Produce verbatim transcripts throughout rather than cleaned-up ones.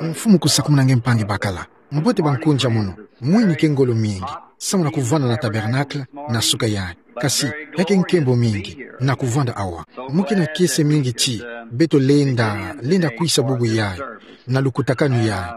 Mfumu kusakumuna nge mpangi bakala. Mbote ba nkunja mono, mwini ke ngolo mingi, samu na kuvwanda na tabernacle, na suka yayi. Kasi, ya ke nkembo mingi, na kuvwanda awa. Mu ke na kiese mingi ti, beto lenda, lenda kwisa bubu yayi, na lukutakanu yayi.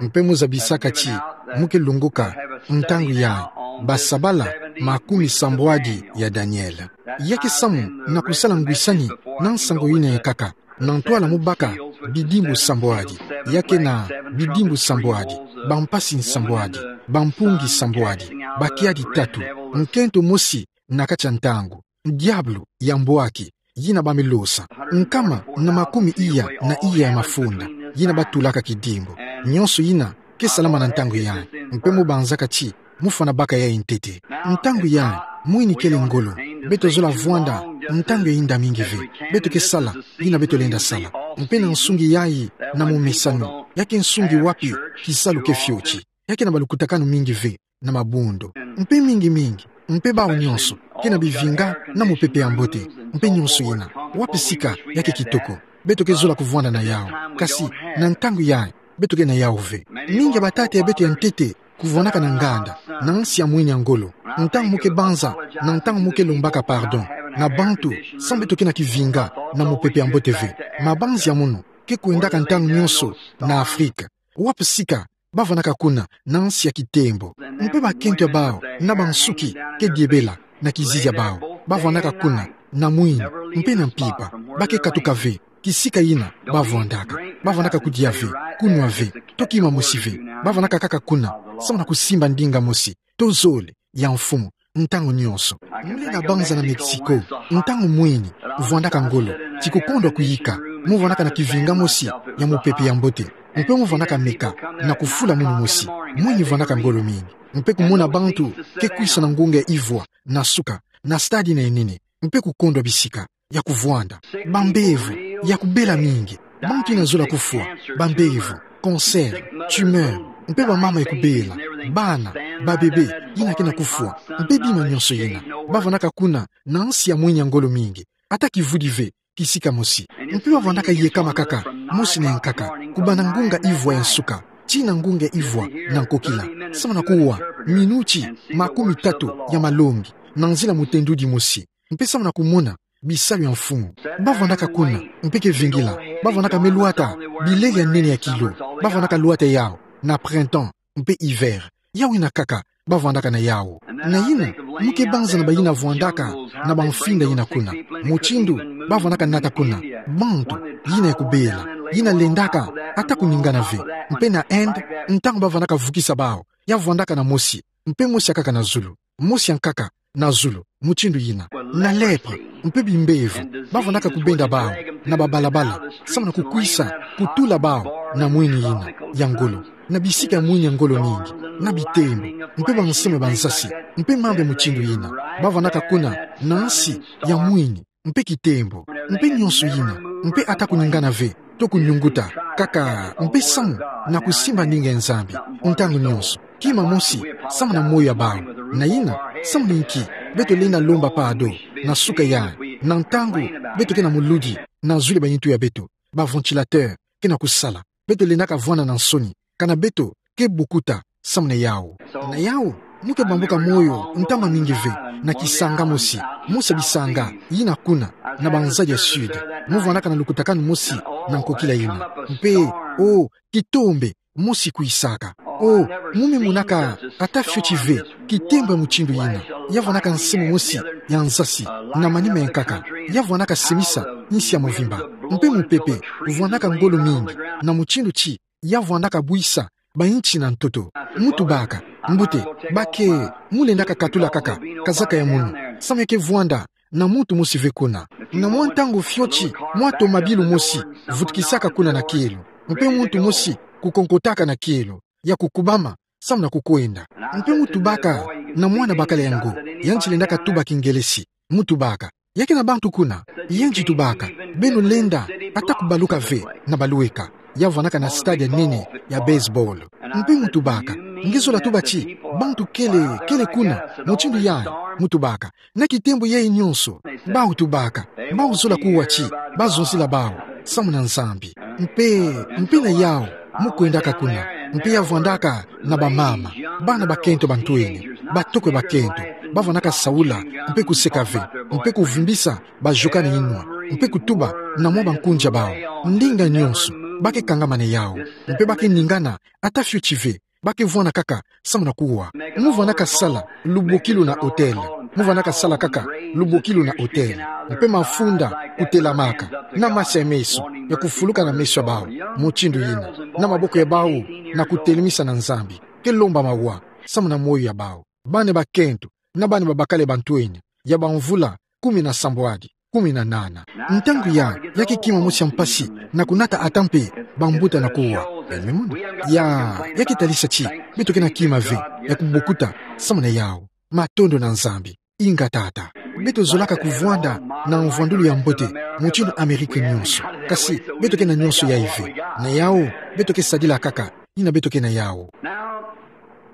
Mpe mu zabisaka ti, mu ke lunguka, ntangu yayi, basabala, makumi sambwadi ya Daniel. Ya ke samu, na kusala ngwisani, na nsangu yina ya nkaka, na ntwala mu baka, bidimbu sambwadi, ya ke na, bidimbu sambwadi, bampasi nsambwadi, bampungi sambwadi, bakiadi tatu, nkento mosi, na kati ya ntangu, diabulu, ya mbwaki, yina ba milosa, nkama, na makumi iya, na iya ya mafunda, yina batulaka kidimbu, nyonso yina, ke salama na ntangu yayi, mpe mu banzaka ti, mu fana baka yayi ntete. Ntangu yayi, mwini kele ngolo, beto zola vwanda, ntangu ya inda mingi ve, beto ke sala, yina beto lenda sala, mpe na nsungi yayi, na momesanu, ya ke nsungi wapi, kisalu ke fioti, ya ke na balukutakanu mingi ve, na mabundu, mpe mingi mingi, mpe bawu nyonso, ke na bivinga, na mupepe ya mbote, mpe nyonso yina, wapi sika, ya ke kitoko, beto ke zola kuvwanda na yawu, kasi, na ntangu yayi, beto ke na yawu ve. Mingi ya batata ya beto ya ntete, kuvwanaka na nganda, na nsi ya mwini ya ngolo, ntangu mu ke banza, na ntangu mu ke lombaka pardon, na bantu, samu beto ke na kivinga, na mupepe ya mbote ve, mabanzi ya mono, ke kwendaka ntangu nyonso, na Afrika. Wapi sika, bavwandaka kuna, na nsi ya kitembo. Mpe bakento ya bawu, na bansuki, ke diebela, na kizizi ya bawu, bavwandaka kuna, na mwini, mpe na mpimpa, ba ke katuka ve, kisika yina, bavwandaka, bavwandaka kudia ve, kunwa ve, to kima mosi ve, bavwandaka kaka kuna, samu na kusimba ndinga mosi, to zole, ya mfumu, ntangu nyonso. Mu lenda banza na Mexico, ntangu mwini, vwandaka ngolo, ti kukondwa kuyika, mu vwandaka na kivinga mosi, ya mupepe ya mbote, mpe mu vwandaka meka, na kufula munu mosi, mwini vwandaka ngolo mingi, mpe kumona bantu, ke kwisa na ngunga ya ivwa, na suka, na stade yina ya nene, mpe kukondwa bisika, ya kuvwanda, bambevo, ya kubela mingi, bantu yina zola kufwa, bambevo, cancer, tumeur, mpe bamama ya kubela, bana, babebe, yina ke na kufwa, mpe bima nyonso yina, bavwandaka kuna, na nsi ya mwini ya ngolo mingi, ata kivwidi ve, kisika mosi, mpe bavwandaka yekama kaka, mosi na ya nkaka, kubanda ngunga ivwa ya nsuka, tii na ngunga ivwa, na nkokila, samu na kuwa, minuti, makumi tatu, ya malongi, na nzila mutendudi mosi, mpe samu na kumona, bisalu ya mfumu. Bavwandaka kuna, mpe ke vingila, bavwandaka me lwata, bilele ya nene ya kilo, bavwandaka lwata yawu, na printemps, mpe hiver. Yawu yina kaka, bavwandaka na yawu. Na yina, mu ke banza na bayina vwandaka, na bamfinda yina kuna. Mutindu, bavwandaka nata kuna, bantu, yina ya kubela, yina lendaka, ata kuningana ve, mpe na Inde, ntangu bavwandaka vukisa bawu, ya vwandaka na mosi, mpe mosi ya nkaka na zulu. Mosi ya nkaka, na zulu, mutindu yina. Na lèpre, mpe bimbevo, bavwandaka kubenda bawu, na babalabala, samu na kukwisa, kutula bawu, na mwini yina, ya ngolo, na bisika ya mwini ya ngolo mingi, na bitembo, mpe bansemo ya bansasi, mpe mambu ya mutindu yina, bavwandaka kuna, na nsi, ya mwini, mpe kitembo, mpe nyonso yina, mpe ata kuningana ve, to kunyunguta, kaka, mpe samu, na kusimba ndinga ya Nzambi, ntangu nyonso, kima mosi, samu na moyo ya bawu, na yina, samu na inki, beto lenda lomba pardon, na suka yayi, na ntangu, beto ke na muludi, na zulu ya bayintu ya beto, ba ventilateur, ke na kusala, beto lendaka vwanda na nsoni, kana beto, ke bukuta, samu na yawu. Na yawu, mu ke bambuka moyo, ntama mingi ve, na kisanga mosi, mosi ya bisanga, yina kuna, na banzadi ya sud, mu vwandaka na lukutakanu mosi, na nkokila yina. Mpe, o, kitombe, mosi kwisaka. O, mu me monaka, ata fioti ve, kitembo ya mutindu yina, ya vwandaka nsemo mosi, ya nsasi, na manima ya nkaka, ya vwandaka semisa, nsi ya mvimba. Mpe mupepe, vwandaka ngolo mingi, na mutindu ti, ya vwandaka bwisa, ba inchi na ntoto. Mu tubaka, mbote, ba ke, mu lendaka katula kaka, kazaka ya munu, samu ya ke vwanda, na muntu mosi ve kuna. Na mwa ntangu fioti, mwa tomabilu mosi, vutukisaka kuna na kielo. Mpe muntu mosi, kukonkotaka na kielo, ya kukubama, samu na kukwenda. Mpe mu tubaka, na mwana bakala yango, yandi lendaka tuba kingelesi, mu tubaka. Ya ke na bantu kuna, yandi tubaka, beno lenda, ata kubaluka ve, na balweka, ya vwandaka na stade ya nene, ya baseball. Mpe mu tubaka, nge zola tuba ti, bantu kele, kele kuna, mutindu yayi, mu tubaka, na kitembo yayi nyonso, bawu tubaka, bawu zola kuwa ti, bazonzila bawu, samu na Nzambi. Mpe, mpe na yawu, Mu kwendaka kuna, mpe ya vwandaka na bamama, bana bakento ba ntwenya, batoko bakento, ba vwandaka saula, mpe kuseka ve, mpe kuvimbisa bajokani inwa, mpe kutuba na mwa bankunja bao. Ndinga nyonso, ba ke kangama na yau, mpe ba ke ningana, ata fioti ve, ba ke vwanda kaka, samu na kuwa. Mu vwandaka sala, lubokilu na hotel. Mu vwandaka sala kaka, lubokilu na hotel. Mpe mafunda, kutelamaka, na masi ya meso, ya kufuluka na meso ya bao, mutindu yina. Na maboko ya bao, na kutelemisa na Nzambi. Ke lomba mawa, samu na moyo ya bao. Bana bakento, na bana babakala ba ntwenya, ya bamvula, kumi na sambwadi, kumi na nana. Ntangu ya, ya ke kima mosi ya mpasi, na kunata ata mpe, bambuta na kuwa. Beno mona. Ya, ya ke talisa ti, beto ke na kima ve, ya kubokuta, samu na yau. Matondo na Nzambi, inga tata. Beto zolaka kuvwanda, na mvwandulu ya mbote, mutindu Amerika nyonso. Kasi, beto ke na nyonso yai ve. Na yau, beto ke sadila kaka, yina beto ke na yau.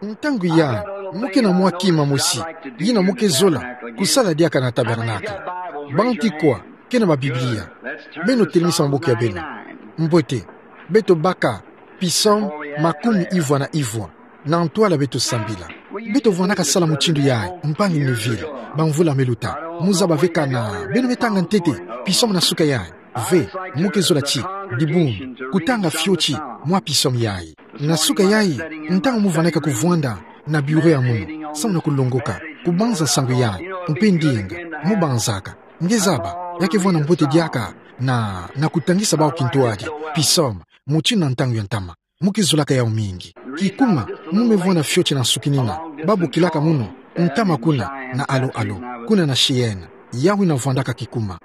Ntangu ya, mu ke na mwa kima mosi, yina mu ke zola, kusala diaka na tabernacle. Bantu kwa, ke na ba Biblia. Beno telemisa maboko ya beno. Mbote, beto baka, psaume, makumi ivwa na ivwa. Na ntwala beto sambila. Beto vwandaka sala mutindu yai, mpangi Neville, bamvula me luta. Mu zaba ve kana, beno me tanga ntete, psaume na suka yai. Ve, mu ke zola ti, dibundu, kutanga fioti, mwa psaume yai. Na suka yai, ntangu mu vwandaka kuvwanda, na bureau ya munu, samu na kulongoka, kubanza nsangu yai, mpe ndinga, mu banzaka. Nge zaba, ya ke vwanda mbote diaka, na, na kutangisa bao kintwadi, psaume, mutindu na ntangu ya ntama. Mu ke zolaka yau mingi. Kikuma, mu me vwanda fioti na nsukinina, ba bokilaka munu, ntama kuna, na Alo Alo, kuna na Cheyenne. Yau ina vwandaka kikuma.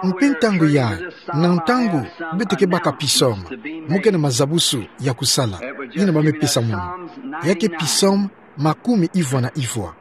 Mpe ntangu ya, na ntangu, beto ke baka psaume, mu ke na mazabusu ya kusala, yina ba me pesa munu. Ya ke psaume, makumi ivwa na ivwa.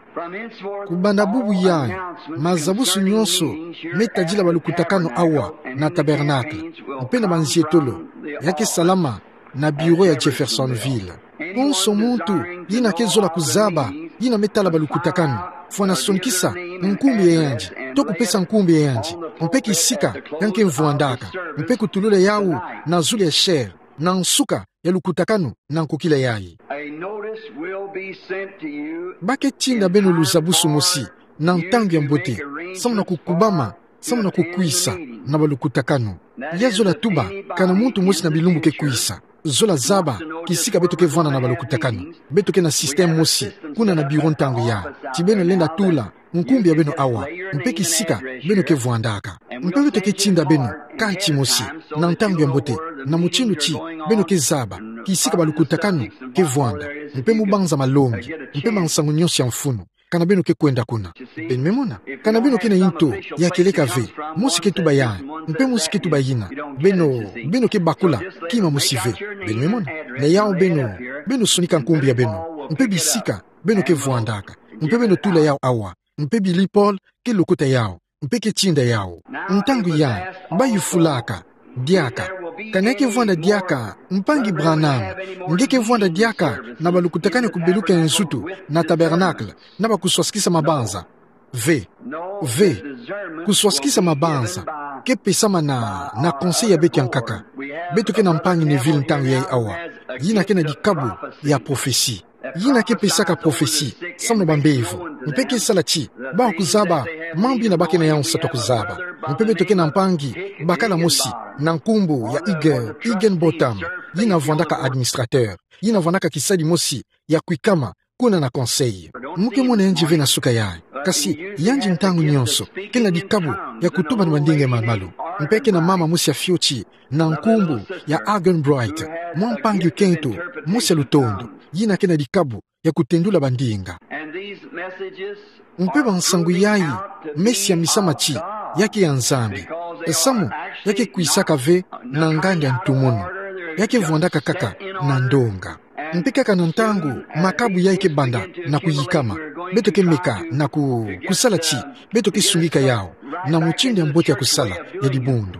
Kubanda bubu yai, mazabusu nyonso, me tadila balukutakanu awa, na tabernacle, mpe na banzietolo, ya ke salama, na bureau ya Jeffersonville. Konso muntu, yina ke zola kuzaba, yina me tala balukutakanu, fwana sonkisa, nkumbu ya yandi, to kupesa nkumbu ya yandi, mpe kisika, ya ke vwandaka, mpe kutulula yau, na zulu ya chaire, na nsuka, ya lukutakanu, na nkokila yai. A notice will be sent to you. Ba ke tinda beno luzabusu mosi, na ntangu ya mbote, samu na kukubama, samu na kukwisa, na balukutakanu. Ya zola tuba, kana muntu mosi na bilumbu ke kwisa. Zola zaba, kisika beto ke vwanda na balukutakanu. Beto ke na système mosi, kuna na bureau ntangu ya. Ti beno lenda tula, nkumbu ya beno awa, mpe kisika, beno ke vwandaka. Mpe beto ke tinda beno, kati mosi, na ntangu ya mbote, na mutindu ti, beno ke zaba, kisika balukutakanu, ke vwanda, mpe mu banza malongi, mpe mansangu nyonso ya mfunu. Kana beno ke kwenda kuna. Beno me mona. Kana beno ke na nto, ya kieleka ve. Mosi ke tuba yai. Mpe mosi ke tuba yina. Beno, beno ke bakula. Kima mosi ve. Beno me mona. Na yau beno. Beno sonika nkumbu ya beno. Mpe bisika. Beno ke vwandaka. Mpe beno tula yau awa. Mpe Billy Paul, ke lokota yau. Mpe ke tinda yau. Ntangu ya, ba yufulaka. Diaka. Kana ke vwanda diaka, mpangi Branham, nge ke vwanda diaka, na balukutakanu kubeluka nzutu, na tabernacle, na bakuswasikisa mabanza. Ve. Ve. Kuswasikisa mabanza. Ke pesama na, na conseil ya beto ya nkaka. Beto ke na mpangi Neville ntangu yai awa. Yina ke na dikabu, ya prophétie. Yina ke pesaka prophétie, samu na bambevo. Mpe ke sala ti, ba kuzaba, mambu yina ba ke na yau nsatu kuzaba. Mpe beto ke na mpangi, bakala mosi, na nkumbu, ya Higginbotham. Yina vwandaka administrateur. Yina vwandaka kisadi mosi, ya kwikama, kuna na conseil. Mu ke mona yandi ve na suka yai. Kasi, yandi ntangu nyonso, ke na dikabu, ya kutuba na bandinga malumalu. Mpe ke na mama mosi ya fioti, na nkumbu, ya Argenbright, mwa mpangi kento, mosi ya lutondo, yina ke na dikabu, ya kutendula bandinga. Mpe bansangu yai, me siamisama ti, ya ke ya Nzambi. Samu, ya ke kwisaka ve, na ngandi ya ntumunu. Ya ke vwandaka kaka, na ndonga. Mpe kaka na ntangu, makabu yai ke banda, na kuyikama. Beto ke meka, na ku, kusala ti, beto ke sungika yau. Na mutindu ya mbote ya kusala, ya dibundu.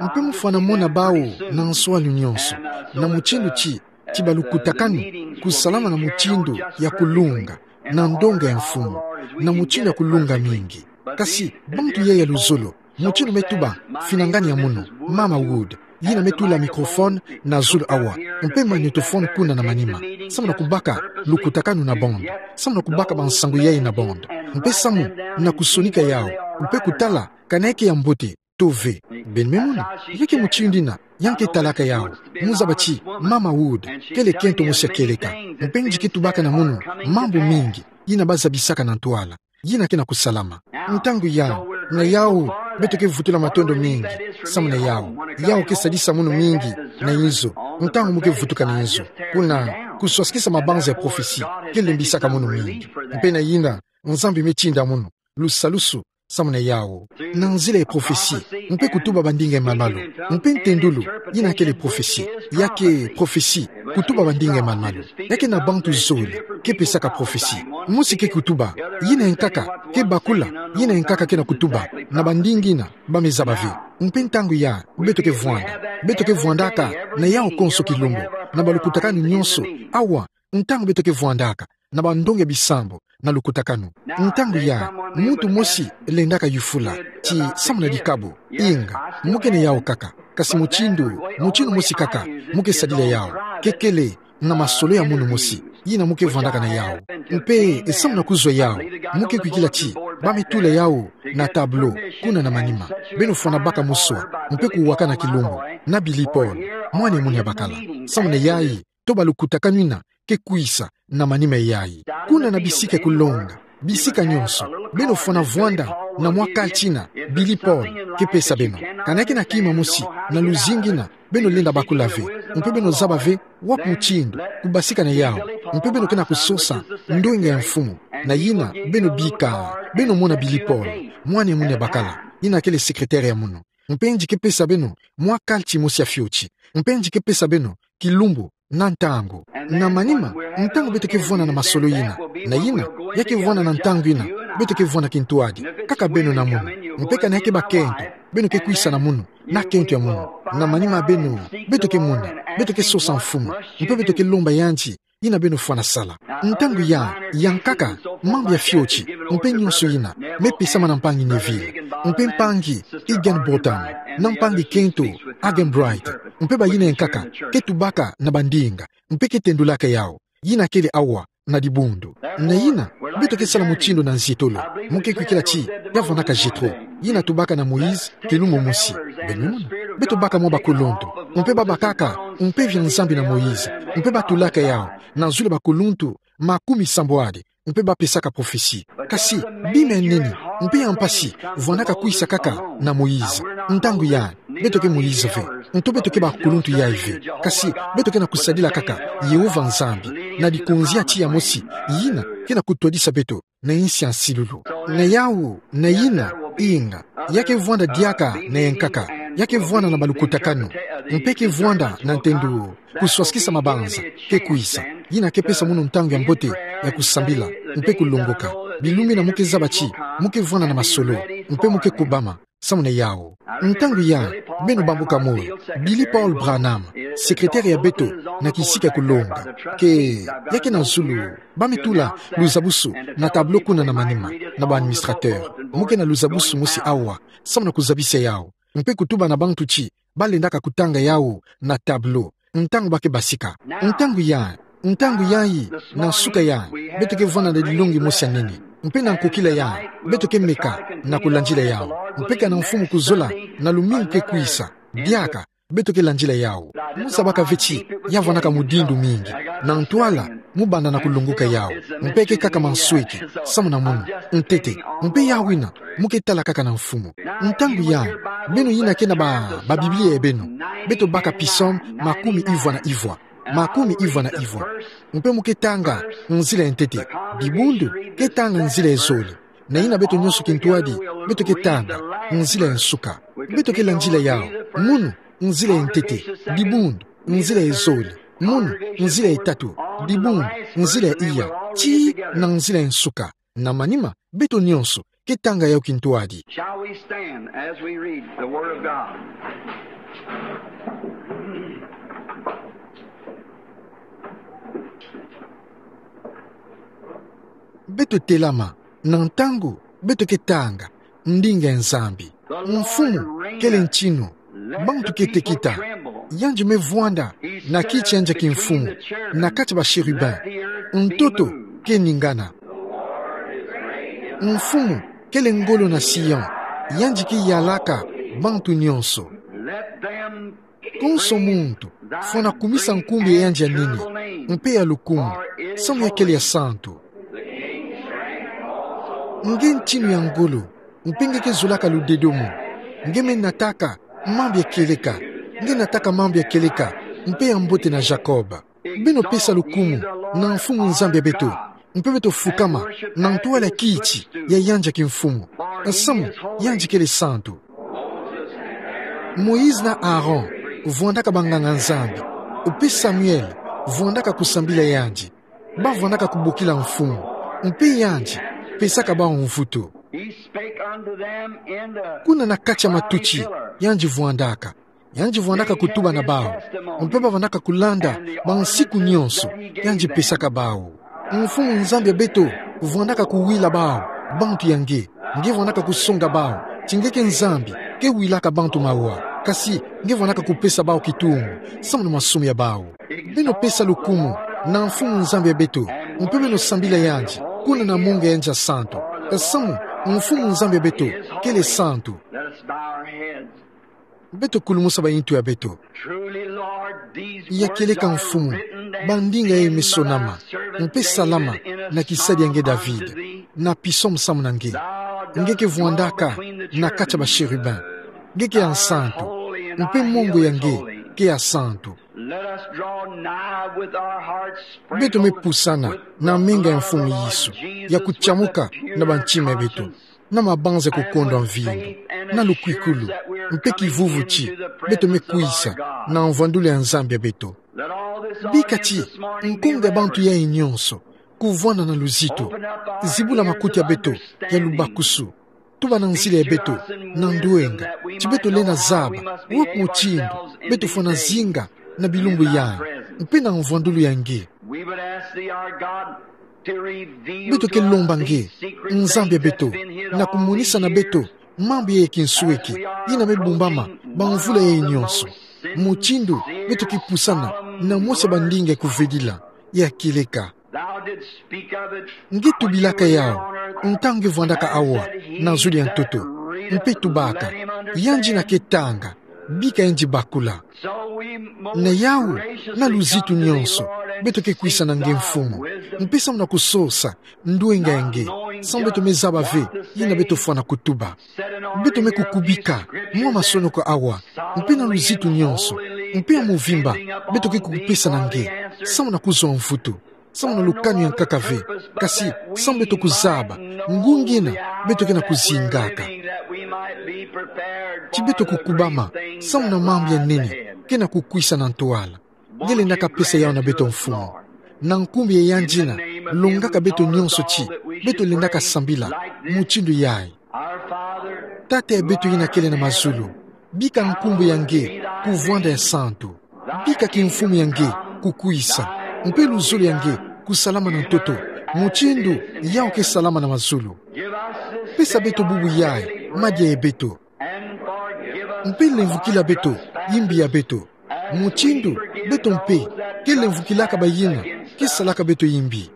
Mpe mu fwana mona bau, na nswani nyonso. Na mutindu ti, ti balukutakanu, kusalama na mutindu, ya kulunga, na ndonga ya mfumu, na mutindu ya kulunga mingi. Kasi, bantu yai ya luzolo, mutindu me tuba, finangani ya munu, Mama Wood, yina me tula microphone na zulu awa, mpe magnétophone kuna na manima, samu na kubaka lukutakanu na bande, samu na kubaka bansangu yayi na bande, mpe samu na kusonika yawu, mpe kutala kana yake ya mbote to ve. Beno me mona, yake mutindu yina ya nge ke talaka yawu. Muzaba ti Mama Wood kele kento mosi ya kieleka, mpe nge ke tubaka na munu mambu mingi yina bazabisaka na ntwala, yina ke na kusalama. Ntangu ya, na yawu, beto ke vutula matondo mingi samu na yawu. Yawu ke sadisa munu mingi na inzo, ntangu mu ke vutuka na inzo. Kuna, kuswasikisa mabanza ya prophetie ke lembisaka munu mingi. Mpe na yina, Nzambi me tinda munu lusalusu samu na yawu. Na nzila ya prophetie, mpe kutuba bandinga ya malu-malu, mpe ntendulu, yina kele prophetie. Yake prophetie, kutuba bandinga ya malu-malu, yake na bantu zole ke pesaka prophetie. Mosi ke kutuba, yina ya nkaka ke bakula, yina ya nkaka ke na kutuba na bandinga yina ba me zaba ve. Mpe ntangu ya, beto ke vwanda, beto ke vwandaka na yawu konso kilumbu, na balukutakanu nyonso, awa, ntangu beto ke vwandaka na bandongi ya bisambu na lukutakanu. Ntangu ya, muntu mosi lendaka yufula ti samu na dikabu. Inga, mu ke na yawu kaka, kasi mutindu, mutindu mosi kaka mu ke sadila yawu ke kele na masolo ya munu mosi yina mu ke vwandaka na yawu. Mpe samu na kuzwa yawu, mu ke kwikila ti ba me tula yawu na tableau kuna na manima. Beno fwana baka muswa, mpe kuwakana kilumbu na Billy Paul, mwana ya munu ya bakala. Samu na yayi, to balukutakanu yina ke kwisa na manima yayi. Kuna na bisika ya kulonga, bisika nyonso, beno fwana vwanda na mwa carte yina Billy Paul ke pesa beno. Kana yake na kima mosi na luzingu yina beno lenda bakula ve, mpe beno zaba ve wapi mutindu kubasika na yawu, mpe beno ke na kusosa ndwenga ya Mfumu, na yina beno bika, beno mona Billy Paul, mwana ya munu ya bakala, yina kele secrétaire ya munu. Mpe nge ke pesa beno mwa carte mosi ya fioti. Mpe nge ke pesa beno kilumbu na ntangu. Na manima, ntangu beto ke vwanda na masolo yina, na yina, yake vwanda na ntangu yina, beto ke vwanda kintwadi, kaka beno na munu. Mpe kana yake bakento, beno ke kwisa na munu, na kento ya munu. Na manima beno, beto ke mona, beto ke sosa Mfumu, mpe beto ke lomba yandi yina beno fwana sala. Ntangu ya, ya nkaka, mambu ya fioti, mpe nyonso yina me pesama na mpangi Neville, mpe mpangi Higginbotham, na mpangi kento Arganbright, mpe bayina ya nkaka ke tubaka na bandinga, mpe ke tendulaka yawu, yina kele awa na dibundu. Na yina, beto ke sala mutindu na nzietolo. Mu ke kwikila ti ya vwandaka Jethro, yina tubaka na Moïse kilumbu mosi. Beno me mona, beto baka mwa bakuluntu, mpe ba bakaka mpeve ya Nzambi na Moïse, mpe ba tulaka yawu na zulu ya bakuluntu makumi sambwadi, mpe ba pesaka prophetie. Kasi bima ya nene mpe ya mpasi vwandaka kwisa kaka na Moïse. Ntangu ya, beto ke Moïse ve, nto beto ke bakuluntu yayi ve. Kasi beto ke na kusadila kaka Yehova Nzambi na likonzi ya tiya mosi, yina ke na kutwadisa beto na insi ya nsilulu. Na yawu, na yina, inga, yake vwanda diaka na ya nkaka, yake vwanda na balukutakanu, mpe ke vwanda na ntendu kuswasikisa mabanza ke kwisa, yina ke pesa munu ntangu ya mbote ya kusambila mpe kulongoka. Bilumbu yina mu ke zaba ti mu ke vwanda na masolo, mpe mu ke kubama samu na yawu. Ntangu ya, beno bambuka moyo, Billy Paul Branham, secrétaire ya beto na kisika ya kulonga, ke, yake na zulu, ba me tula luzabusu na tableau kuna na manima, na ba administrateur. Mu ke na luzabusu mosi awa samu na kuzabisa yawu, mpe kutuba na bantu ti ba lendaka kutanga yawu na tableau ntangu ba ke basika. Ntangu ya, ntangu yayi, na nsuka ya, beto ke vwanda na dilongi mosi ya nene. Mpe na nkokila ya, beto ke meka na kulandila yawu. Mpe kana Mfumu kuzola na lumingu ke kwisa, diaka, beto ke landila yawu. Mu zabaka ve ti ya vwandaka mudindu mingi. Na ntwala mu banda na kulongoka yawu, mpe ke kaka mansweki samu na munu, ntete. Mpe yawu yina, mu ke tala kaka na Mfumu. Ntangu ya, beno yina ke na ba, ba Biblia ya beno, beto baka Psaume makumi ivwa na ivwa. Makumi ivwa na ivwa. Mpe mu ke tanga nzila ya ntete. Dibundu ke tanga nzila ya zole. Na yina beto nyonso kintwadi, beto ke tanga nzila ya nsuka. Beto ke landila yawu. Munu, nzila ya ntete. Dibundu, nzila ya zole. Munu, nzila ya tatu. Dibundu, nzila ya iya. Tii na nzila ya nsuka. Na manima, beto nyonso ke tanga yawu kintwadi. Shall we stand as we read the Word of God? Beto telama, na ntangu beto ke tanga ndinga ya Nzambi. Mfumu kele ntinu, bantu ke tekita, Yandi me vwanda na kiti yandi ya kimfumu, na kati ya ba chérubin. Ntoto ke ningana. Mfumu kele ngolo na Sion, yandi ke yalaka bantu nyonso. Konso muntu fwana kumisa nkumbu ya yandi ya nini mpe ya lukumu, samu ya kele ya santu. Nge ntinu ya ngolo, mpe nge ke zolaka ludedomo. Nge me nataka mambu ya kieleka. Nge nataka mambu ya kieleka mpe ya mbote na Jacob. Beno pesa lukumu na Mfumu Nzambi ya beto, mpe beto fukama na ntwala ya kiti ya yandi ya kimfumu. Samu yandi kele santu. Moïse na Aaron vwandaka banganga-Nzambi, mpe Samuel vwandaka kusambila yandi. Ba vwandaka kubokila mfumu, mpe yandi pesaka bawu mvutu. He spake unto them in the Kuna na kati ya matuti, yandi vwandaka. Yandi vwandaka kutuba na bawu, mpe ba vwandaka kulanda bansiku nyonso yandi pesaka bawu. Mfumu Nzambi ya beto vwandaka kuwila bawu bantu ya nge. Nge vwandaka kusonga bawu ti nge ke Nzambi ke wilaka bantu mawa, kasi nge vwandaka kupesa bawu kitungu samu na masumu ya bawu. Beno pesa lukumu na Mfumu Nzambi ya beto, mpe beno sambila yandi kuna na mongo ya yandi ya santu. Samu Mfumu Nzambi ya beto kele santu. Let us bow our heads. Beto kulumusa bayintu ya beto. Truly, Lord, these Ya words kieleka are Mfumu, written bandinga yayi me sonama, mpe salama na kisadi ya nge David, na psaume samu na nge. Nge ke vwandaka na kati ya ba chérubin. Nge ke ya nsantu, mpe mongo ya nge ke ya santu. Let us draw nigh with our hearts sprinkled. Beto me pusana na menga ya Mfumu Yesu, ya kutiamuka na bantima ya beto, na mabanza ya kukondwa mvindu, na lukwikulu, mpe kivuvu ti beto me kwisa na mvwandulu ya Nzambi ya beto. Bika ti nkonga ya bantu yayi nyonso kuvwanda na luzitu, zibula makuti ya beto ya lubakusu, tubana nzila ya beto na ndwenga, ti beto lenda zaba wapi mutindu beto fwana zinga na bilumbu yayi, mpe na mvwandulu ya nge. We would ask thee, our God, to reveal to us these secret things that's been hid all these years. Beto ke lomba nge, Nzambi ya beto, na kumonisa na beto mambu ya kinsweki yina me bumbama bamvula yayi nyonso. Mutindu beto ke pusana na mosi ya bandinga ya kuvedila, ya kieleka. Thou didst speak of it. Nge tubilaka yawu ntangu nge vwandaka awa na zulu ya ntoto, mpe tubaka: Yandi yina ke tanga, bika yandi bakula. Na yawu, na luzitu nyonso, beto ke kwisa na nge Mfumu, mpe samu na kusosa ndwenga ya nge, samu beto me zaba ve yina beto fwana kutuba. Beto me kukubika mwa masonoko awa, mpe na luzitu nyonso, mpe ya mvimba, beto ke kukupesa na nge, samu na kuzwa mvutu, samu na lukanu ya nkaka ve, kasi samu beto kuzaba ngunga yina beto kena kuzingaka. Ti beto kukubama samu na mambu ya nene kena kukwisa na ntwala. Nge lendaka pesa yawu na beto Mfumu. Na nkumbu ya yandi yina longaka beto nyonso ti beto lendaka sambila mutindu yayi. Tata ya beto yina kele na mazulu, bika nkumbu ya nge kuvwanda ya santu. Bika kimfumu ya nge kukwisa, mpe luzolo ya nge kusalama na ntoto, mutindu yawu ke salama na mazulu. Pesa beto bubu yayi madia ya beto, mpe lemvukila beto yimbi ya beto, mutindu beto mpe ke lemvukilaka bayina ke salaka beto yimbi.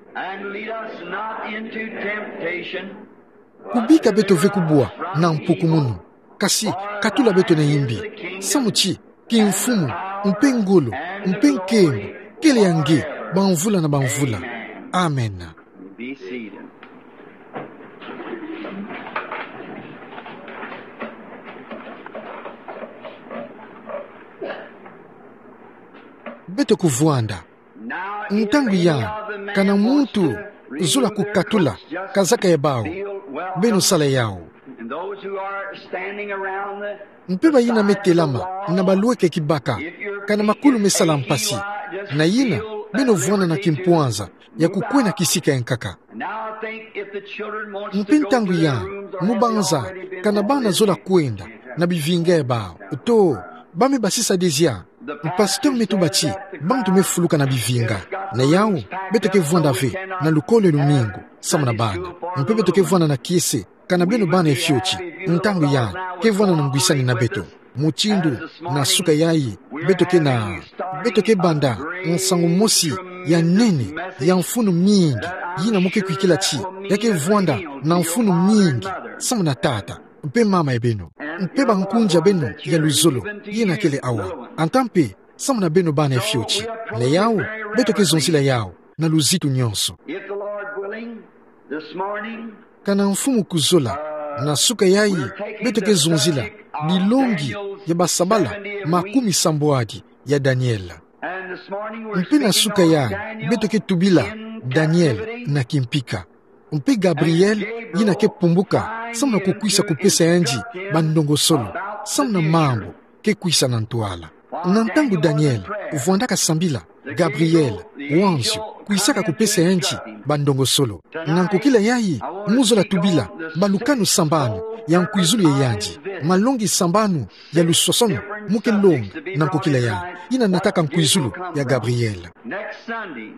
Kubika beto ve kubwa na mpukumunu, kasi katula beto na yimbi. Samu ti kimfumu, mpe ngolo, mpe nkembo kele ya nge bamvula na bamvula. Amen. Beto kuvwanda. Ntangu yayi, kana muntu zola kukatula kazaka ya bawu, beno sala yawu. Mpe bayina me telama na balweke kibaka, kana makulu me sala mpasi, na yina beno vwanda na kimpwanza ya kukwena kisika ya nkaka. Mpe ntangu yayi, mu banza, kana bana zola kwenda na bivinga ya bawu, to, ba me basisa dezia. Pasteur me tuba ti bantu me fuluka na bivinga. Na yawu, beto ke vwanda ve na lukolo ya lumingu samu na bana. Mpe beto ke vwanda na kiese, kana beno bana ya fioti, ntangu yayi, ke vwanda na ngwisani na beto. Mutindu na suka yayi, beto ke na, beto ke banda nsangu mosi ya nene, ya mfunu mingi, yina mo ke kwikila ti ya ke vwanda na mfunu mingi, samu na tata mpe mama ya beno, mpe bankunzi ya beno ya luzolo, yina kele awa. Anta mpe samu na beno bana fioti. Na yawu, beto ke zonzila yawu na luzitu nyonso. If the Lord willing, this morning, Kana Mfumu kuzola, na suka yayi, beto ke zonzila bilongi ya basabala makumi sambwadi ya Daniela. And this morning we're Mpe na speaking suka on yayi, Daniel beto ke tubila in Daniel captivity. Na kimpika. Mpe Gabriel, yina ke pumbuka samu na kukwisa kupesa yandi bandongosolo samu na mambu ke kwisa na ntwala. Na ntangu Daniel vwandaka sambila, Gabriel, wanzio, kwisaka kupesa yandi bandongosolo. Na nkokila yayi, mu zola tubila balukanu sambanu ya nkwizulu ya yandi, malongi sambanu ya luswaswanu mu ke longa na nkokila yayi, yina nataka nkwizulu ya Gabriel. Next Sunday,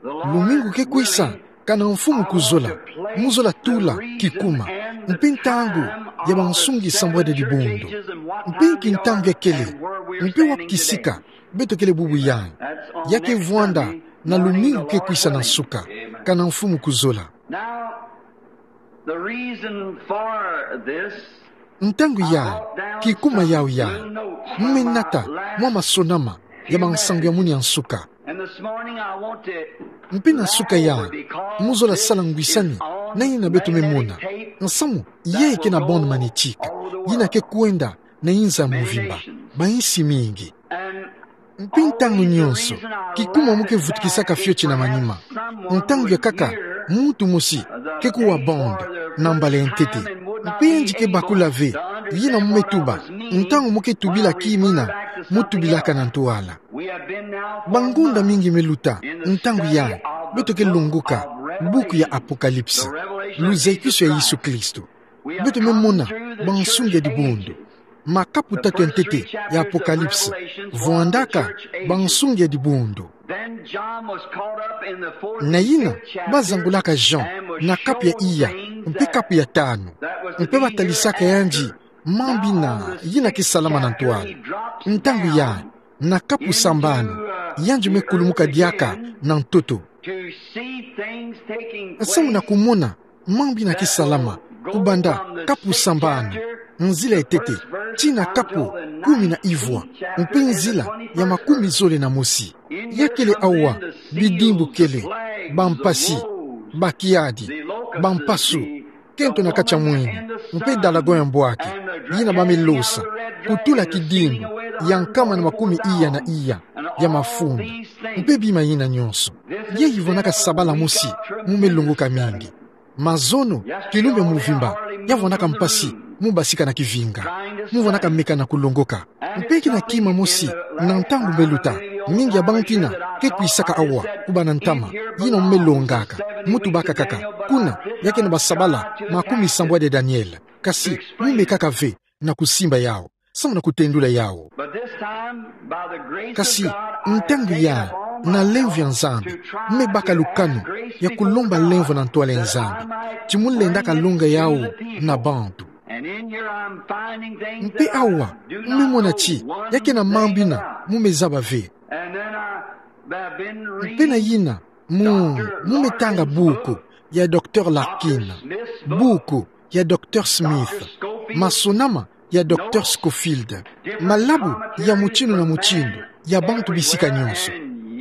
Lumingu ke kwisa, kana Mfumu kuzola, mu zola tula kikuma mpe ntangu ya bansungi sambwadi ya dibundu, mpe nki ntangu ya kele, mpe wapi kisika beto kele bubu yayi. Ya ke vwanda na lumingu ke kwisa na nsuka, kana Mfumu kuzola. Now, the reason for this, Ntangu yayi, kikuma yawu yayi, mu me nata mwa masonama ya mansangu ya muni ya nsuka. And this morning I want to Mpe na nsuka yayi, mu zola sala ngwisani na yina beto me mona nsamu yayi ke na bande magnétique, yina ke kwenda na inza ya mvimba, bayinsi mingi. Mpe ntangu nyonso, kikuma mu ke vutukisaka fioti na manima, ntangu ya kaka muntu mosi ke kuwa bande na mbala ya ntete. Mpe yandi ke bakula ve yina mu me tuba ntangu mu ke tubila kimina mu tubilaka na ntwala. Bangonda mingi me luta, ntangu yayi beto ke longoka buku ya Apocalypse, luzayikusu ya Yesu Kristo. Beto me mona bansungi ya dibundu. Makapu tatu ya ntete ya Apocalypse vwandaka bansungi ya dibundu. Na yina, bazangulaka Jean na kapu ya iya mpe kapu ya tanu, mpe batalisaka yandi mambu yina, yina ke salama na ntwala. Ntangu yayi, na kapu sambanu, yandi me kulumuka diaka na ntoto. Samu na kumona mambu yina ke salama, kubanda kapu sambanu, nzila ya ntete, tii na kapu kumi na ivwa, mpe nzila ya makumi zole na mosi. Ya kele awa, bidimbu kele, bampasi, bakiadi, bampasu, kento na kati ya mwini, mpe dalagon ya mbwaki, yina ba me losa, kutula kidimbu ya nkama na makumi iya na iya ya mafunda, mpe bima yina nyonso. Yayi vwandaka sabala mosi mu me longoka mingi. Mazono, kilumbu ya mvimba ya vwandaka mpasi mu basika na kivinga, mu vwandaka meka na kulongoka. Mpe ke na kima mosi, na ntangu me luta, mingi ya bantu yina ke kwisaka awa, kubanda ntama, yina mu me longaka, mu tubaka kaka, kuna, ya ke na basabala makumi sambwadi ya Daniel, kasi mu mekaka ve na kusimba yawu samu na kutendula yawu. But this time, by the grace of Kasi, God, I ntangu yayi, na lemvo ya Nzambi, mu me baka lukanu ya kulomba lemvo na ntwala ya Nzambi, ti mu lendaka longa yawu na bantu. And in here I'm finding things Mpe that I awa, do mu me not mona know ti, one ya ke na mambu thing yina, about. Mu me zaba ve. And then I, I've been Mpe na reading yina, mu, mu me tanga buku ya Docteur Larkin, buku ya Docteur Smith, masonama ya Docteur Scofield, malabu ya mutindu na mutindu, ya bantu bisika nyonso.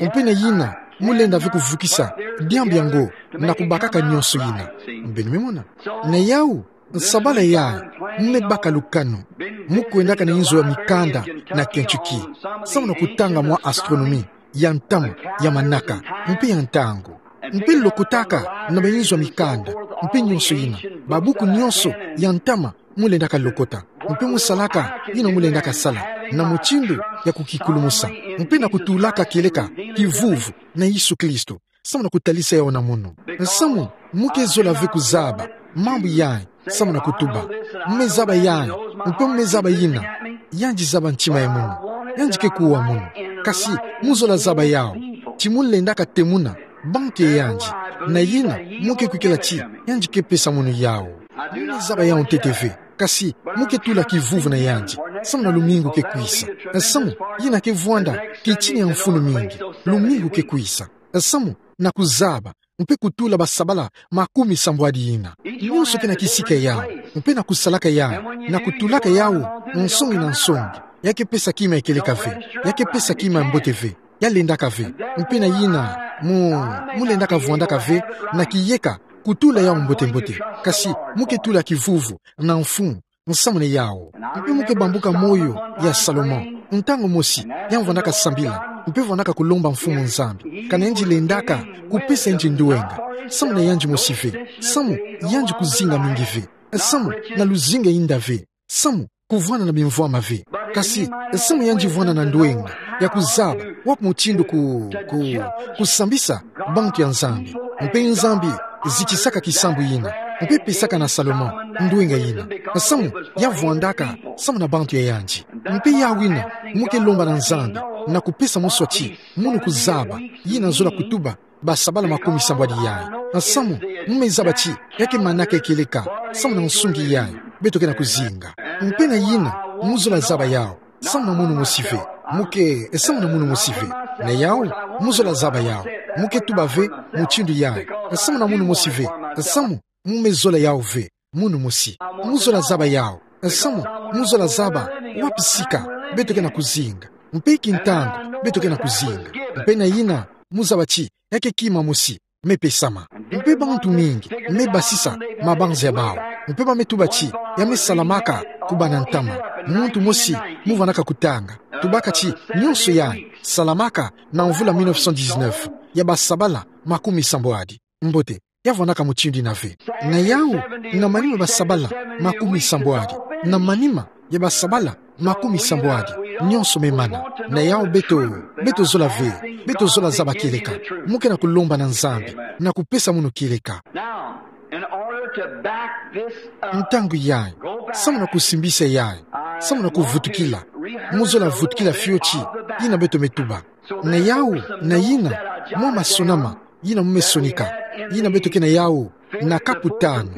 Mpe na yina, mu lenda ve kuvukisa diambu yango na kubakaka nyonso yina. Mbe ni me mona. Na yawu, nsabala yayi, mu me baka lukanu, mu kwendaka na inzo ya mikanda na Kentucky, samu na kutanga mwa astronomie ya ntama, ya manaka, mpe ya ntangu. Mpe lokotaka na ba inzo ya mikanda, mpe nyonso yina, babuku nyonso ya ntama, mu lendaka lokota. Mpe mu salaka yina mu lendaka sala, na mutindu ya kukikulumusa, mpe na kutulaka kieleka kivuvu na Yesu Kristo, samu na kutalisa yawu na munu. Samu, mu ke zola ve kuzaba mambu yayi, samu na kutuba, mu me zaba yayi, mpe mu me zaba yina, yandi zaba ntima ya munu, yandi ke kuwa munu. Kasi, mu zola zaba yawu, ti mu lendaka temuna bantu ya yandi, na yina, mu ke kwikila ti, yandi ke pesa munu yawu. Mu me zaba yawu ntete ve, Kasi, mu ke tula kivuvu na yandi, samu na lumingu ke kwisa. Samu, yina ke vwanda, kitini ya mfunu mingi, lumingu ke kwisa. Samu, na kuzaba, mpe kutula basabala makumi sambwadi yina. Nyonso ke na kisika yau, mpe na kusalaka yau, na kutulaka yau, nsongi na nsongi. Ya ke pesa kima ekeleka ve, ya ke pesa kima mbote ve, ya lendaka ve. Mpe na yina, mu, mu lendaka vwandaka ve, na kiyeka, kutula yau mbote mbote. Kasi, mu ke tula kivuvu, na mfunu, nsamu na yau. Mpe mu ke bambuka moyo ya Salomon. Ntangu mosi, ya vwandaka sambila, mpe vwandaka kulomba Mfumu Nzambi. Kana yandi lendaka, kupesa yandi ndwenga. Samu na yandi mosi ve. Samu, yandi kuzinga mingi ve. Samu, na luzingu inda ve. Samu, kuvwanda na bimvwama ve. Kasi, samu yandi vwanda na ndwenga. Ya kuzaba, wapi mutindu ku, ku, kusambisa, bantu ya Nzambi. Mpe Nzambi, zitisaka kisambu yina. Mpe pesaka na Salomon, ndwenga yina. Samu, ya vwandaka, samu na bantu ya yandi. Mpe yawina, mu ke lomba na Nzambi, na kupesa moswaki, munu kuzaba, yina zola kutuba, basabala makumi sambwadi yayi. Samu, mu me zaba ti, ya ke manaka ekeleka, samu na nsungi yayi, beto ke na kuzinga. Mpe na yina, mu zola zaba yau, samu na munu mosi ve. Mu ke, samu na munu mosi ve. Na yau, mu zola zaba yau. Mu ke tuba ve, mutindu yayi. Samu na munu mosi ve. Samu, mu me zola yau ve. Munu mosi. Mu zola zaba yau. Samu, mu zola zaba, wapi sika, beto ke na kuzinga. Mpe kintangu, beto ke na kuzinga. Mpe na yina, mu zaba ti, ya ke kima mosi, me pesama. Mpe bantu mingi, me basisa, mabanza ya bau. Mpe ba me tuba ti, ya me salamaka, kubanda ntama. Muntu mosi, mu vwandaka kutanga. Tubaka ti, nyonso yayi, salamaka, na mvula mille neuf cent dix-neuf, ya basabala, makumi sambwadi. Mbote, ya vwandaka mutindu yina ve. Na yau, na manima basabala, makumi sambwadi. Na manima, ya basabala, makumi sambwadi. Nyonso me mana. Na yau beto, beto zola ve, beto zola zaba kieleka. Mu ke na kulomba na Nzambi, na kupesa munu kieleka. Now, in order to back this up, ntangu yayi, samu na kusimbisa yayi, samu na kuvutukila, mu zola vutukila fioti, yina beto me tuba. Na yau, na yina, mwa masonama, yina mu me sonika, yina beto ke na yau, na kapu tanu,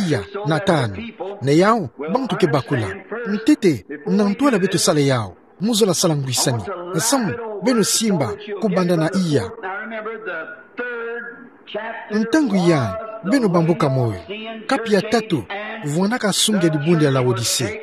iya, na tanu. Na yau, bantu ke bakula. Ntete, na ntwala beto sala yau, mu zola sala ngwisani. Samu, beno simba, kubanda na iya. Ntangu yayi, beno bambuka moyo. Kapu ya tatu, vwandaka nsungi ya dibundu ya Laodise.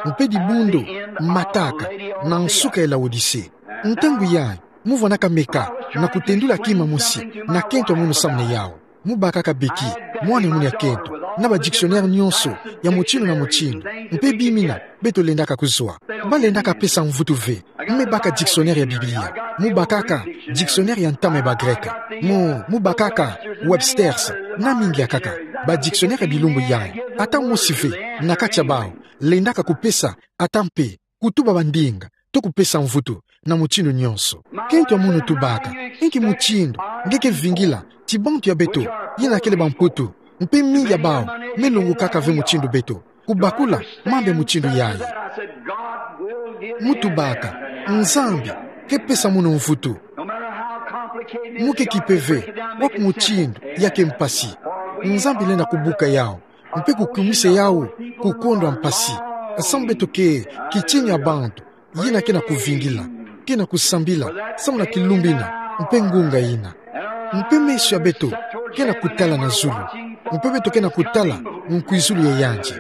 Mpe dibundu, mataka, na nsuka ya Laodise. Ntangu yayi, mu vwandaka meka, na kutendula kima mosi, na kento ya munu samu na yau. Mu bakaka beki, mwana munu ya kento, na ba dictionnaire nyonso, ya mutindu na mutindu. Mpe bimina, beto lendaka kuzwa. Ba lendaka pesa mvutu ve, mu me baka dictionnaire ya Biblia. Mu bakaka, dictionnaire ya ntama ya ba Greka. Mu, mu bakaka, Webster's, na mingi akaka. Ba dictionnaire ya bilumbu yayi, ata mosi ve, na kati ya bau, lendaka kupesa, ata mpe, kutuba bandinga, to kupesa mvutu, na mutindu nyonso. Kento ya munu tubaka, inki mutindu, nge ke vingila, ti bantu ya beto, yina kele bamputu, mpe mingi ya bau, me longokaka ve mutindu beto. Kubakula, mambu ya mutindu yayi. Mu tubaka, Nzambi, ke pesa munu mvutu. Mu ke kipe ve, wapi mutindu, ya ke mpasi. Nzambi lenda kubuka yau. Mpe kukumisa yau, ku kondwa mpasi. Samu beto ke, kitini ya bantu, yina ke na kuvingila, ke na kusambila, samu na kilumbu yina, mpe ngunga yina. Mpe meso ya beto, ke na kutala na zulu. Mpe beto ke na kutala, nkwizulu ya yandi.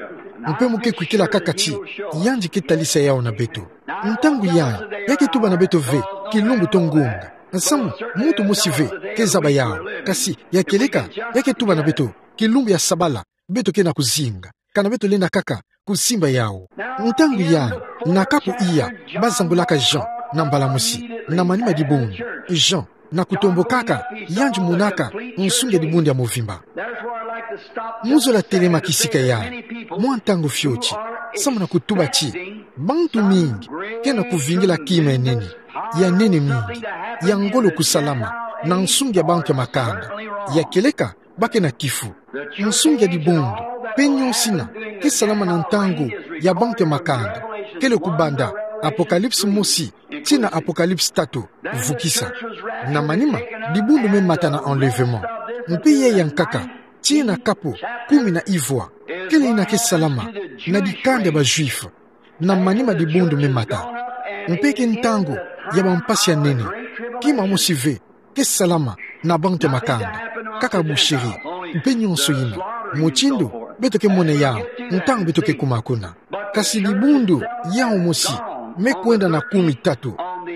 Mpe mu ke kwikila kaka ti, yandi ke talisa yau na beto. Ntangu yayi, ya ke tuba na beto ve, kilumbu to ngunga. Samu, muntu mosi ve, ke zaba yau. Kasi, ya kieleka, ya ke tuba na beto, kilumbu ya sabala, beto ke na kuzinga. Kana beto lenda kaka, kusimba yau. Ntangu yayi, na kapu iya, ba zambulaka Jean, na mbala mosi, na manima dibundu. Jean, na kutombokaka, yandi monaka, nsungi ya dibundu ya movimba. Mu zola telema kisika yayi, mwa ntangu fioti, samu na kutuba ti, bantu mingi, ke na kuvingila kima ya nene, ya nene mingi, ya ngolo kusalama, na nsungi ya bantu ya makanda, ya kieleka, ba ke na kifu. Nsungi ya dibundu, mpe nyonso yina, ke salama na ntangu, ya bantu ya makanda, kele kubanda, Apocalypse mosi, tii na Apocalypse tatu, vukisa. Na manima, dibundu me mata na enlèvement. Mpe yayi ya nkaka, tii na kapu kumi na ivwa, kele ina ke salama na dikanda ba Juif, na manima dibundu me mata. Mpe ke ntangu ya bampasi ya nene, kima mosi ve ke salama na bantu ya makanda, kaka boucherie, mpe nionso ina. Mutindu beto ke mona yawu, ntangu beto ke kuma kuna. Kasi dibundu yawu mosi me kwenda na kumi tatu,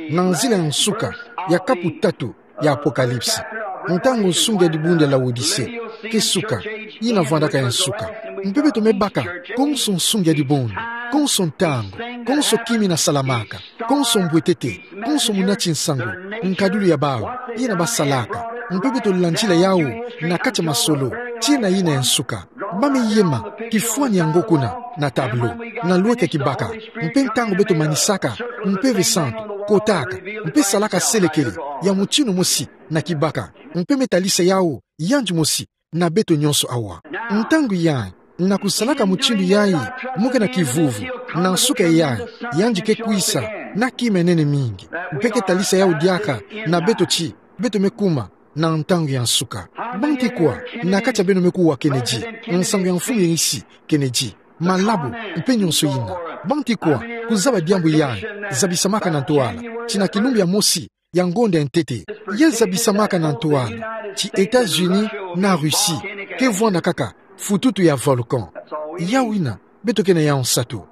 na nzila ya nsuka ya kapu tatu ya Apocalypse. Ntangu nsungi ya dibundu ya Laodicée ke suka, ina vwandaka ya nsuka. Mpe beto me baka konso nsungi ya dibundu, konso ntangu, konso kima ina salamaka, konso mbwetete, konso munati nsangu, nkadulu ya bawu, ina basalaka. Mpe beto landila yawu na kati ya masolo, tii na ina ya nsuka. Ba me yema kifwani ya ngo kuna na tableau, na lweka kibaka. Mpe ntangu beto manisaka, Mpeve Santu kotaka, mpe salaka selekele ya mutinu mosi na kibaka, mpe me talisa yawu yandi mosi na beto nionso awa. Ntangu yayi, na kusalaka mutindu yayi, mo ke na kivuvu, na nsuka yayi, yandi ke kwisa na kima ya nene mingi, mpe ke talisa yawu diaka na beto ti beto me kuma na ntangu ya nsuka. Banti kwa na kati ya beno me kuwa Kennedy, nsangu ya mfumu ya insi Kennedy, malabo, mpe nionso ina? Banti kwa kuzaba diambu yayi zabisamaka na ntwala, ti na kilumbu ya mosi ya ngonda ya ntete, ya zabisamaka na ntwala, ti États-Unis na Russie ke vwanda kaka fututu ya volcan? Yawu ina beto ke na yawu nsatu.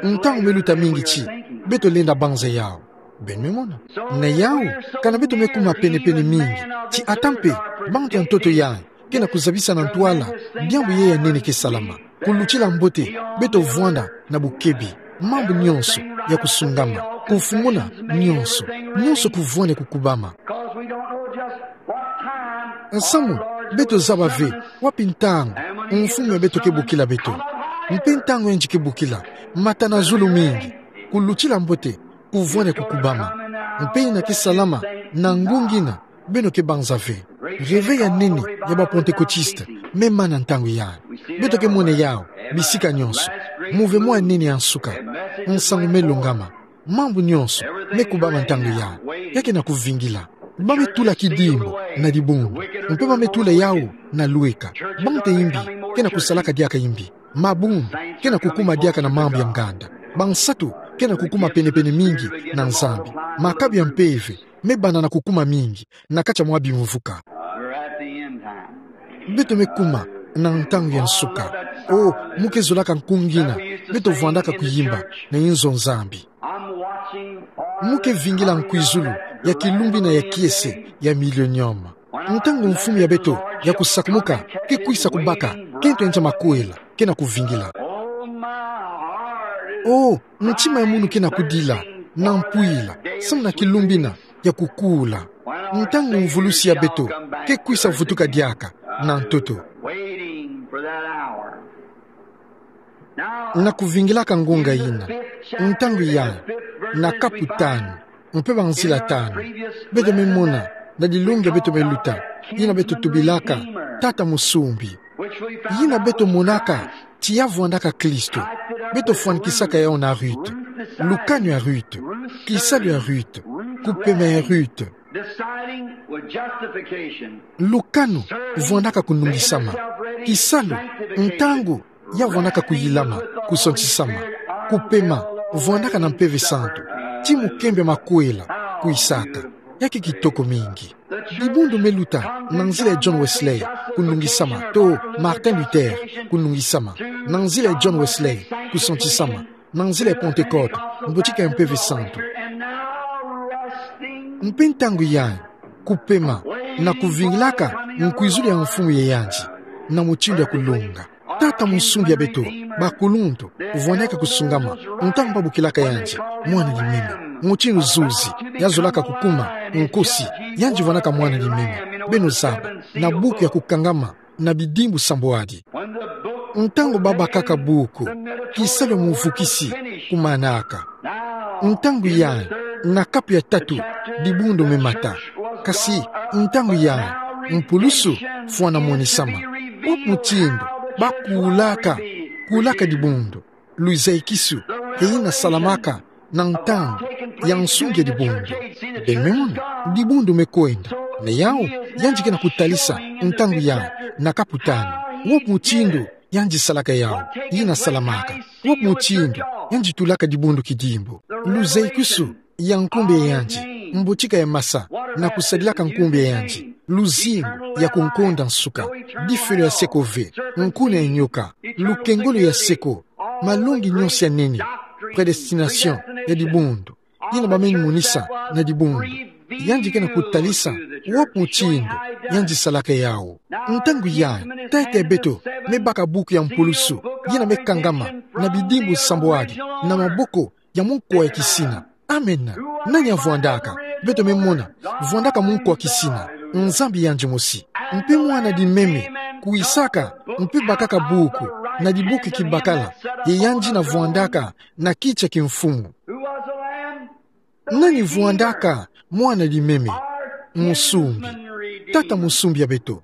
Ntangu me luta mingi ti beto lenda banza yawu. Beno me mona. Na yawu, kana beto me kuma penepene mingi ti ata mpe bantu ya ntoto yayi ke na kuzabisa na ntwala diambu yayi ya nene ke salama. Kulutila mbote, beto vwanda na bukebi mambu nionso ya kusungama, kufunguna nionso, nionso kuvwende kukubama. Nsamu, beto zaba ve wapi ntangu mfumu ya beto ke bokila beto, mpe ntangu yandi ke bokila, mata na zulu mingi. Kulutila mbote kuvwende kukubama. Mpe ina ke salama na ngunga ina beno ke banza ve. Réveil ya nene ya ba Pentecôtistes me mana ntangu yayi. Beto ke mona yawu bisika nionso. Mouvement ya nene ya nsuka. Nsangu me longama. Mambu nionso me kubama ntangu yayi. Ya ke na kuvingila. Ba me tula kidimbu na dibundu, mpe ba me tula yawu na lweka. Bantu ya imbi ke na kusalaka diaka imbi. Mabundu ke na kukuma diaka na mambu ya nganda. Bansatu ke na kukuma penepene mingi na Nzambi. Makabu ya mpeve me banda na kukuma mingi na kati ya mwa bimvuka. Beto me kuma na ntangu ya nsuka. O, mo ke zolaka nkunga ina beto vwandaka kuyimba na inzo Nzambi. Mo ke vingila nkwizulu ya kilumbu ina ya kiese ya millénium, ntangu mfumu ya beto ya kusakumuka ke kwisa kubaka kento ya nza makwela, ke na kuvingila. O, ntima ya munu ke na kudila na mpwila samu na kilumbu ina ya kukula, ntangu mvulusi ya beto ke kwisa vutuka diaka na ntoto. Na kuvingilaka ngunga ina, ntangu yayi, na kapu tanu, mpe banzila tanu, beto me mona na dilunga beto me luta, ina beto tubilaka Tata Musumbi. Ina beto monaka ti ya vwandaka Kristo, beto fwanikisaka yawu na Ruth. Lukanu ya Ruth, kisalu ya Ruth, kupema ya Ruth. Lukanu vwandaka kunungisama. Kisalu, ntangu ya vwandaka kuyilama, kusantisama. Kupema, vwandaka na Mpeve Santu. Ti mukembe makwela kwisaka. Ya ke kitoko mingi. Dibundu me luta na nzila ya John Wesley, kunungisama, to Martin Luther, kunungisama. Na nzila ya John Wesley, kusantisama. Na nzila ya Pentecôte, mbotika ya Mpeve Santu. Mpe ntangu yayi, kupema, na kuvingilaka nkwizulu ya mfumu ya yandi, na mutindu ya kulonga. Tata Musumbi ya beto, bakuluntu, vwandaka kusungama, ntangu babokilaka yandi mwana limimi. Mutindu zuzi ya zolaka kukuma nkosi, yandi vwandaka mwana limimi. Beno zaba, na buku ya kukangama na bidimbu sambwadi. Ntangu babakaka buku, kisalu ya muvukisi kumanaka. Ntangu yayi, na kapu ya tatu, dibundu me mata. Kasi, ntangu yayi, mpulusu fwana monisama. Wapi mutindu bakulaka, kulaka dibundu, luzaikisu, ke ina salamaka na ntangu ya nsungi ya dibundu. Beno me mona, dibundu me kwenda. Na yau, yandi ke na kutalisa ntangu yayi na kapu tanu. Wope mutindu yandi salaka yau, yina salamaka. Wope mutindu yandi tulaka dibundu kidimbu. Luzekusu ya nkumbu ya yandi, mbotika ya masa, na kusadilaka nkumbu ya yandi. Luzingu ya kunkonda nsuka, difelo ya seko ve, nkuna ya nyoka, lukengolo ya seko, malongi nyonso ya nene, prédestination ya dibundu, yina bameni monisa na dibundu. Yandi ke na kutalisa wope mutindu yandi salaka yau. Ntangu yayi, tata ya beto me baka buku ya mpulusu, yina me kangama na bidimbu sambwadi na maboko ya munkwa ya kisina. Amen. Nani avwandaka? Beto me mona, vwandaka munkwa kisina, Nzambi yandi mosi. Mpe mwana di meme kwisaka, mpe bakaka buku, na dibuku kibakala, ye yandi na vwandaka na kiti ya kimfumu. Nani vwandaka? Mwana di meme, musumbi. Tata musumbi ya beto.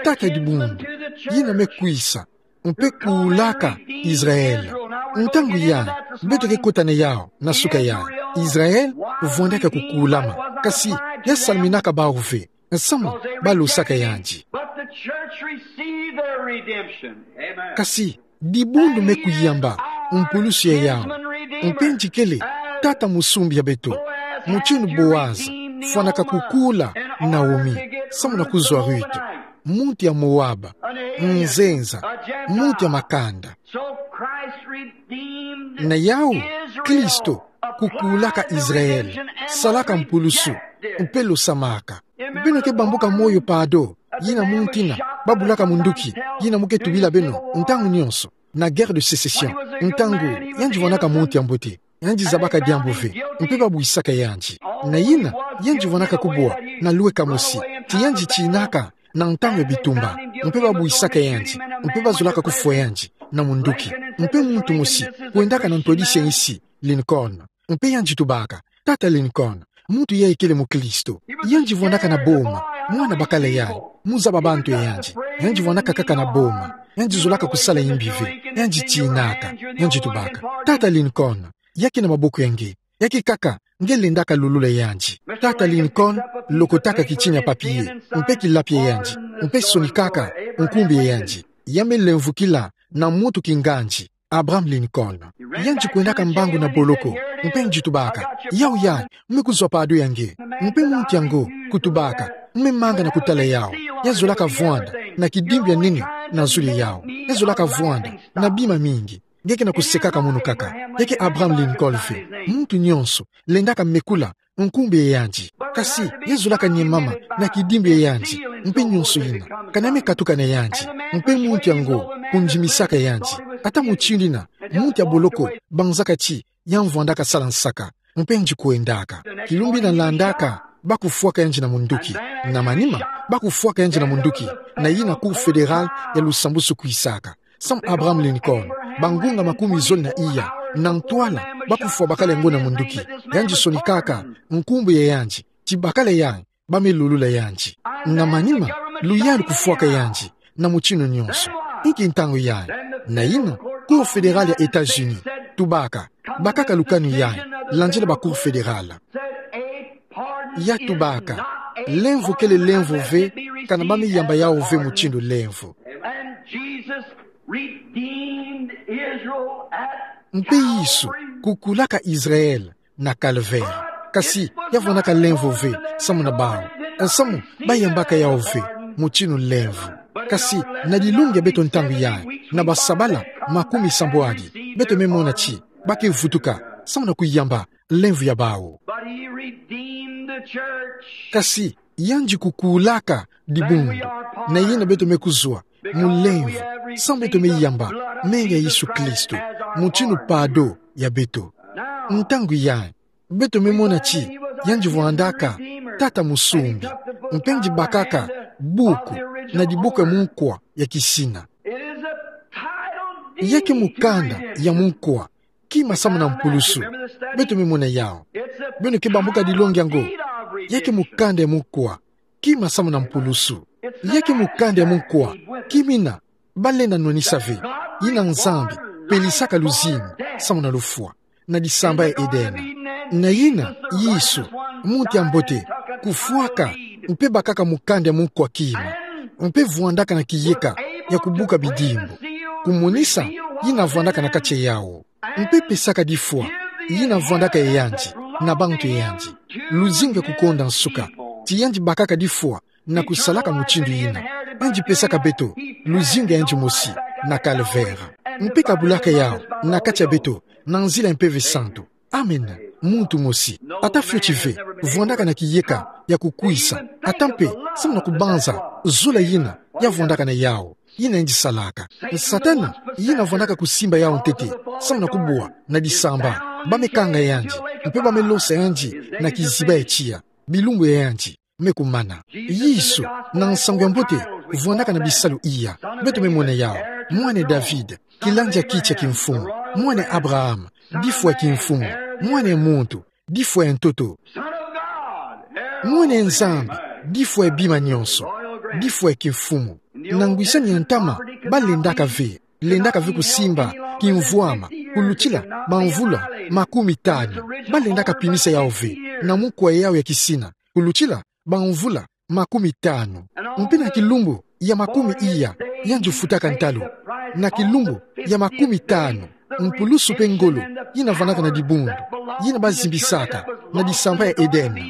Tata dibundu, yina me kwisa mpe kulaka Israel. Ntangu yayi, beto ke kota na yau na suka yayi. Israel vwandaka kukulama, kasi ya salminaka bau ve, nsamu balosaka yandi. But the church received their redemption. Amen. Kasi dibundu me kuyamba mpulusu ya yau. Mpe yandi kele tata musumbi ya beto. Mutinu Boaz fwanaka kukula Naomi, samu na kuzwa Ruth, muntu ya Moab, nzenza, muntu ya makanda. So Christ redeemed Na yau, Kristo kukulaka Israel, salaka mpulusu, mpe losamaka. Beno ke bambuka moyo pado, yina muntu yina babulaka munduki, yina mu ke tubila beno ntangu nyonso, na guerre de sécession. Ntangu yandi vwanaka muntu ya mbote, yandi zabaka diambu ve, mpe babwisaka yandi. Na yina, yandi vwanaka kubwa na lweka mosi, ti yandi tinaka na ntangu ya bitumba, mpe babwisaka yandi, mpe bazolaka kufwa yandi na munduki. Mpe muntu mosi kwendaka na ntwadisi ya nsi, Lincoln. Mpe yandi tubaka: Tata Lincoln, muntu yayi kele mukristo. Yandi vwandaka na boma, mwana bakala yayi, mu zaba bantu ya yandi. Yandi vwandaka kaka na boma, yandi zolaka kusala yimbi ve, yandi tinaka. Yandi tubaka: Tata Lincoln, ya ke na maboko ya nge, ya ke kaka nge lendaka lulula yandi. Tata Lincoln lokotaka kitini ya papier, mpe kilapi ya yandi, mpe sonikaka nkumbu ya yandi. Ya me lemvukila na muntu kingandi, Abraham Lincoln. Yandi kwendaka mbangu na boloko, mpe yandi tubaka: Yau yayi, mu me kuzwa pado ya nge. Mpe muntu yango kutubaka: Mu me manga na kutala yau. Ya zolaka vwanda na kidimbu ya nene na zulu ya yau. Ya zolaka vwanda na bima mingi. Nge ke na kusekaka mono kaka. Ya ke Abraham Lincoln ve. Muntu nyonso lendaka mekula nkumbu ya yandi. Kasi ya zolaka nyemama na kidimbu ya yandi, mpe nyonso yina, kana me katuka na yandi. Mpe muntu yango kundimisaka yandi. Ata mutindu yina, muntu ya boloko banzaka ti ya vwandaka sala nsaka, mpe yandi kwendaka. Kilumbu yina landaka, bakufwaka yandi na munduki. Na manima, bakufwaka yandi na munduki, na yina Cour fédérale ya lusambusu kwisaka. Samu Abraham Lincoln, bangunga makumi zole na iya na ntwala bakufwa bakala yango na munduki. Yandi sonikaka nkumbu ya yandi, ti bakala yayi ba me lulula yandi. Na manima, luyalu kufwaka yandi na mutinu nyonso. Inki ntangu yayi? Na yina, Cour fédérale ya États-Unis tubaka: Bakaka lukanu yayi, landila ba Cour fédérale. Ya tubaka: Lemvo kele lemvo ve, kana ba me yamba yau ve mutindu lemvo. And Jesus redeemed Israel at Mpe Yesu Calvary. Kukulaka Israel na Calvaire. Kasi ya vwandaka lemvo ve samu na bau, samu ba yambaka yau ve mutinu lemvo. Kasi na dilungi ya beto ntangu yayi, na basabala makumi sambwadi, beto me mona ti ba ke vutuka samu na kuyamba lemvo ya bau. But he redeemed the church. Kasi yandi kukulaka dibundu, na yina beto me kuzwa mu lemvo, samu beto me yamba menga ya Yesu Kristo mutinu pado ya beto. Ntangu yayi, beto me mona ti yandi vwandaka tata musumbi, mpe yandi bakaka buku na dibuku ya munkwa ya kisina. Ya ke mukanda ya munkwa, kima samu na mpulusu. Beto me mona yau. Beno ke bambuka dilongi yango. Ya ke mukanda ya munkwa, kima samu na mpulusu. Ya ke mukanda ya munkwa, kima yina ba lenda nwanisa ve, yina Nzambi pelisaka luzingu samu na lufwa. na disamba ya Edena. Na yina, Yesu, muntu ya mbote, kufwaka, mpe bakaka mukanda ya munkwa kima, mpe vwandaka na kiyeka ya kubuka bidimbu, kumonisa yina vwandaka na kati ya yawu, mpe pesaka difwa yina vwandaka ya yandi na bantu ya yandi, luzingu ya kukonda nsuka, ti yandi bakaka difwa na kusalaka mutindu yina. Yandi pesaka beto luzingu ya yandi mosi na Calvaire, mpe kabulaka yawu na kati ya beto na nzila ya Mpeve Santu. Amen. Muntu mosi, ata fioti ve, vwandaka na kiyeka ya kukwisa, ata mpe samu na kubanza zola yina ya vwandaka na yawu, yina yandi salaka. Satana, yina vwandaka kusimba yawu ntete samu na kubwa na disamba, ba me kanga yandi, mpe ba me losa yandi na kiziba ya tiya, bilumbu ya yandi me kumana. Yesu, na nsangu ya mbote, vwandaka na bisalu iya. Beto me mona yawu: mwana ya David, kilandi ya kiti ya kimfumu; mwana ya Abraham, difwa ya kimfumu; mwana ya muntu, difwa ya ntoto; mwana ya Nzambi, difwa ya bima nyonso, difwa ya kimfumu. Na ngwisani ya ntama, ba lendaka ve, lendaka ve kusimba kimvwama kulutila bamvula makumi tanu. Ba lendaka pimisa yawu ve na munkwa yawu ya kisina kulutila bamvula makumi tanu. Mpe na kilumbu ya makumi iya, yandi futaka ntalu. Na kilumbu ya makumi tanu, mpulusu mpe ngolo yina vwandaka na dibundu, yina ba zimbisaka na disamba ya Edena,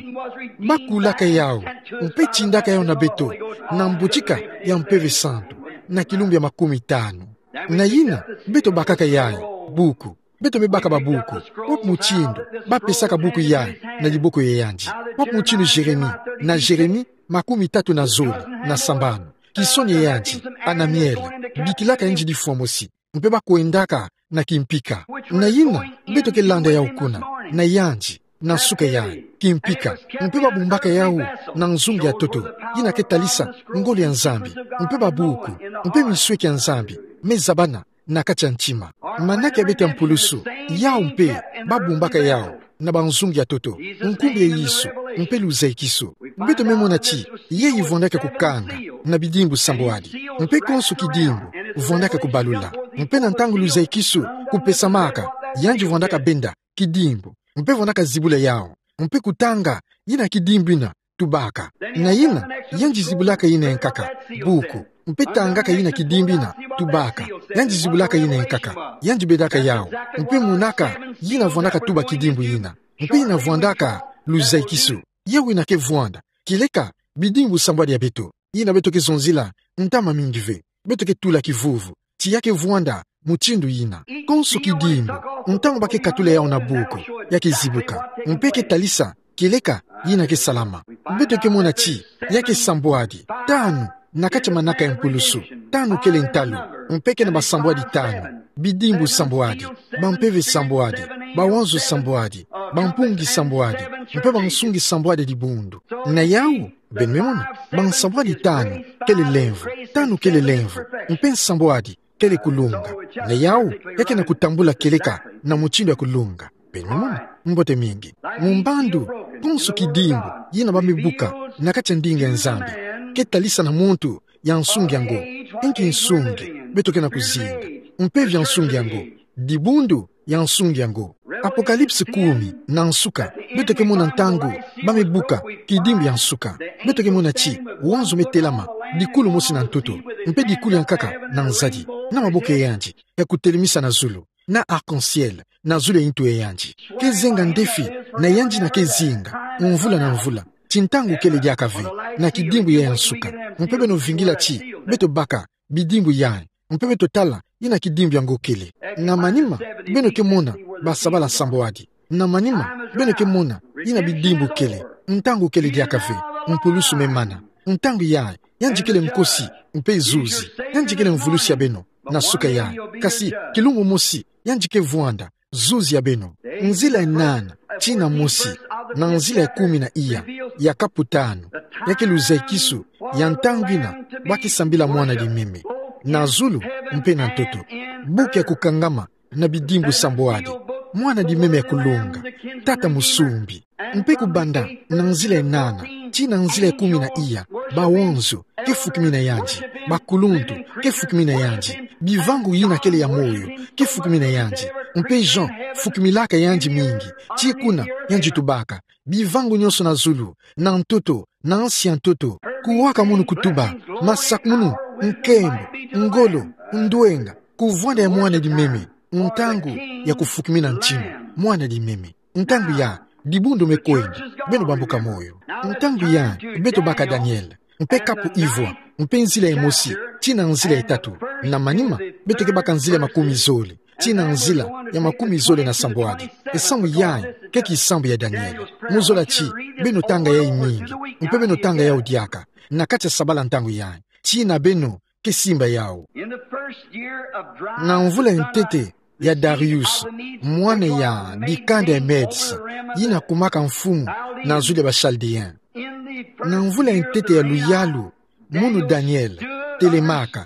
ba kulaka yawu, mpe tindaka yawu na beto na mbotika ya Mpeve Santu, na kilumbu ya makumi tanu. Na yina, beto bakaka yayi buku. Beto me baka babuku. Wapi mutindu ba pesaka buku yayi na diboko ya yandi? Wapi mutindu Jérémie, na Jérémie makumi tatu na zole na sambanu, kisoni ya yandi, Hanamiel, bikilaka yandi difwa mosi, mpe ba kwendaka na kimpika? Na yina, beto ke landa yawu kuna, na yandi, na nsuka yayi, kimpika, mpe ba bumbaka yawu na nzungu ya ntoto, yina ke talisa ngolo ya Nzambi, mpe babuku, mpe misweki ya Nzambi me zabana na kati ya ntima. Manaka ya beto ya mpulusu, yawu mpe, ba bumbaka yawu na banzungu ya ntoto, nkumbu ya Yesu, mpe luzaikisu. Beto me mona ti yayi vwandaka kukanga na bidimbu sambwadi, mpe konso kidimbu vwandaka kubalula. Mpe na ntangu luzaikisu kupesamaka, yandi vwandaka benda kidimbu, mpe vwandaka zibula yawu, mpe kutanga yina kidimbu yina tubaka. Na yina, yandi zibulaka yina ya nkaka, buku, mpe tangaka yina kidimbu yina tubaka. Yandi zibulaka yina ya nkaka, yandi bedaka yawu, mpe monaka yina vwandaka tuba kidimbu yina, mpe yina vwandaka luzaikisu. Yawu yina ke vwanda kieleka bidimbu sambwadi ya beto, yina beto ke zonzila ntama mingi ve. Beto ke tula kivuvu ti ya ke vwanda mutindu yina. Konso kidimbu, ntangu ba ke katula yawu na buku, ya ke zibuka, mpe ke talisa kieleka yina ke salama. Beto ke mona ti ya ke sambwadi tanu na kati ya manaka ya mpulusu. Tanu kele ntalu, mpe ke na basambwadi tanu: bidimbu sambwadi, bampeve sambwadi, bawanzo sambwadi, bampungi sambwadi, mpe bansungi sambwadi ya dibundu. Na yawu, beno me mona, bansambwadi tanu kele lemvo, tanu kele lemvo, mpe nsambwadi kele kulunga. Na yawu, ya ke na kutambula kieleka na mutindu ya kulunga. Beno me mona, mbote mingi. Mu mbandu, konso kidimbu yina ba me buka na kati ya ndinga ya Nzambi, ke talisa na muntu ya nsungi ya ngo. Inki nsungi beto ke na kuzinga? Mpeve ya nsungi ya ngo, dibundu ya nsungi ya ngo. Apocalypse kumi na nsuka, beto ke mona ntangu ba me buka kidimbu ya nsuka. Beto ke mona ti wanzo me telama, dikulu mosi na ntoto, mpe dikulu ya nkaka na nzadi, na maboko ya yandi ya kutelemisa na zulu, na arc-en-ciel na zulu ya ntu ya yandi. Ke zenga ndefi, na yandi yina ke zinga mvula na mvula, ti ntangu kele diaka ve na kidimbu yayi ya nsuka. Mpe beno vingila ti beto baka bidimbu yayi, mpe beto tala yina kidimbu ya ngo kele. Na manima, beno ke mona basabala sambwadi. Na manima, beno ke mona yina bidimbu kele. Ntangu kele diaka ve, mpulusu me mana. Ntangu yayi, yandi kele nkosi mpe zuzi. Yandi kele mvulusi ya beno na suka yayi. Kasi kilumbu mosi, yandi ke vwanda zuzi ya beno. Nzila ya nana tii na mosi, na nzila ya kumi na iya, ya kapu tanu, ya ke luzaikisu ya ntangu yina ba ke sambila mwana-dimeme. Na zulu mpe na ntoto. Buku ya kukangama na bidimbu sambwadi. Mwana-dimeme ya kulunga. Tata musumbi. Mpe kubanda na nzila ya nana tii na nzila ya kumi na iya, bawonzo, ke fukimina yandi. Bakuluntu, ke fukimina yandi. Bivangu yina kele ya moyo, ke fukimina yandi. Mpe Jean, fukimilaka yandi mingi. Ti kuna, yandi tubaka. Bivangu nyonso na zulu, na ntoto, na nsi ya ntoto. Kuwaka munu kutuba, masakumunu, nkembo, ngolo, ndwenga, kuvwanda ya mwana dimeme, ntangu ya kufukimina ntinu, mwana dimeme. Ntangu ya, dibundu me kwenda, beno bambuka moyo. Ntangu ya, beto baka Daniel. Mpe kapu ivwa, mpe nzila emosi, tii na nzila etatu. Na manima, beto ke baka nzila makumi zole, tii na nzila ya makumi zole na sambwadi. Nsamu yayi, ke kisambu ya Daniel. Muzola ti, beno tanga yayi mingi, mpe beno tanga yawu diaka. Na kati ya sabala ntangu yayi. Tii na beno, ke simba yawu. In the first year of Darius Na mvula ya ntete ya Darius, mwana ya dikanda ya Medes, yina kumaka mfumu na zulu ya ba Chaldéens. In the first Na mvula ya ntete ya luyalu, munu Daniel telemaka,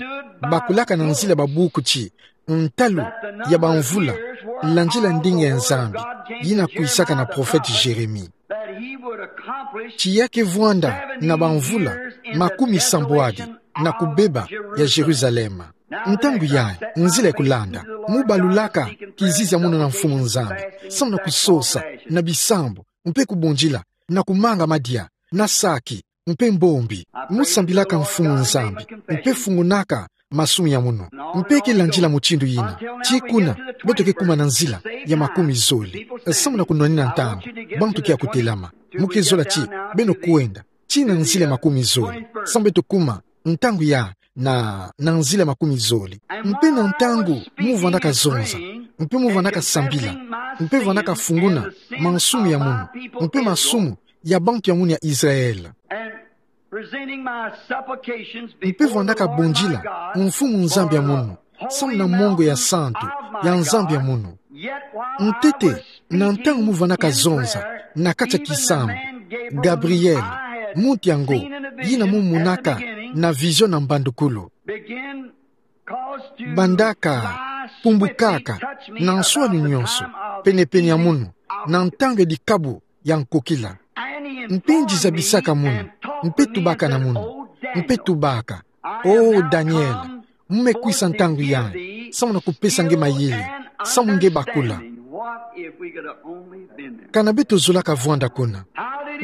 bakulaka na nzila ya babuku ti, ntalu ya bamvula, landila ndinga ya Nzambi, yina kwisaka na prophète Jérémie. That he would accomplish Ti ya ke vwanda na bamvula makumi sambwadi na kubeba ya Jérusalem. Ntangu yayi, nzila ya kulanda, mubalulaka kizizi ya munu na Mfumu Nzambi, samu na kusosa, na bisambu, mpe kubundila, na kumanga madia, na saki, mpe mbombi. Musambilaka Mfumu Nzambi, mpe fungunaka masumu ya munu. Mpe ke landila mutindu yina. Ti kuna, beto ke kuma na nzila ya makumi zole. Samu na kunwanina ntangu, bantu ke ya kutelama. Mu ke zola ti, beno kwenda, tii na nzila ya makumi zole. Samu beto kuma, ntangu ya, na, na nzila ya makumi zole. Mpe na ntangu, mu vwandaka zonza. Mpe mu vwandaka sambila. Mpe vwandaka funguna, masumu ya munu. Mpe masumu, ya bantu ya munu ya Israel. And presenting my supplications Mpe before vwandaka the Lord bundila, my God, Mfumu Nzambi ya munu, samu na mongo ya santu, ya Nzambi ya munu. Ntete, na ntangu mu vwandaka zonza, na kati ya kisambu, Gabriel, muntu yango, yina mu monaka, na vision na mbandukulu. Bandaka, pumbukaka, na nswani nyonso, penepene ya munu, na ntangu ya dikabu, ya nkokila. Mpe ndizabisaka munu, mpe tubaka na munu, mpe tubaka. O Daniel, mu me kwisa ntangu yayi, samu na kupesa nge mayele, samu nge bakula. Kana beto zolaka vwanda kuna.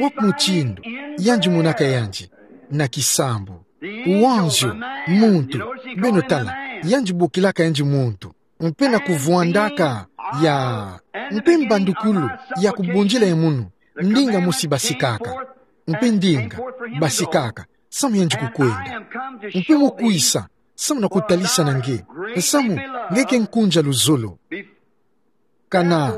Wapi mutindu, yandi monaka yandi, na kisambu. Wanzio, muntu, beno tala, yandi bokilaka yandi muntu. Mpe na kuvwandaka ya, mpe mbandukulu ya kubundila ya munu, ndinga mosi basikaka, mpe ndinga basikaka, samu yandi kukwenda. Mpe mu kwisa, samu na kutalisa na nge, samu nge ke nkunja luzolo. Kana,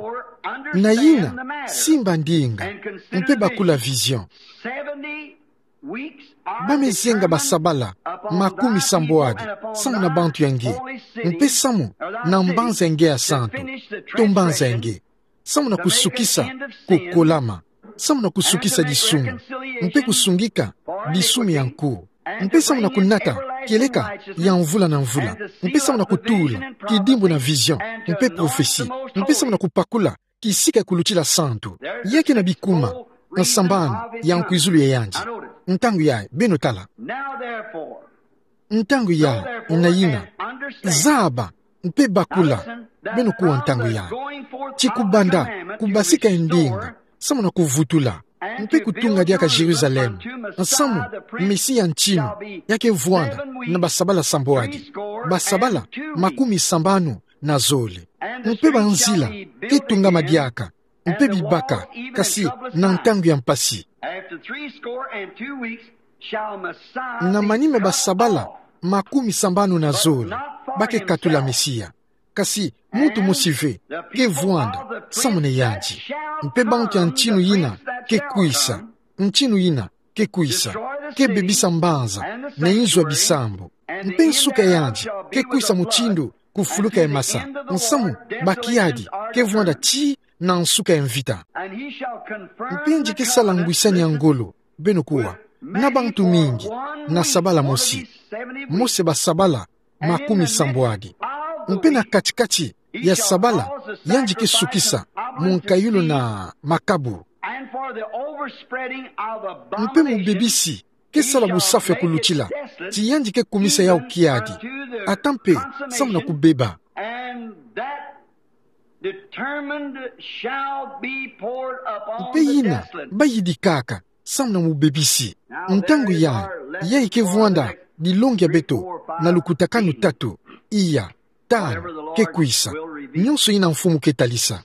na yina, simba ndinga, mpe bakula vision. Ba me zenga basabala makumi sambwadi, samu na bantu ya nge, mpe samu na mbanza ya nge ya santu, to mbanza ya nge, samu na kusukisa kukolama, samu na kusukisa disumu, mpe kusungika disumu ya nku, mpe samu na kunata kieleka ya mvula na mvula, mpe samu na kutula kidimbu na vision, mpe prophetie, mpe samu na kupakula kisika kulutila santu. Ya ke na bikuma, nsambanu ya nkwizulu ya yandi. Ntangu yayi, beno tala. Ntangu yayi, na yina. Zaba, mpe bakula, beno kuwa ntangu yayi. Ti kubanda, kubasika ndinga, samu na kuvutula, mpe kutunga diaka Jérusalem, samu, Mesia ntinu, ya ke vwanda, na basabala sambwadi. Basabala, makumi sambanu, na zole. Mpe banzila, ke tungama diaka, mpe bibaka, kasi na ntangu ya mpasi. After three score and two weeks shall Messiah Na manima basabala, makumi sambanu na zole, ba ke katula Mesia. Kasi, muntu mosi ve, ke vwanda, samu na yandi. Mpe bantu ya ntinu yina, ke kwisa, ntinu yina, ke kwisa, ke bebisa mbanza, na inzo ya bisambu. Mpe nsuka ya yandi, ke kwisa mutindu, kufuluka ya masa, nsamu, ba kiadi, ke vwanda ti, na nsuka ya mvita. Mpe yandi ke sala ngwisani ya ngolo, beno kuwa, na bantu mingi, na sabala mosi. Mose basabala, makumi sambwadi. Mpe na katikati, ya sabala, yandi ke sukisa, munkayulu na makabu. Mpe mubebisi, ke sala busafu ya kulutila, ti yandi ke kumisa yawu kiadi, ata mpe samu na kubeba. And that determined shall be poured upon the desolate. Mpe yina bayidikaka samu na mubebisi. Ntangu yayi, yayi ke vwanda dilongi ya beto na lukutakanu tatu, iya, tanu, ke kwisa. Nyonso yina Mfumu ke talisa.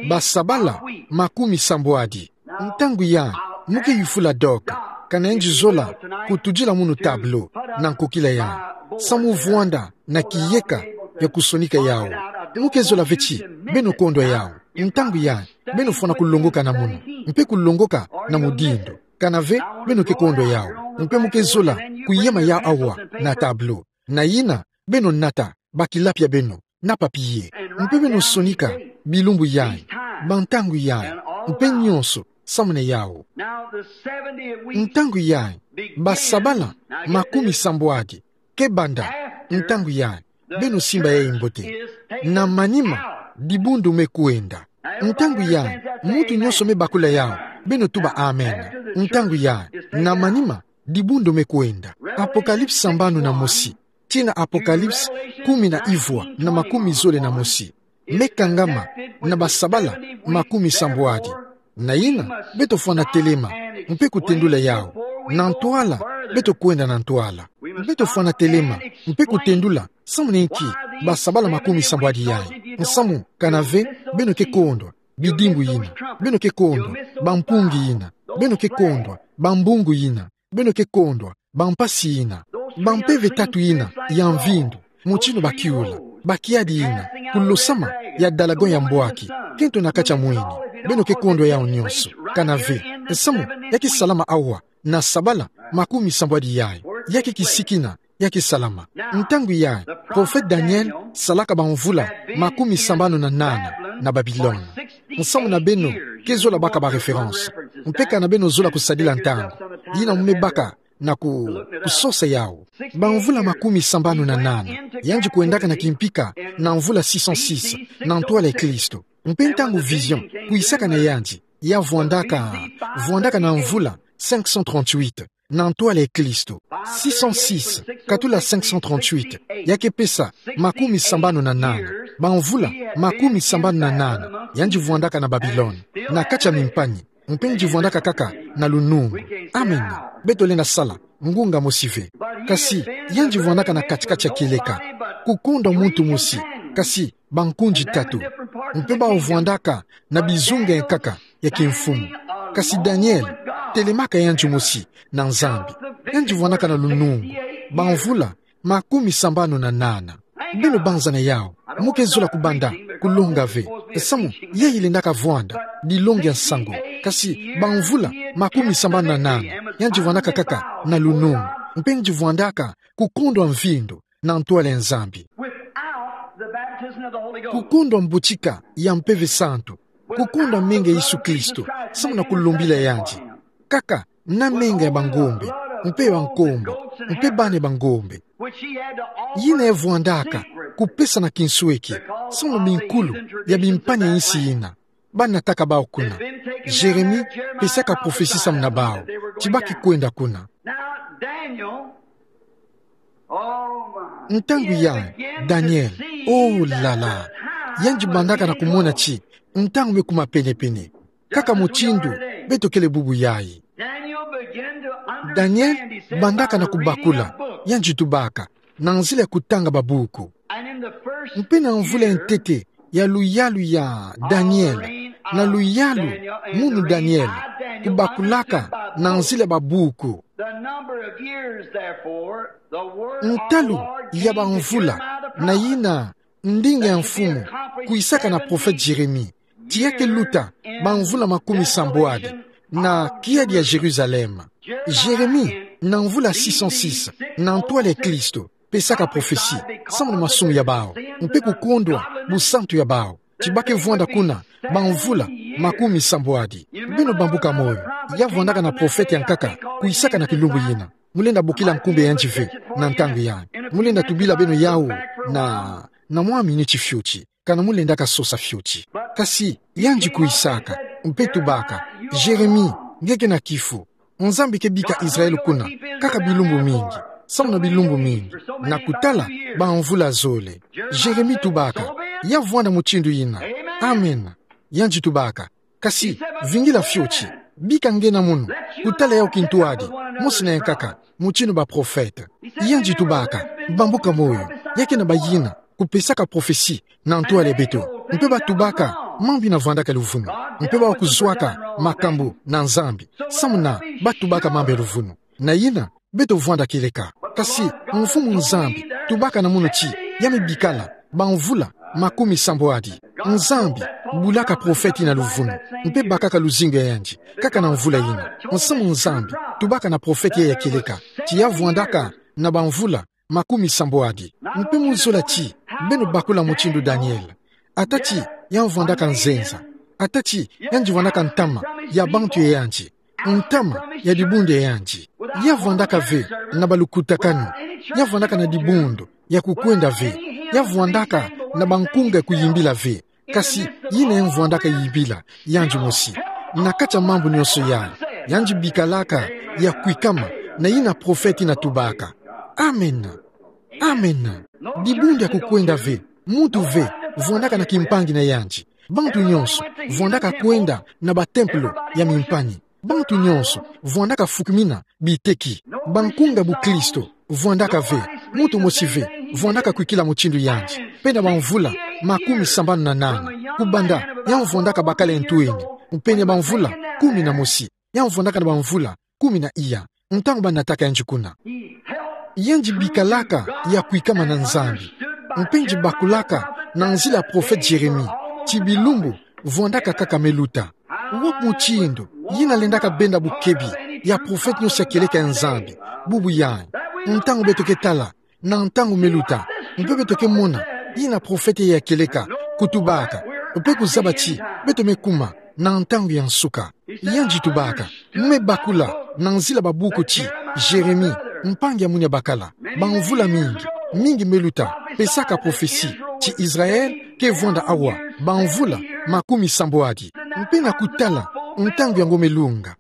Basabala makumi sambwadi. Ntangu yayi, mu ke yufula Doc, kana yandi zola kutudila munu tableau na nkokila yayi, samu vwanda na kiyeka ya kusonika yawu. Mu ke zola ve ti beno kondwa yawu. Ntangu yayi, beno fwana kulongoka na munu, mpe kulongoka na mudindo. Kana ve, beno ke kondwa yawu. Mpe mu ke zola kuyema yawu awa na tableau. Na yina, beno nata bakilapi ya beno na papier. Mpe beno sonika bilumbu yayi, bantangu yayi, mpe nyonso samu na yawu. Ntangu yayi, basabala makumi sambwadi ke banda. Ntangu yayi, beno simba yayi mbote. Na manima, dibundu me kwenda. Ntangu yayi, muntu nyonso me bakula yawu, beno tuba amen. Ntangu yayi, na manima, dibundu me kwenda. Apocalypse sambanu na mosi tii na Apocalypse kumi na ivwa na makumi zole na mosi me kangama na basabala makumi sambwadi. Na yina, beto fwana telema, mpe kutendula yawu. Na ntwala, beto kwenda na ntwala. Beto fwana telema, mpe kutendula, samu na inki basabala makumi sambwadi yayi. Nsamu, kana ve, beno ke kondwa bidimbu yina. Beno ke kondwa bampungi yina. Beno ke kondwa bambungu yina. Beno ke kondwa bampasi yina. Bampeve tatu yina ya mvindu, mutindu bakiula, bakiadi yina, kulosama ya dalagon ya mbwaki, kento na kati ya mwini. Beno ke kondwa yawu nyonso. Kana ve, nsamu, ya ke salama awa, na sabala makumi sambwadi yayi. Ya ke kisiki na, ya ke salama. Ntangu yayi, prophète Daniel salaka bamvula makumi sambanu na nana na Babilone. Nsamu na beno ke zola baka ba référence. Mpe kana beno zola kusadila ntangu yina mu me baka na ku, kusosa yawu. Bamvula makumi sambanu na nana, yandi kwendaka na kimpika na mvula six cent six na ntwala ya Kristo. Mpe ntangu vision kwisaka na yandi, ya vwandaka, vwandaka na mvula cinq cent trente-huit na ntwala ya Kristo. Six cent six katula cinq cent trente-huit, ya ke pesa makumi sambanu na nana. Bamvula makumi sambanu na nana, yandi vwandaka na Babilone, na kati ya mimpani. Mpe yandi vwandaka kaka na lunungu. Amen. Beto lenda sala ngunga mosi ve. Kasi, yandi vwandaka na kati-kati ya kieleka, kukondwa muntu mosi, kasi bankundi tatu. Mpe bawu vwandaka na bizunga ya nkaka ya kimfumu. Kasi Daniel, telemaka yandi mosi na Nzambi, yandi vwandaka na lunungu bamvula makumi sambanu na nana. Beno banzana yawu. Mu ke zola kubanda kulonga ve. Nsamu, yayi lendaka vwanda dilongi ya nsangu. Kasi bamvula makumi sambanu na nana, yandi vwandaka kaka na lunungu. Mpe yandi vwandaka kukondwa mvindu na ntwala ya Nzambi. Without the baptism of the Holy Ghost. Kukondwa mbotika ya Mpeve Santu, kukondwa menga ya Yesu Kristo samu na kulombila yandi, kaka na menga ya bangombe, mpe ya bankombo, mpe bana ya bangombe, yina ya vwandaka kupesa na kinsweki samu na minkulu ya bimpani ya insi yina. Banataka bawu kuna. Jeremi pesaka prophetie samu na bawu ti ba ke kwenda kuna. Now, Daniel, oh my. Ntangu yayi, Daniel, oh là là, yandi bandaka na kumona ti ntangu me kuma pene-pene, kaka mutindu beto kele bubu yayi. Daniel began to understand Daniel bandaka na kubakula, yandi tubaka na nzila ya kutanga babuku. Mpe na mvula ya ntete ya luyalu ya Daniel, na luyalu munu Daniel kubakulaka na nzila ya babuku. Ntalu ya bamvula, na yina ndinga ya mfumu kwisaka na prophète Jeremi, ti ya ke luta bamvula makumi sambwadi na kiadi ya Jérusalem. Jeremi, na mvula six cent six na ntwala ya Kristo, pesaka prophetie samu na masumu ya bawu, mpe kukondwa busantu ya bawu, ti ba ke vwanda kuna bamvula makumi sambwadi. Beno bambuka moyo, ya vwandaka na prophète ya nkaka kwisaka na kilumbu yina. Mu lenda bokila nkumbu ya yandi ve na ntangu yayi. Mu lenda tubila beno yawu na, na mwa miniti fioti, kana mu lendaka sosa fioti. Kasi yandi kwisaka, mpe tubaka: Jeremi, nge ke na kifu. Nzambi ke bika Israel kuna, kaka bilumbu mingi, samu na bilumbu mingi, na kutala bamvula zole. Jeremi tubaka, ya vwanda mutindu ina. Amen. Yandi tubaka, kasi, vingila fioti, bika nge na mono, kutala yau kintuadi, mosi na yankaka, mutindu baprofete. Yandi tubaka, bambuka moyo, ya ke na bayina kupesaka profesi na ntwala ya beto, mpe batubaka mambu ina vwandaka luvunu, mpe bawa kuzwaka makambu na Nzambi, samu na batubaka mambu ya luvunu. Na yina, beto vwanda kieleka. Kasi, Mfumu Nzambi tubaka na mono ti, ya me bikala bamvula makumi sambwadi. Nzambi bulaka profete ina luvunu, mpe bakaka luzingu ya yandi, kaka na mvula ina. Mfumu Nzambi tubaka na profete ya kieleka ti ya vwandaka na bamvula makumi sambwadi. Mpe muzola ti, beno bakula mutindu Daniel. Ata ti, ya vwandaka nzenza. Ata ti, yandi vwandaka ntama ya bantu ya yandi, ntama ya dibundu ya yandi. Ya vwandaka ve na balukutakanu. Ya vwandaka na dibundu ya kukwenda ve. Ya vwandaka na bankunga ya kuyimbila ve. Kasi, yina ya vwandaka yimbila, yandi mosi. Na kati ya mambu nyonso yai, yandi bikalaka ya kwikama na yina profete ina tubaka. Amen. Amen. Dibundu ya kukwenda ve, muntu ve vwandaka na kimpangi na yandi. Bantu nyonso vwandaka kwenda na batempelo ya mimpangi. Bantu nyonso vwandaka fukumina biteki. Bankunga bukristo vwandaka ve, muntu mosi ve vwandaka kwikila mutindu yandi. Mpe na bamvula makumi sambanu na nana, kubanda ya vwandaka bakala ntu ina, mpe na bamvula kumi na mosi, ya vwandaka na bamvula kumi na iya, ntangu banataka yandi kuna. Yandi bikalaka ya kwikama na Nzambi. Mpe yandi bakulaka na nzila ya profete Jeremi ti bilumbu vwandaka kaka me luta. Wo mutindu yina lendaka benda bukebi ya profete nyonso ya kieleka ya Nzambi, bubu yai. Ntangu beto ke tala na ntangu me luta, mpe beto ke mona yina profete ya kieleka kutubaka, mpe kuzaba ti beto me kuma na ntangu ya nsuka. Yandi tubaka, me bakula na nzila babuku ti Jeremi, mpangi ya munia bakala, bamvula mingi, mingi me luta, pesaka profesi ti Israel ke vwanda awa bamvula makumi sambwadi. Mpe na kutala ntangu yango me lunga,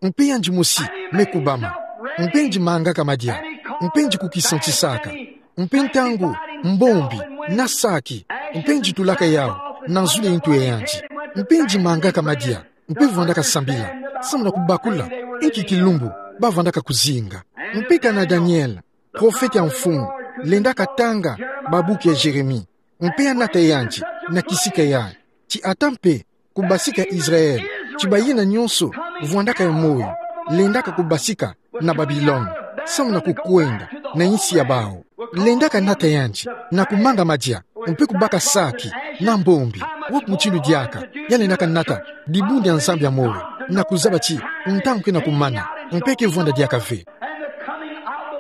mpe yandi mosi me kubama. Mpe yandi mangaka madia. Mpe yandi kukisantisaka. Mpe ntangu mbombi na saki, mpe yandi tulaka yau na zulu ya ntu ya yandi. Mpe yandi mangaka madia, mpe vwandaka sambila, samu na kubakula inki kilumbu bavwandaka kuzinga. Mpe kana Daniel, profete ya Mfumu, lendaka tanga babuku ya Jeremi, mpe ya nata yandi na kisika yai ti ata mpe kubasika Israel, ti bayina nyonso vwandaka ya moyo, lendaka kubasika na Babilone, samu na kukwenda na insi ya bau. Lendaka nata yandi na kumanga madia, mpe kubaka saki na mbombi. Wo mutindu diaka ya lendaka nata dibundu ya Nzambi ya moyo, na kuzaba ti ntangu ke na kumana, mpe ke vwanda diaka ve.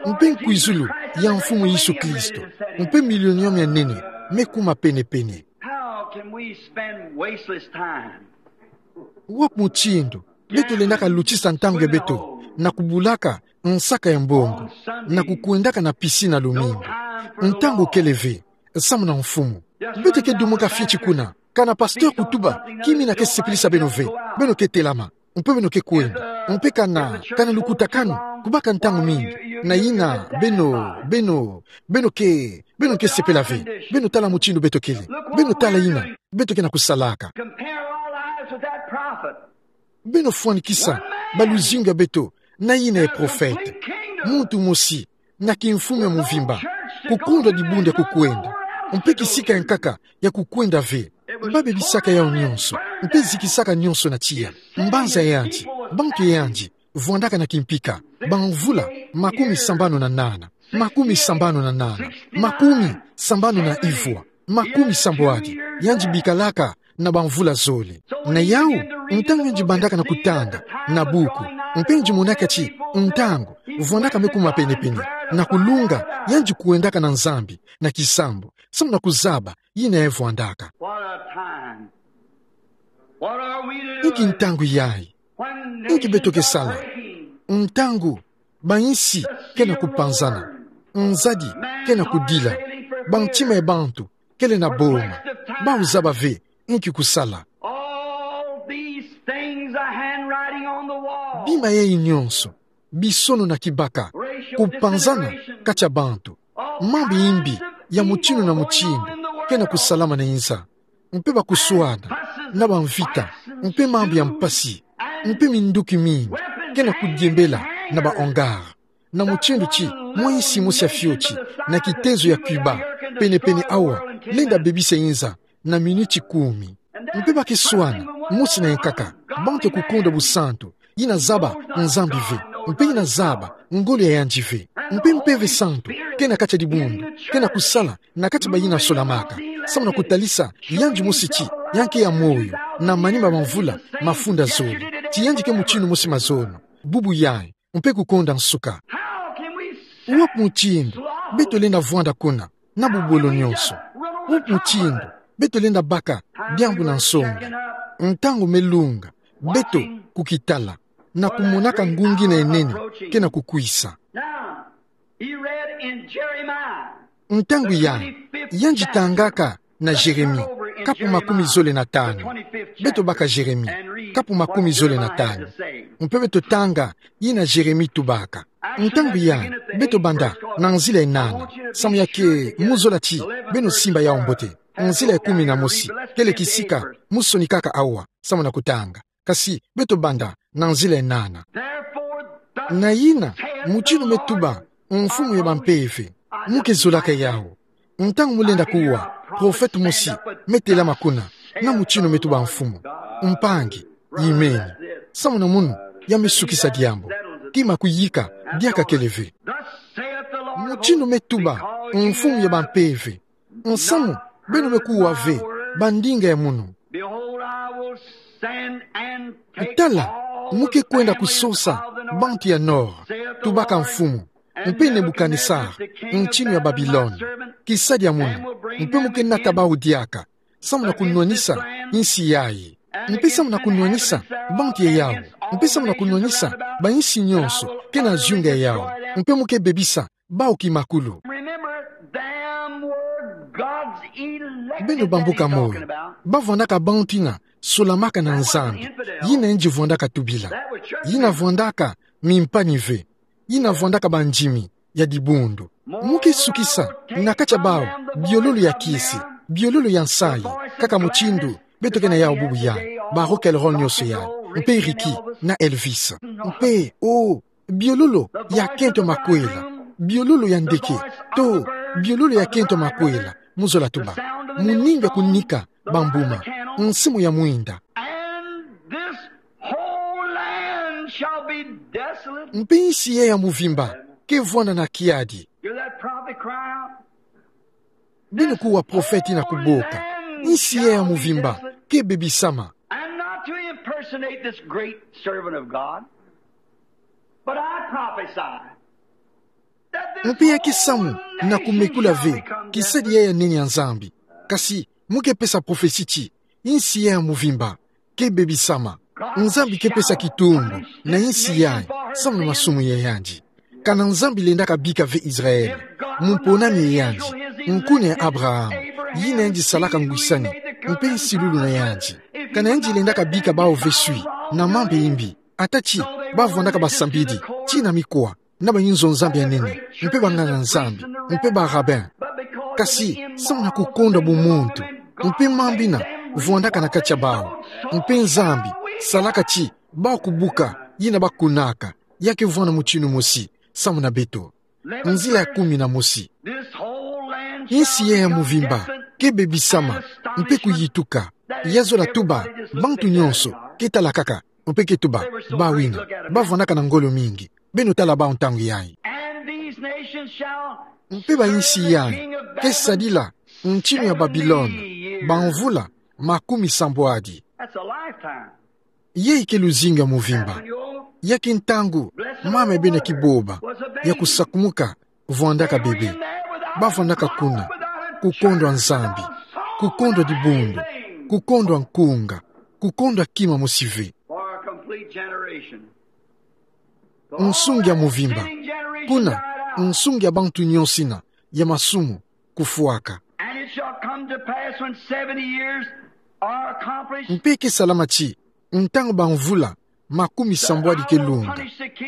Mpe nkwizulu ya Mfumu Yesu Kristo, mpe milenium ya nene, me kuma pene-pene. How can we spend wasteless time? Wo mutindu beto lendaka lutisa ntangu ya beto na kubulaka nsaka ya mbongo, na kukwendaka na piscine lumingu? Ntangu kele ve, samu na Mfumu. Beto ke dumuka fioti kuna, kana pasteur kutuba kimina ke sepelisa beno ve, beno ke telama, mpe beno ke kwenda. Mpe kana, kana lukutakanu, kubaka ntangu mingi, na yina beno, beno, beno ke, beno ke sepela ve. Beno tala mutindu beto kele. Beno tala yina beto ke na kusalaka. Compare our lives with that prophet. Beno fwanikisa baluzingu ya beto na yina ya profete. Muntu mosi na kimfumu ya mvimba, kukondwa dibundu ya kukwenda, mpe kisika ya nkaka ya kukwenda ve. Babebisaka yau nyonso, mpe zikisaka nyonso na tiya. Mbanza yandi, bantu yandi, vwandaka na kimpika, bamvula makumi sambanu na nana, makumi sambanu na nana, makumi sambanu na ivwa, makumi sambwadi, yandi bikalaka na bamvula zole. Na yau, ntangu yandi bandaka na kutanga na buku, mpe yandi monaka ti ntangu vwandaka me kuma pene-pene, na kulunga yandi kwendaka na Nzambi na kisambu, samu na kuzaba yina ya vwandaka. What a time. What are we to do? Inki ntangu yai? Inki beto ke sala? Ntangu bainsi ke na kupanzana, nzadi ke na kudila, bantima ya bantu kele na boma, bau zaba ve inki kusala. All these things a handwriting on the wall. Bima yayi nyonso, bisono na kibaka, kupanzana kati ya bantu, mambu ya imbi ya mutinu na mutinu ke na kusalama na inza. Mpe bakuswana, na bamvita, mpe mambu ya mpasi, mpe minduki mingi ke na kudiembela na ba hangar. Na mutinu ti mwa insi mosi ya fioti, na kitezo ya Cuba, penepene awa, lenda bebisa inza na minuti kumi. Mpe ba ke swana, mosi na yankaka, bantu ya kukondwa busantu, yi na zaba Nzambi ve, mpe yi na zaba ngolo ya yandi ve. Mpe Mpeve Santu ke na kati ya dibundu, ke na kusala na kati ya bayi na solamaka, samu na kutalisa yandi mosi ti ya ke ya moyo na manima ma mvula mafunda zole, ti yandi ke mutinu mosi mazono, bubu yayi, mpe kukonda nsuka. Wapi mutindu beto lenda vwanda kuna na bubolo nyonso? Wapi mutindu beto lenda baka diambu na nsongi, ntangu me lunga beto kukitala na kumonaka ngungi na nene ke na kukwisa? Now, he read in Jeremiah. Ntangu yayi, yandi tangaka na Jeremi, kapu makumi zole na tanu. Beto baka Jeremi, kapu makumi zole na tanu. Mpe beto tanga yi na Jeremi tubaka. Ntangu yayi, beto banda na nzila ya nana, samu ya ke mu zola ti beno simba yawu mbote. Nzila ya kumi na mosi, kele kisika mu sonikaka awa, samu na kutanga. Kasi beto banda na nzila ya nana. Na yina, mutinu me tuba, mfumu ya bampeve, mu ke zolaka yawu. Ntangu mu lenda kuwa, profete mosi me telama kuna, na mutinu me tuba mfumu: Mpangi, yimeni. Samu na munu, ya me sukisa diambu. Kima kuyika diaka kele ve. Mutinu me tuba, mfumu ya bampeve, nsamu beno me kuwa ve bandinga ya munu. Behold, I will send and take all the family. Tala, mu ke kwenda kusosa bantu ya nord, tubaka Mfumu, mpe Nebukanesare, ntinu ya Babilone, kisadi ya munu, mpe mu ke nata bawu diaka, samu na kunwanisa insi yayi, mpe samu na kunwanisa bantu ya yawu, mpe samu na kunwanisa bainsi nyonso ke na zunga ya yawu, mpe mu ke bebisa bawu kimakulu. Remember, them were God's elect. Beno bambuka moyo, bavwandaka bantu yina solamaka na Nzambi, yina yandi vwandaka tubila. Yina vwandaka mimpani ve, yina vwandaka bandimi ya dibundu. Mu ke sukisa na kati ya bawu biololo ya kisi, biololo ya nsayi, kaka mutindu beto ke na yawu bubu yayi, ba Rock and Roll nyonso yayi, mpe Ricky na Elvis. Mpe, oh, biololo ya kento makwela, biololo ya ndeke, to biololo ya kento makwela, mu zola tuba muninga kunika bambuma, nsimu ya mwinda. And this whole land shall be desolate. Mpe insi yayi ya muvimba ke vwanda na kiadi. Hear that prophet cry out? Beno kuwa profete yina kuboka: insi yayi ya muvimba ke bebisama. And not to impersonate this great servant of God, but I prophesy that this Mpe ya ke samu na kumekula ve kisadi yayi ya nene ya Nzambi. Kasi mu ke pesa profesi ti insi yayi ya muvimba ke bebisama. Nzambi ke pesa kitundu na insi yayi samu na masumu ya yandi. Kana Nzambi lendaka bika ve Israele, mumponami ya yandi, nkuna ya Abraham, yina yandi salaka ngwisani, mpe nsilulu na yandi. Kana yandi lendaka bika bawu veswi na mambu ya imbi, ata ti bavwandaka basambidi tii na mikwa, na bayinzo-Nzambi ya nene, mpe banganga-Nzambi, mpe ba rabbin. Kasi samu na kukondwa bumuntu, mpe mambu yina vwandaka na kati ya bawu, mpe Nzambi salaka ti bawu kubuka yina bakunaka, ya ke vwanda mutinu mosi samu na beto. Nzila ya kumi na mosi. Insi yayi ya muvimba ke bebisama, mpe kuyituka. Ya zola tuba bantu nyonso ke tala kaka, mpe ke tuba bawu yina bavwandaka na ngolo mingi. Beno tala bawu ntangu yayi. And these nations shall Mpe bainsi yayi ke sadila ntinu ya Babilone bamvula makumi sambwadi. That's a lifetime. Yayi ke luzingu ya muvimba. Ya ke ntangu mama ya beno ya kiboba ya kusakumuka vwandaka bebe. Bavwandaka kuna, kukondwa Nzambi, kukondwa dibundu, kukondwa nkunga, kukondwa kima mosi ve. For a complete generation. Nsungi ya muvimba. Kuna, nsungi ya bantu nyonso yina ya masumu kufwaka. And it shall come to pass when seventy years are accomplished. Mpe ke salama ti, ntangu bamvula makumi sambwadi ke lunga,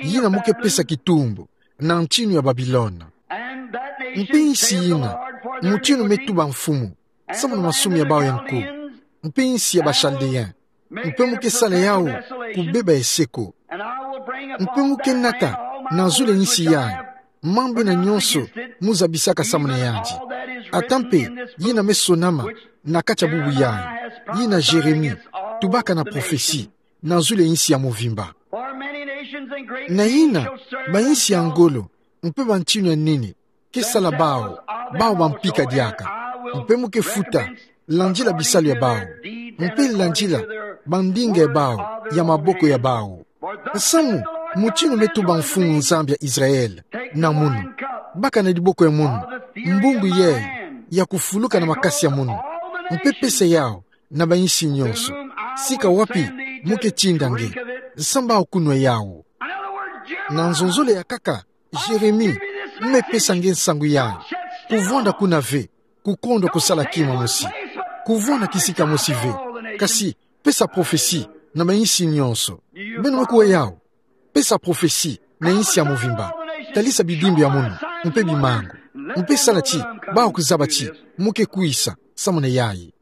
yina mo ke pesa kitumbu na ntinu ya Babilona. Mpe yinsi yina, mutindu me tuba mfumu samuna masumu ya bawu ya nku, mpe yinsi ya ba Chaldéen, mpe mo ke sala yawu kubeba ya seko. Mpe mo ke nata na zulu ya yinsi yayi mambu ina nyonso mo zabisaka samuna yandi. Ata mpe yina me sonama na kati ya bubu yayi, yina Jérémie tubaka na prophetie na zulu ya yinsi ya mvimba. Na yina, bayinsi ya ngolo mpe bantinu ya nene ke sala bawu, bawu bampika diaka. Mpe mo ke futa landila bisalu ya bawu, mpe landila bandinga ya bawu ya maboko ya bawu. Samu mutindu me tuba Mfumu Nzambi ya Israël na munu: Baka na diboko ya munu mbungu yayi ya kufuluka na makasi ya munu, mpe pesa yawu na bayinsi nyonso, sika wapi mo ke tinda nge, samu bawu kunwa yawu. Na nzonzolo ya nkaka, Jérémie, mo me pesa nge nsangu yayi: kuvwanda kuna ve kukondwa kusala kima mosi, kuvwanda kisika mosi ve, kasi pesa prophetie na bayinsi nyonso. Beno me kuwa yawu? Pesa prophetie na yinsi ya mvimba. Talisa bidimbu ya munu mpe bimangu, mpe sala ti bawu kuzaba ti mo ke kwisa samuna yayi.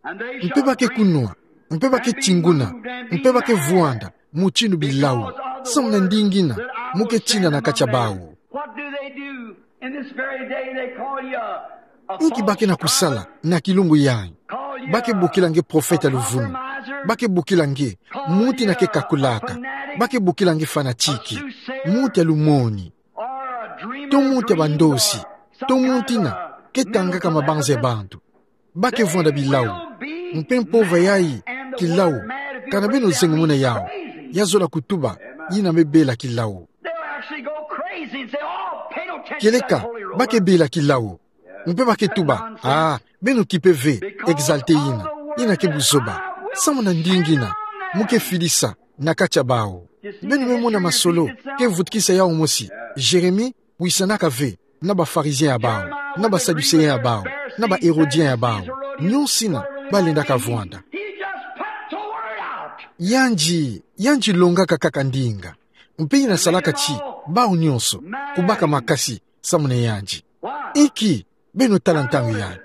Mpe ba ke kunwa, mpe ba ke tinguna, mpe ba ke vwanda mutindu bilawu samuna ndinga ina mo ke tinda na kati ya bawu. What do they do in this very day? They call you a, a Inki ba ke na kusala na kilungu yayi? Ba ke bokila nge profeta luvunu. Ba ke bokila nge muntu ina ke kakulaka. Ba ke bokila nge fanatiki, muntu ya lumoni, to muntu ya bandosi, to muntu ina ke tangaka mabanza ya bantu. Ba ke vwanda bilawu. Mpe mpova yayi, kilawu, kana beno zengo muna yawu, ya zola kutuba yina me bela kilawu. Kieleka, ba ke bela kilawu. Mpe ba ke tuba: Ah, beno kipe ve exalté yina, yina ke buzoba. Samuna ndinga ina mo ke fidisa na kati ya bawu. Beno me mona masolo ke vutukisa yawu mosi. Jérémie wisanaka ve na ba Pharisiens ya bawu, na ba Sadducéens ya bawu, na ba Hérodiens ya bawu, nyonso ina ba lendaka vwanda. Yandi, yandi longaka kaka ndinga, mpe yandi salaka ti bawu nyonso kubaka makasi samuna yandi. Inki? Beno tala ntangu yayi.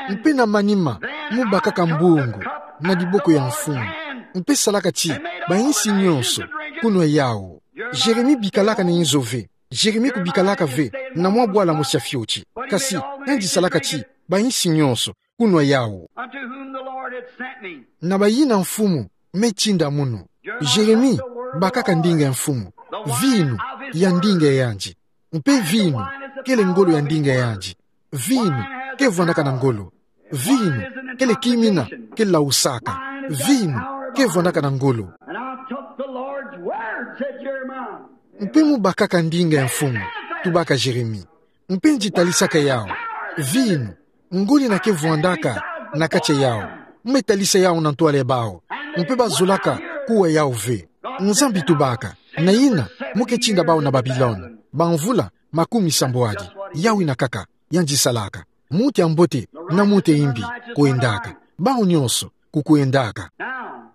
Mpe na manima, mo bakaka mbungu na diboko ya mfumu, mpe salaka ti bayinsi nyonso kunwa yawu. Jérémie bikalaka na inzo ve. Jérémie kubikalaka ve na mwa bwala mosi ya fioti. Kasi yandi salaka ti bayinsi nyonso kunwa yawu. Unto whom the Lord had sent me. Na bayina Mfumu me tinda munu. Jérémie bakaka ndinga ya Mfumu, vinu ya ndinga ya yandi. Mpe vinu kele ngolo ya ndinga ya yandi. Vinu ke vwandaka na ngolo. Vinu kele kima ina ke lawusaka. Vinu ke vwandaka na ngolo. And I took the Lord's word, said Jeremiah. Mpe mo bakaka ndinga ya Mfumu, tubaka Jérémie. Mpe nge talisaka yawu. Vinu, ngolo ina ke vwandaka na kati ya yawu. Mo me talisa yawu na ntwala ya bawu. Mpe ba zolaka kuwa yawu ve. Nzambi tubaka. Na yina, mo ke tinda bawu na Babilone bamvula makumi sambwadi. Yawu ina kaka yandi salaka. Muntu ya mbote na muntu ya imbi kwendaka. Bawu nyonso kukwendaka. Now,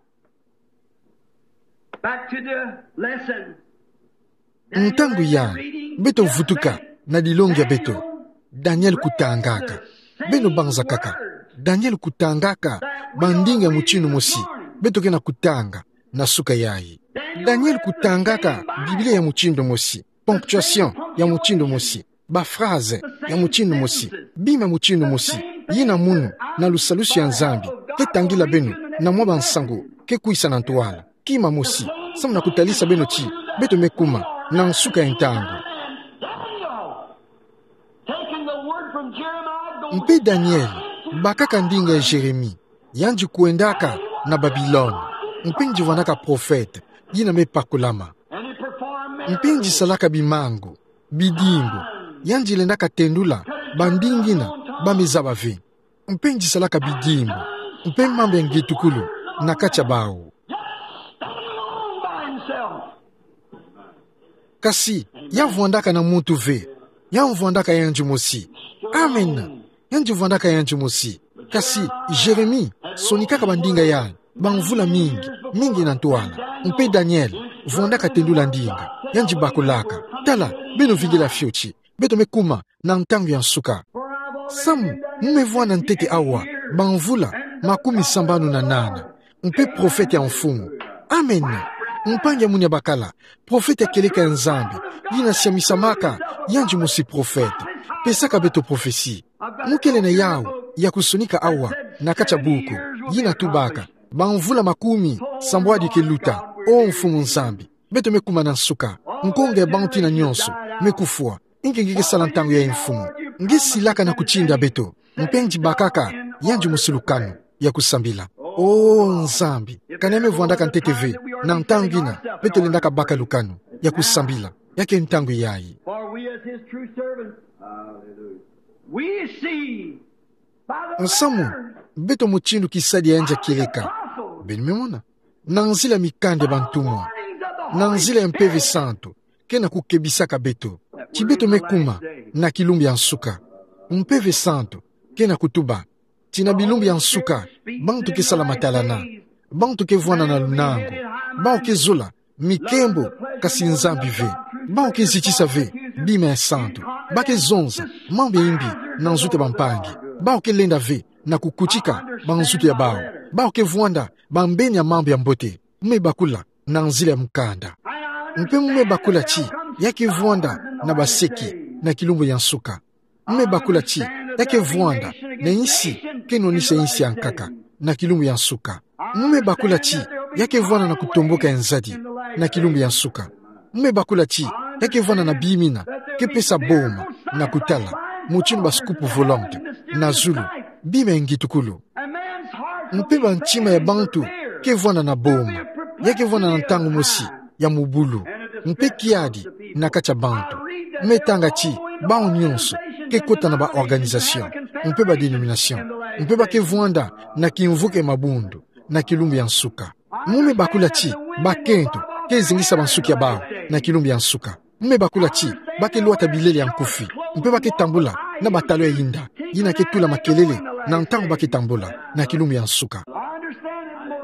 back to the lesson. Ntangu yayi, beto vutuka na dilongi ya beto. Daniel kutangaka. Beno banza kaka. Daniel kutangaka bandinga ya mutindu mosi beto ke na kutanga na suka yayi. Daniel kutangaka Biblia ya mutindu mosi, ponctuation ya mutindu mosi, ba phrase ya mutindu mosi, bima ya mutindu mosi. Yina munu na lusalusu ya Nzambi ke tangila beno na mwa bansangu ke kwisa na ntwala. Kima mosi, samu na kutalisa beno ti beto me kuma na nsuka ya ntangu. Mpe Daniel bakaka ndinga ya Jérémie. Yandi kwendaka na Babilone. Mpe yandi vwandaka profete yina me pakulama. Mpe yandi salaka bimangu, bidimbu. Yandi lendaka tendula bandinga ina ba me zaba ve. Mpe yandi salaka bidimbu, mpe mambu ya ngetukulu na kati ya bawu. Kasi ya vwandaka na muntu ve. Ya vwandaka yandi mosi. Amen. Yandi vwandaka yandi mosi. Kasi Jérémie sonikaka bandinga yayi bamvula mingi, mingi na ntwala. Mpe Daniel Vwandaka tendula ndinga, yandi bakulaka. Tala, beno vingila fioti. Beto me kuma na ntangu ya nsuka. Samu, me vwanda ntete awa, bamvula makumi sambanu na nana. Mpe profete ya mfumu. Amen. Mpangi ya Munia Bakala, profete ya kieleka ya Nzambi, yina siamisamaka, yandi mosi profete. Pesaka beto profesi. Mukele na yau ya kusonika awa na kati ya buku, yina tubaka: Bamvula makumi sambwadi ke luta, O Mfumu Nzambi, beto me kuma na nsuka. Nkonga ya bantu yina nyonso me kufwa. Nge nge ke sala ntangu yayi, Mfumu. Nge silaka na kutinda beto. Mpe nge bakaka yandi mosi lukanu ya kusambila. O Nzambi, kani me vwandaka ntete ve, na ntangu yina beto lendaka baka lukanu ya kusambila. Ya ke ntangu yayi. For we as his true servants, we see by the Nsamu, letter beto mutindu kisadi ya yandi ya kieleka. Beno me mona. Na nzila ya mikanda ya bantumwa. Na nzila ya Mpeve Santu, ke na kukebisaka beto. Ti beto me kuma na kilumbu ya nsuka. Mpeve Santu ke na kutuba ti na bilumbu ya nsuka, bantu ke sala matalana, bantu ke vwanda na lunangu, bawu ke zola mikembo, kasi Nzambi ve, bawu ke zitisa ve bima ya santu, ba ke zonza mambu ya imbi na nzutu ya bampangi, bawu ke lenda ve na kukutika banzutu ya bawu, bawu ke vwanda bambeni ya mambu ya mbote. Me bakula na nzila ya mukanda. Mpe me bakula ti ya ke vwanda na baseki na kilumbu ya nsuka. Me bakula ti ya ke vwanda na insi ke nonisa insi ya nkaka na kilumbu ya nsuka. Me bakula ti ya ke vwanda na kutomboka ya nzadi na kilumbu ya nsuka. Me bakula ti ya ke vwanda na bima yina ke pesa boma na kutala, mutindu ba scoop volante na zulu, bima ya ngitukulu. Mpe bantima ya bantu ke vwanda na boma. Ya ke vwanda na ntangu mosi ya mubulu, mpe kiadi na kati ya bantu. Me tanga ti bawu nyonso ke kota na ba organisation, mpe ba denomination, mpe ba ke vwanda na kimvuka ya mabundu na kilumbu ya nsuka. Mu me bakula ti bakento ke zingisa bansuki ya bawu na kilumbu ya nsuka. Me bakula ti ba ke lwata bilele ya nkufi, mpe ba ke tambula na batalon ya inda yina ke tula makelele na ntangu ba ke tambula na kilumbu ya nsuka.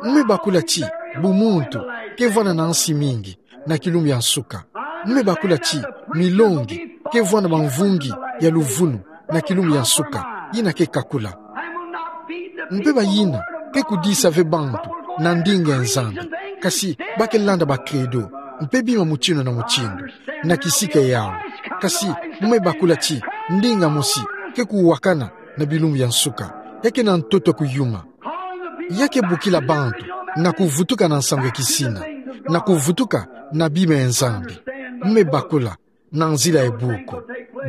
Me bakula ti bumuntu ke vwanda na nsi mingi na kilumbu ya nsuka. Me bakula ti milongi ke vwanda bamvungi ya luvunu na kilumbu ya nsuka, yina ke kakula. Mpe bayina ke kudisa ve bantu na ndinga ya Nzambi, kasi ba ke landa ba credo mpe bima mutindu na mutindu na kisika yawu. Kasi me bakula ti ndinga mosi ke kuwakana na bilumbu ya nsuka, ya ke na ntoto ya kuyuma. Ya ke bokila bantu na kuvutuka na nsangu ya kisina, na kuvutuka na bima ya Nzambi. Me bakula na nzila ya buku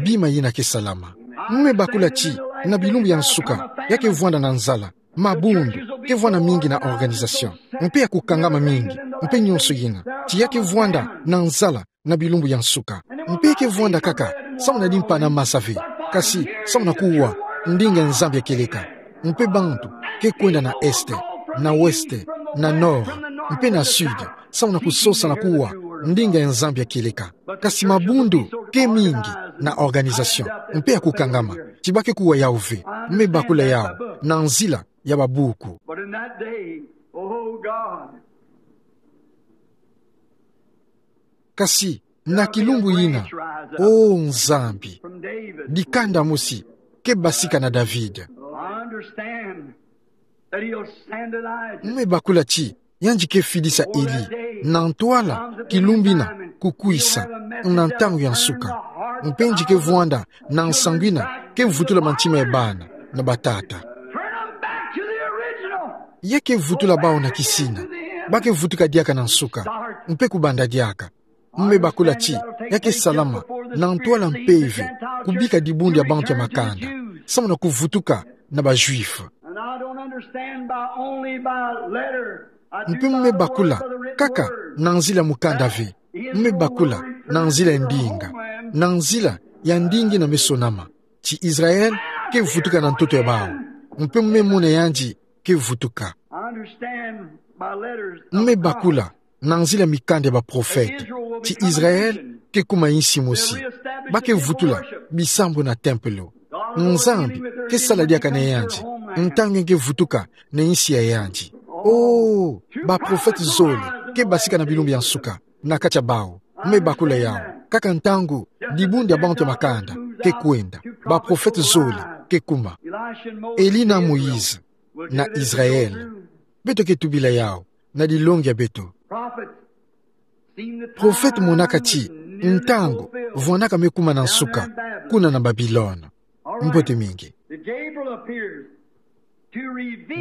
bima yina ke salama. Me bakula ti na bilumbu ya nsuka ya ke vwanda na nzala, mabundu ke vwanda mingi na organisation, mpe ya kukangama mingi, mpe nyonso yina, ti ya ke vwanda na nzala na bilumbu ya nsuka. Mpe ya ke vwanda kaka samu na dimpana masa ve, kasi samu na kuwa ndinga ya Nzambi ya kieleka. Mpe bantu ke kwenda na est, na ouest, na nord, mpe na sud, samu na kusosa na kuwa ndinga ya Nzambi ya kieleka. Kasi mabundu ke mingi na organisation mpe ya kukangama, ti ba ke kuwa yawu ve. Me bakula yawu na nzila ya babuku. But in that day, oh God, Kasi na kilumbu yina, O Nzambi, dikanda mosi ke basika na David. I understand that he'll send Elijah. Me bakula ti yandi ke fidisa Eli, na ntwala kilumbu yina kukwisa, na ntangu ya nsuka. Mpe yandi ke vwanda na nsangu yina ke vutula mantima ya bana na batata. Turn 'em back to the original. Ya ke vutula bawu na kisina, ba ke vutuka diaka na nsuka, mpe kubanda diaka. Me bakula ti ya ke salama na ntwala mpeve, kubika dibundu ya bantu ya makanda, samu na kuvutuka na ba Juifs. And I don't understand by, only by letter. I do. Mpe me bakula kaka na nzila ya mukanda ve. Me bakula na nzila ya ndinga, na nzila ya ndinga yina me sonama, ti Israel ke vutuka na ntoto ya bawu. Mpe me mona yandi ke vutuka. I understand by letters of God. Me bakula na nzila ya mikanda ya baprofete, ti Israel ke kuma insi mosi, ba ke vutula bisambu na tempelo. Nzambi ke sala diaka na yandi ntangu yandi ke vutuka na insi ya yandi. Oh, baprofete zole ke basika na bilumbu ya nsuka. na katia bau. Me bakula yau. Kaka ntangu, dibundu ya bantu ya makanda ke kwenda. Baprofete zole ke kuma. Eli na Moïse na Israele. Beto ke tubila yau na dilongi ya beto. Profete monaka ti ntangu vwandaka me kuma na nsuka kuna na Babilone. Mbote mingi.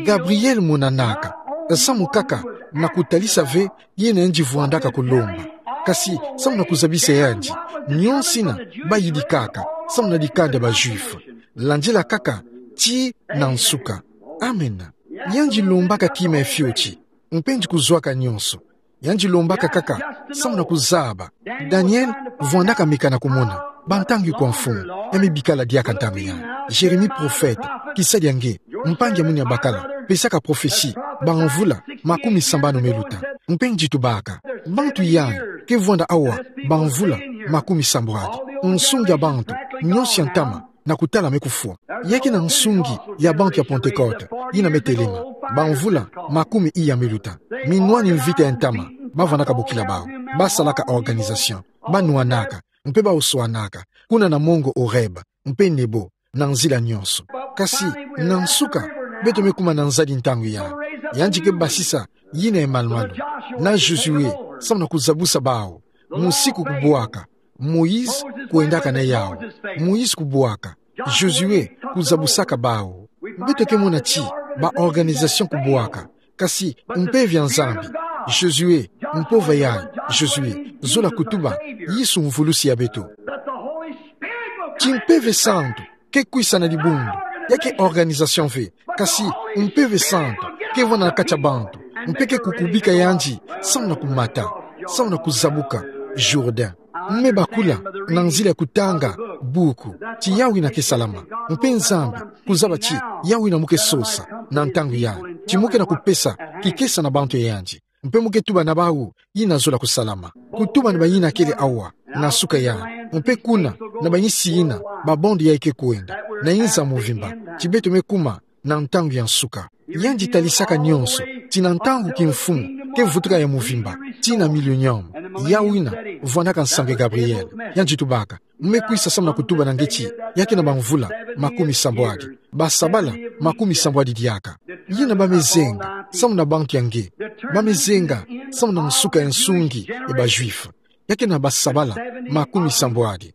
Gabriele monanaka samu kaka na kutalisa ve yina yandi vwandaka kulomba, kasi samu na kuzabisa yandi nionso yina bayidikaka samu na dikanda ya ba Juifs, landila kaka tii na nsuka. Amena. Yandi lombaka kima ya fioti, mpe yandi kuzwaka nionso. Yandi lombaka kaka samu na kuzaba. Daniele vwandaka meka na kumona bantangi kwa mfumu, ya me bikala diaka ntangu yai. Jeremi profete, kisa dia nge, mpangi ya mwini ya bakala, pesaka profesi bamvula makumi sambanu me luta. Mpe yandi tubaka bantu yai ke vwanda awa bamvula makumi sambwadi. Nsungi ya bantu nionso ya ntama na kutala me kufwa. Ya ke na nsungi ya bantu ya Pentecote yina me telema bamvula makumi iya me luta. Minwani mvita ya ntama, bavwandaka bokila bau, basalaka organisation, banwanaka, mpe baoswanaka kuna na mongo Horeb mpe Nebo, na nzila nionso. Kasi na nsuka, beto me kuma na nzadi ntangu yai. Yandi ke basisa yina ya malu-malu na Josue samu na kuzabusa bau. Musiku kubwaka, Moïse kwendaka na yau. Moïse kubwaka, Josue kuzabusaka bau. Beto ke mona ti baorganisation kubwaka, kasi Mpeve ya Nzambi, Josue, mpova yai, Josue, zola kutuba, Yesu mvulusi ya beto. Ti Mpeve Santu ke kwisa na dibundu, ya ke organisation ve, kasi Mpeve Santu ke vwanda na kati ya bantu, mpe ke kukubika yandi samu na kumata, samu na kuzabuka Jourdain. Me bakula na nzila ya kutanga buku ti yawu yina ke salama, mpe Nzambi kuzaba ti yawu yina mo ke sosa na ntangu yai, ti mo ke na kupesa kikesa na bantu ya yandi. Mpe mo ke tuba na bawu yina zola kusalama. Kutuba na bayina kele awa na suka yai, mpe kuna na bayinsi yina ba bande yai ke kwenda, na inza mvimba, ti beto me kuma na ntangu ya nsuka. Yandi talisaka nionso ti na ntangu kimfumu ke vutuka ya mvimba, ti na millénium, yawu yina vwandaka nsangu ya Gabriele. Yandi tubaka: Mo me kwisa samu na kutuba na nge ti ya ke na bamvula makumi sambwadi, basabala makumi sambwadi diaka. Yina ba me zenga samu na bantu ya nge, ba me zenga samu na nsuka ya nsungi ya ba Juifs. Ya ke na basabala makumi sambwadi.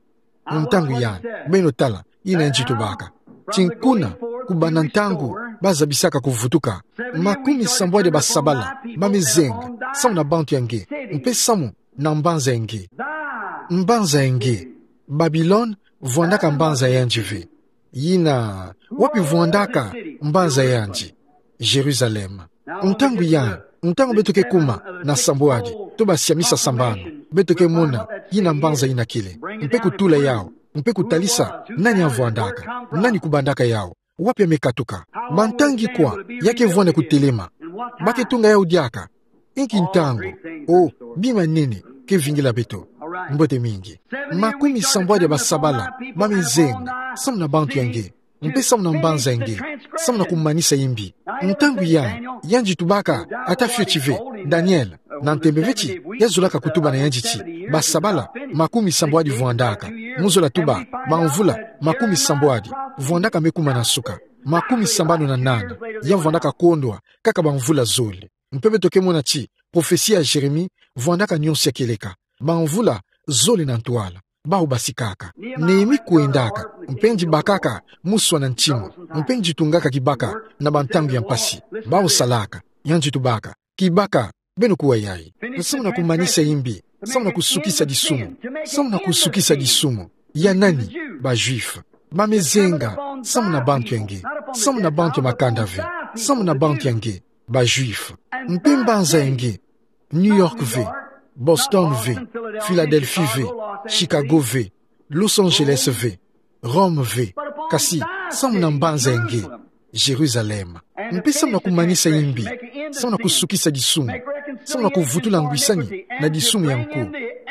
Ntangu yai, beno tala yina yandi tubaka. Ti kuna kubanda ntangu bazabisaka kuvutuka, makumi sambwadi ya basabala ba me zenga samu na bantu ya nge, mpe samu na mbanza ya nge. Mbanza ya nge. Babilone vwandaka mbanza ya yandi ve. Yina, wapi vwandaka mbanza ya yandi? Jérusalem. Ntangu yai, ntangu beto ke kuma na sambwadi to basiamisa sambanu, beto ke mona yina mbanza yina kele, mpe kutula yawu, mpe kutalisa nani avwandaka, nani kubandaka yawu, wapi ya me katuka, bantangi kwa ya ke vwanda kutelema, ba ke tunga yawu diaka, inki ntangu, o bima ya nene ke vingila beto. Mbote mingi. Makumi sambwadi ya basabala ba me zenga samu na bantu ya nge, mpe samu na mbanza ya nge, samu na kumanisa imbi. Ntangu yai, yandi tubaka ata fioti ve. Daniele, na ntembe ve ti ya zolaka kutuba na yandi ti basabala makumi sambwadi vwandaka, mo zola tuba bamvula makumi sambwadi vwandaka me kuma na nsuka. Makumi sambanu na nana ya vwandaka kondwa kaka bamvula zole. Mpe beto ke mona ti profesi ya Jérémie vwandaka nionso ya kieleka bamvula zole na ntwala. Bawu basikaka. Néhémie kwendaka, mpe yandi bakaka muswa na ntima, mpe yandi tungaka kibaka na bantangu ya mpasi. Bawu salaka. Yandi tubaka: Kibaka, beno kuwa yai. Samu na kumanisa imbi, samu na kusukisa disumu. Samu na kusukisa disumu. Ya nani? Ba Juifs. Ba me zenga samu na bantu ya nge, samu na bantu ya makanda ve, samu na bantu ya nge, ba Juifs. Mpe mbanza ya nge, New York ve, Boston ve, Philadelphie ve, Chicago ve, Los Angeles ve, Rome ve, kasi samu na mbanza ya nge, Jérusalem. Mpe samu na kumanisa imbi, samu na kusukisa disumu, samu na kuvutula ngwisani na disumu ya nko,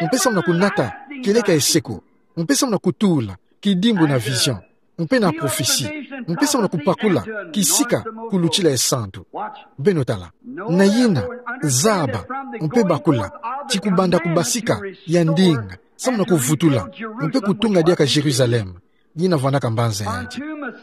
mpe samu na kunata kieleka ya seko, mpe samu na kutula kidimbu na vision, mpe na prophetie, mpe samu na kupakula kisika ku lutila ya santu. Beno tala. Na yina, zaba, mpe bakula. ti kubanda kubasika ya ndinga, samu na kuvutula, mpe kutunga diaka Jérusalem, yina vwandaka mbanza yandi.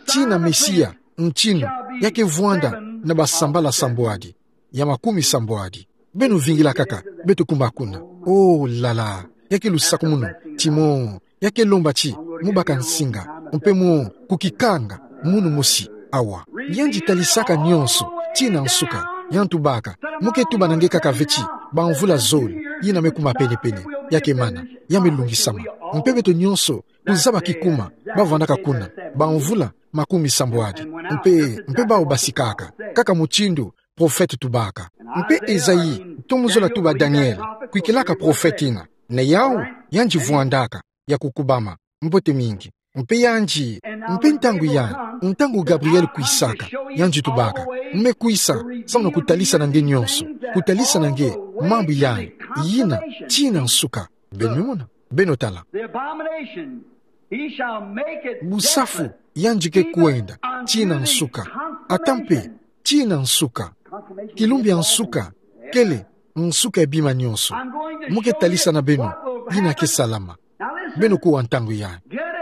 Tina Mesia, ntinu, ya kevwanda na basambala sambwadi, ya makumi sambwadi. Beno vingila kaka, beto kuma kuna. Oh, lala, ya ke lusakumunu, ti mo, ya ke lomba ti mo baka nsinga, mpe mo kukikanga, munu mosi, awa. Yandi talisaka nionso, tina nsuka, yandi tubaka, mo ke tuba na nge kaka ve ti, bamvula zole, yina me kuma pene-pene, ya ke mana, ya me lungisama. Mpe beto nionso, kuzaba kikuma, bavwandaka kuna, bamvula, makumi sambwadi. Mpe, mpe bawu basikaka, kaka mutindu, profete tubaka. Mpe Esaïe, to mu zola tuba Daniel, kwikilaka profete yina. Na yawu, yandi vwandaka, ya kukubama, mbote mingi. Mpe yandi, mpe ntangu yayi, ntangu Gabriel kwisaka, yandi tubaka, me kwisa, samu na kutalisa na nge nionso, kutalisa na nge, mambu yayi, yina, tina nsuka, beno mona, beno tala. The abomination, he shall make it Busafu, desolate, yandi ke kwenda, tina nsuka, ata mpe, tina nsuka. Kilumbu ya nsuka, kele, nsuka ya bima nionso. Mo ke talisa na beno, yina ke salama. Beno kuwa ntangu yayi.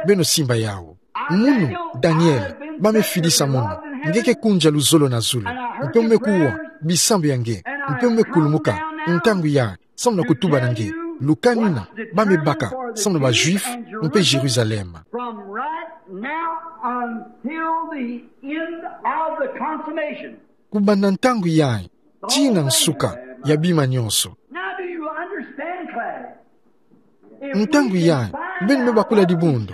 Beno simba yawu. Munu, Daniel, ba me fidisa munu. Nge ke kunja luzolo na zulu. Mpe mo me kuwa, bisambu ya nge. Mpe mo me kulumuka, ntangu yayi. Samu na kutuba na nge, lukani na, ba me baka, samu na ba Juifs, mpe Jérusalem. From right now until the end of the consummation. Kubanda ntangu yayi, tina nsuka, ya bima nionso. Now do you understand, class? Ntangu yayi, beno me bakula dibundu.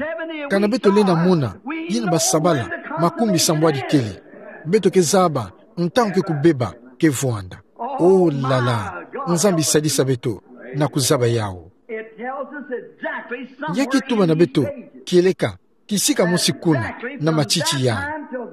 Kana beto lenda mona, yina basabala, makumi sambwadi kele. Beto ke zaba, ntangu ke kubeba, ke vwanda. Oh là là, Nzambi sadisa beto, na kuzaba yawu. It tells us exactly somewhere in these stages. Ya ke tuba na beto, kieleka, kisika mosi kuna, na matiti yayi.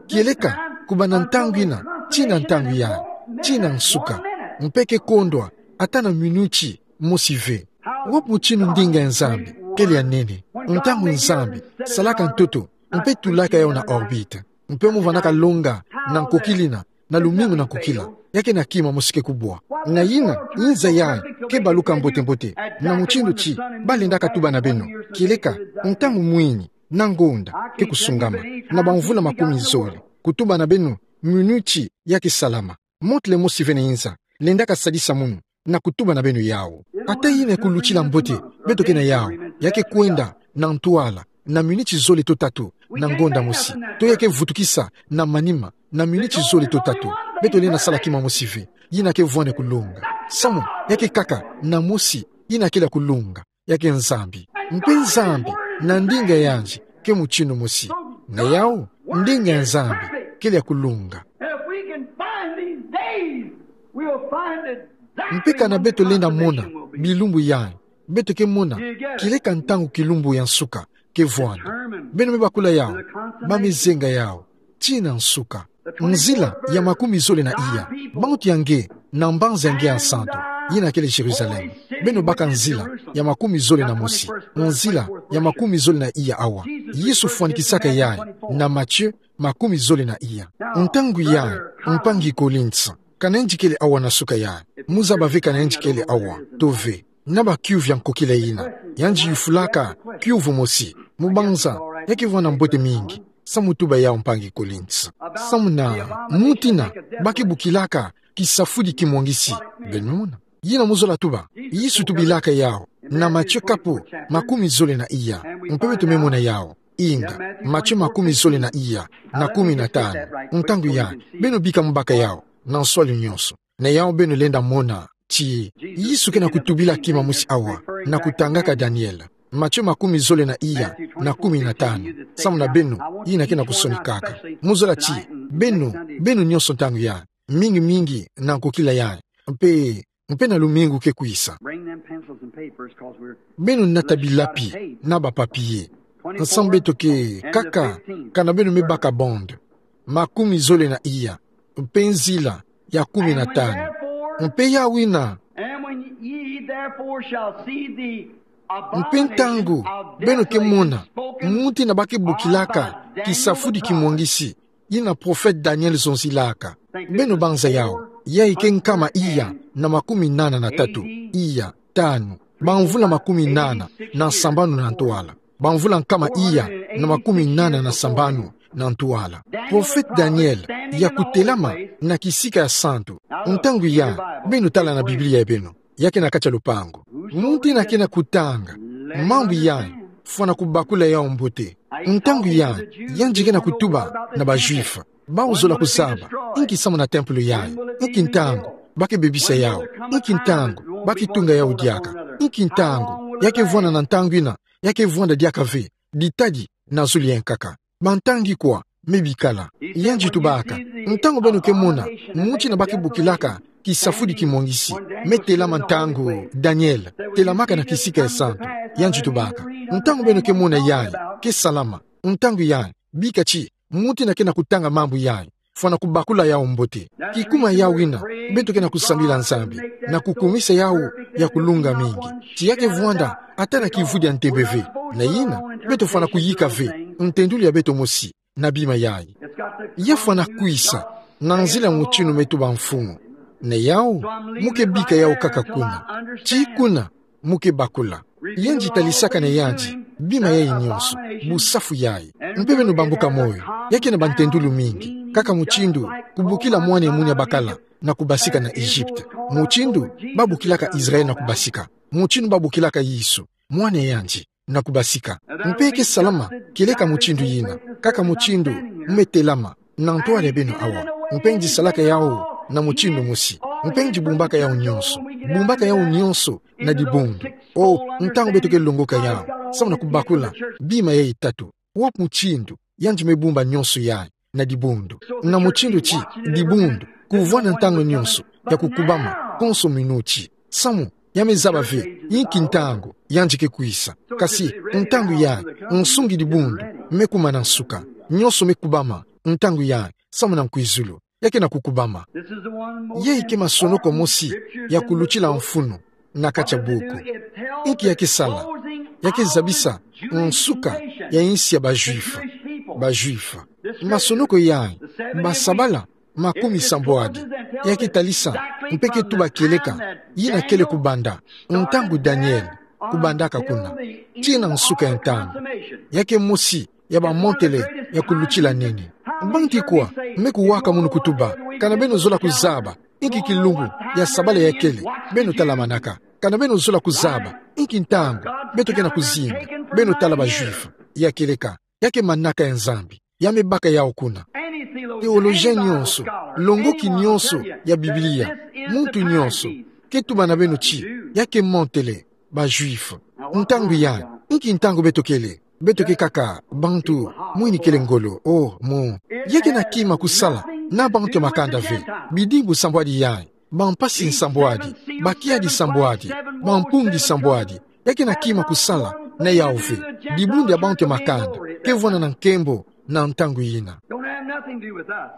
Kieleka, kubanda ntangu yina, tina ntangu yayi, tina nsuka. Mpe ke kondwa, ata na minuti, mosi ve. Wapi mutinu ndinga ya Nzambi, kele ya nene. Ntangu Nzambi, salaka ntoto, mpe tulaka yawu na orbite. Mpe mo vwandaka longa, na nkokila yina, na lumingu na nkokila, ya ke na kima mosi ke kubwa. Na yina, nza yayi, ke baluka mbote-mbote, na mutindu ti, ba lendaka tuba na beno, kieleka, ntangu mwini, na ngonda, ke kusungama, na bamvula makumi zole, kutuba na beno, minuti, ya ke salama. Motele mosi ve na nza, lendaka sadisa munu, na kutuba na beno yawu. Ata yina kulutila mbote, beto ke na yawu, ya ke kwenda, na ntwala, na minuti zole to tatu, na ngonda mosi, to ya ke vutukisa, na manima, na minuti zole to tatu, beto lenda sala kima mosi ve, yina ke vwanda kulonga. Samu, ya ke kaka, na mosi, yina kele ya kulonga, ya ke Nzambi. Mpe Nzambi, na ndinga yandi, ke mutinu mosi. Na yawu, ndinga ya Nzambi, kele ya kulonga. If we can find these days, we'll find exactly when the consummation will be. Mpe kana beto lenda mona, bilumbu yayi, beto ke mona, kieleka ntangu kilumbu ya nsuka, ke vwanda. Beno me bakula yawu, ba me zenga yawu, tina nsuka. Nzila ya makumi zole na iya, bantu ya nge, na mbanza ya nge ya nsantu, yina kele Jérusalem. Beno baka nzila ya makumi zole na mosi, nzila ya makumi zole na iya awa. Yesu fwanikisaka yayi, na Matthieu makumi zole na iya. Ntangu yayi, mpangi Collins, kana yandi kele awa na suka yayi, mo zaba ve kana yandi kele awa, to ve. Na ba kiuvu ya nkokila yina, yandi yufulaka, kiuvu mosi, mo banza, ya ke vwanda mbote mingi, samu tuba yawu mpangi Collins. Samu na, muntu yina, ba ke bokilaka, kisafudi kimwangisi, beno mona. Yina mo zola tuba, Yesu tubilaka yawu, na Matthieu kapu, makumi zole na iya, mpe beto me mona yawu, inga, Matthieu makumi zole na iya, na kumi na tanu, ntangu yayi, beno bika mo baka yawu, na nswalu nionso. Na yawu beno lenda mona, ti, Yesu ke na kutubila kima mosi awa, na kutangaka Daniel. Matthieu makumi zole na iya, na kumi na tanu. Samu na beno, yina ke na kusonikaka. Mo zola ti, beno, beno nionso ntangu yayi. Mingi-mingi, na nkokila yayi. Mpe, mpe na lumingu ke kwisa. Bring them pencils and papers, 'cause we're Beno nata bilapi, na ba papier. Samu beto ke, kaka, kana beno me baka bande. Makumi zole na iya. Mpe nzila, ya kumi na tanu. Mpe yawu yina. And when ye therefore shall see the Mpe ntangu, abomination of beno ke mona, desolation spoken muntu yina ba ke bokilaka, of by Daniel kisafudi the prophet. Kimwangisi, yina prophète Daniel zonzilaka. Beno banza yawu, yayi ke nkama iya, na makumi nana na tatu, iya. tanu, bamvula makumi nana na sambanu na ntwala. Bamvula nkama iya na makumi nana na sambanu na ntwala. Profete Daniele yakutelama na kisika ya santu. Ntangu yayi, beno tala na Biblia ya beno, ya ke na kati ya lupangu. Muntu ina ke na kutanga mambu yayi, fwana kubakula yawu mbote. Ntangu yayi, yandi ke na kutuba na ba Juifs. Bawu zola kuzaba inki samu na tempelo yayi, inki ntangu ba ke bebisa yawu, inki ntangu ba ke tunga yawu diaka, inki ntangu ya ke vwanda na ntangu ina ya ke vwanda diaka ve, ditadi na zulu ya nkaka. Bantangi kwa me bikala. Yandi tubaka: Ntangu beno ke mona muntu ina ba ke bokilaka kisafudi kimwangisi, me telama ntangu Daniele telamaka na kisika ya santu, yandi tubaka: Ntangu beno ke mona yayi ke salama, ntangu yayi bika ti muntu ina ke na kutanga mambu yayi, fwana kubakula yawu mbote. Kikuma yawu ina, beto ke na kusambila Nzambi na kukumisa yawu ya kulunga mingi, ti ya ke vwanda ata na kivudi ya ntembe ve. Na ina, beto fwana kuyika ve ntendulu ya beto mosi na bima yayi. Ya fwana kwisa na nzila mutinu me tuba mfumu. Na yawu, mu ke bika yawu kaka kuna. Ti kuna mu ke bakula. Yandi talisaka na yandi bima yayi nyonso, busafu yayi. Mpe beno bambuka moyo, ya ke na bantendulu mingi, kaka mutindu kubokila mwana ya munia bakala na kubasika na Egypte, mutindu ba bokilaka Israël na kubasika, mutindu ba bokilaka Yesu, mwana ya yandi, na kubasika. Mpe ke salama kieleka mutindu yina, kaka mutindu mu me telama na ntwala ya beno awa. Mpe yandi salaka yawu na mutindu mosi. Mpe yandi bumbaka yawu nyonso. Bumbaka yawu nyonso na dibundu. O, ntangu beto ke longoka yawu, samu na kubakula bima yayi tatu, wapi mutindu yandi me bumba nyonso yayi na dibundu? Na mutindu ti dibundu kuvwanda ntangu nyonso ya kukubama, konso minuti. Samu ya me zaba ve inki ntangu yandi ke kwisa. Kasi ntangu yayi, nsungi dibundu me kumana nsuka. Nyonso me kubama ntangu yayi, samu na nkwizulu. Ya ke na kukubama. Yayi ke masonoko mosi ya kulutila mfunu na kati ya buku. Inki ya ke sala? Ya ke zabisa nsuka ya insi ya ba Juifs. Ba Juifs. Masonoko yayi, basabala makumi sambwadi, ya ke talisa mpe ke tuba kieleka yina kele kubanda, ntangu Daniele kubandaka kuna, tii na nsuka ya ntangu. Ya ke mosi ya bamontele ya kulutila nene. Bantu ikwa me kuwaka munu kutuba: Kana beno zola kuzaba inki kilumbu ya sabala ya kele? Beno talamanaka. Kana beno zola kuzaba inki ntangu beto ke na kuzinga? Beno tala ba Juifs. Ya kieleka, ya ke manaka ya Nzambi. Ya me baka yawu kuna. Théologien nyonso, longoki nyonso ya Biblia, muntu nyonso ke tuba na beno ti ya ke montele ba Juifs. Ntangu yayi, inki ntangu beto kele? Beto ke kaka bantu mwini kele ngolo, o, mu. Ya ke na kima kusala na bantu ya makanda ve. Bidimbu sambwadi yayi, bampasi sambwadi, bakiadi sambwadi, bampungi sambwadi. Ya ke na kima kusala na yawu ve. Dibundu ya bantu ya makanda ke vwanda na nkembo na ntangu yina.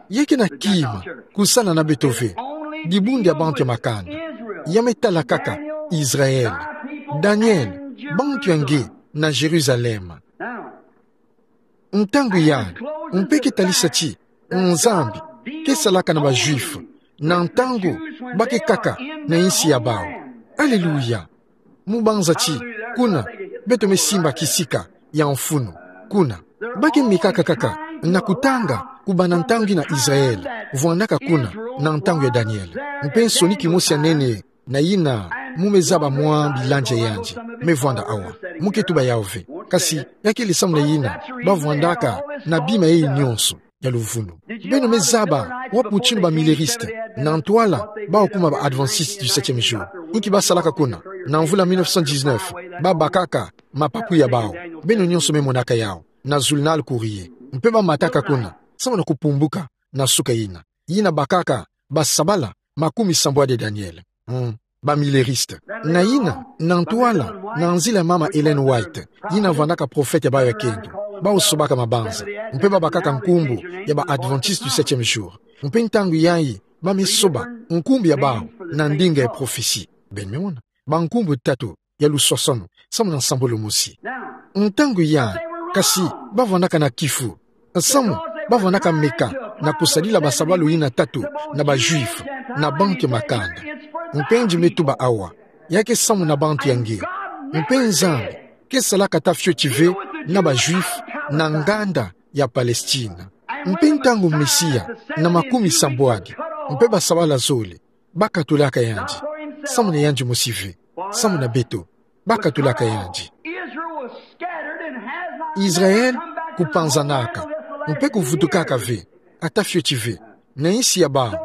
Ya ke na kima kusala na beto ve. Dibundu ya bantu ya makanda. Ya me tala kaka Israël, Daniele, bantu ya nge na Jérusalem. Ntangu yayi, mpe ke talisa ti Nzambi ke salaka na ba Juifs na ntangu ba ke kaka na insi ya bawu. Aleluya! Mu banza ti kuna beto me simba kisika ya mfunu. Kuna ba ke mikaka kaka na kutanga kubanda ntangu yina Israël vwandaka kuna na ntangu ya Daniele. Mpe nsoni kimosi ya nene na yina mu me zaba mwa bilandi ya yandi me vwanda awa, mu ke tuba yawu ve. Kasi ya kele samu na yina ba vwandaka na bima yayi nyonso ya luvunu. Beno me zaba wapi mutindu ba milleristes, na ntwala bawu kuma ba Adventistes du septième jour, inki ba salaka kuna? Na mvula mille neuf cent dix-neuf, ba bakaka mapapu ya bawu. Beno nyonso me monaka yawu na journal Courrier. Mpe ba mataka kuna samu na kupumbuka na suka yina, yina bakaka basabala makumi sambwadi ya Daniele. Hmm. Ba milleristes. Na yina, na ntwala, na nzila ya mama Ellen White, yina vwandaka profete ya bawu ya kento, bawu sobaka mabanza. Mpe ba bakaka nkumbu ya ba Adventistes du septième jour. Mpe ntangu yayi, ba me soba nkumbu ya bawu na ndinga ya prophetie. Beno me mona, bankumbu tatu ya luswaswanu samu na nsambulu mosi. Ntangu yayi, kasi ba vwandaka na kifu, samu ba vwandaka meka na kusadila basabalu yina tatu na ba Juifs na bantu ya makanda. Mpe nge me tuba awa, ya ke samu na bantu ya nge. Mpe Nzambi ke salaka ata fioti ve na ba Juifs na nganda ya Palestine. Mpe ntangu Mesia na makumi sambwadi mpe basabala zole bakatulaka yandi, samu na yandi mosi ve, samu na beto, bakatulaka yandi. Israël kupanzanaka mpe kuvutukaka ve, ata fioti ve, na insi ya bawu,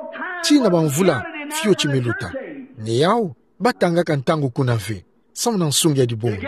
tii na bamvula fioti me luta. Ni yawu batangaka ntangu kuna ve, samu na nsungi ya dibundu.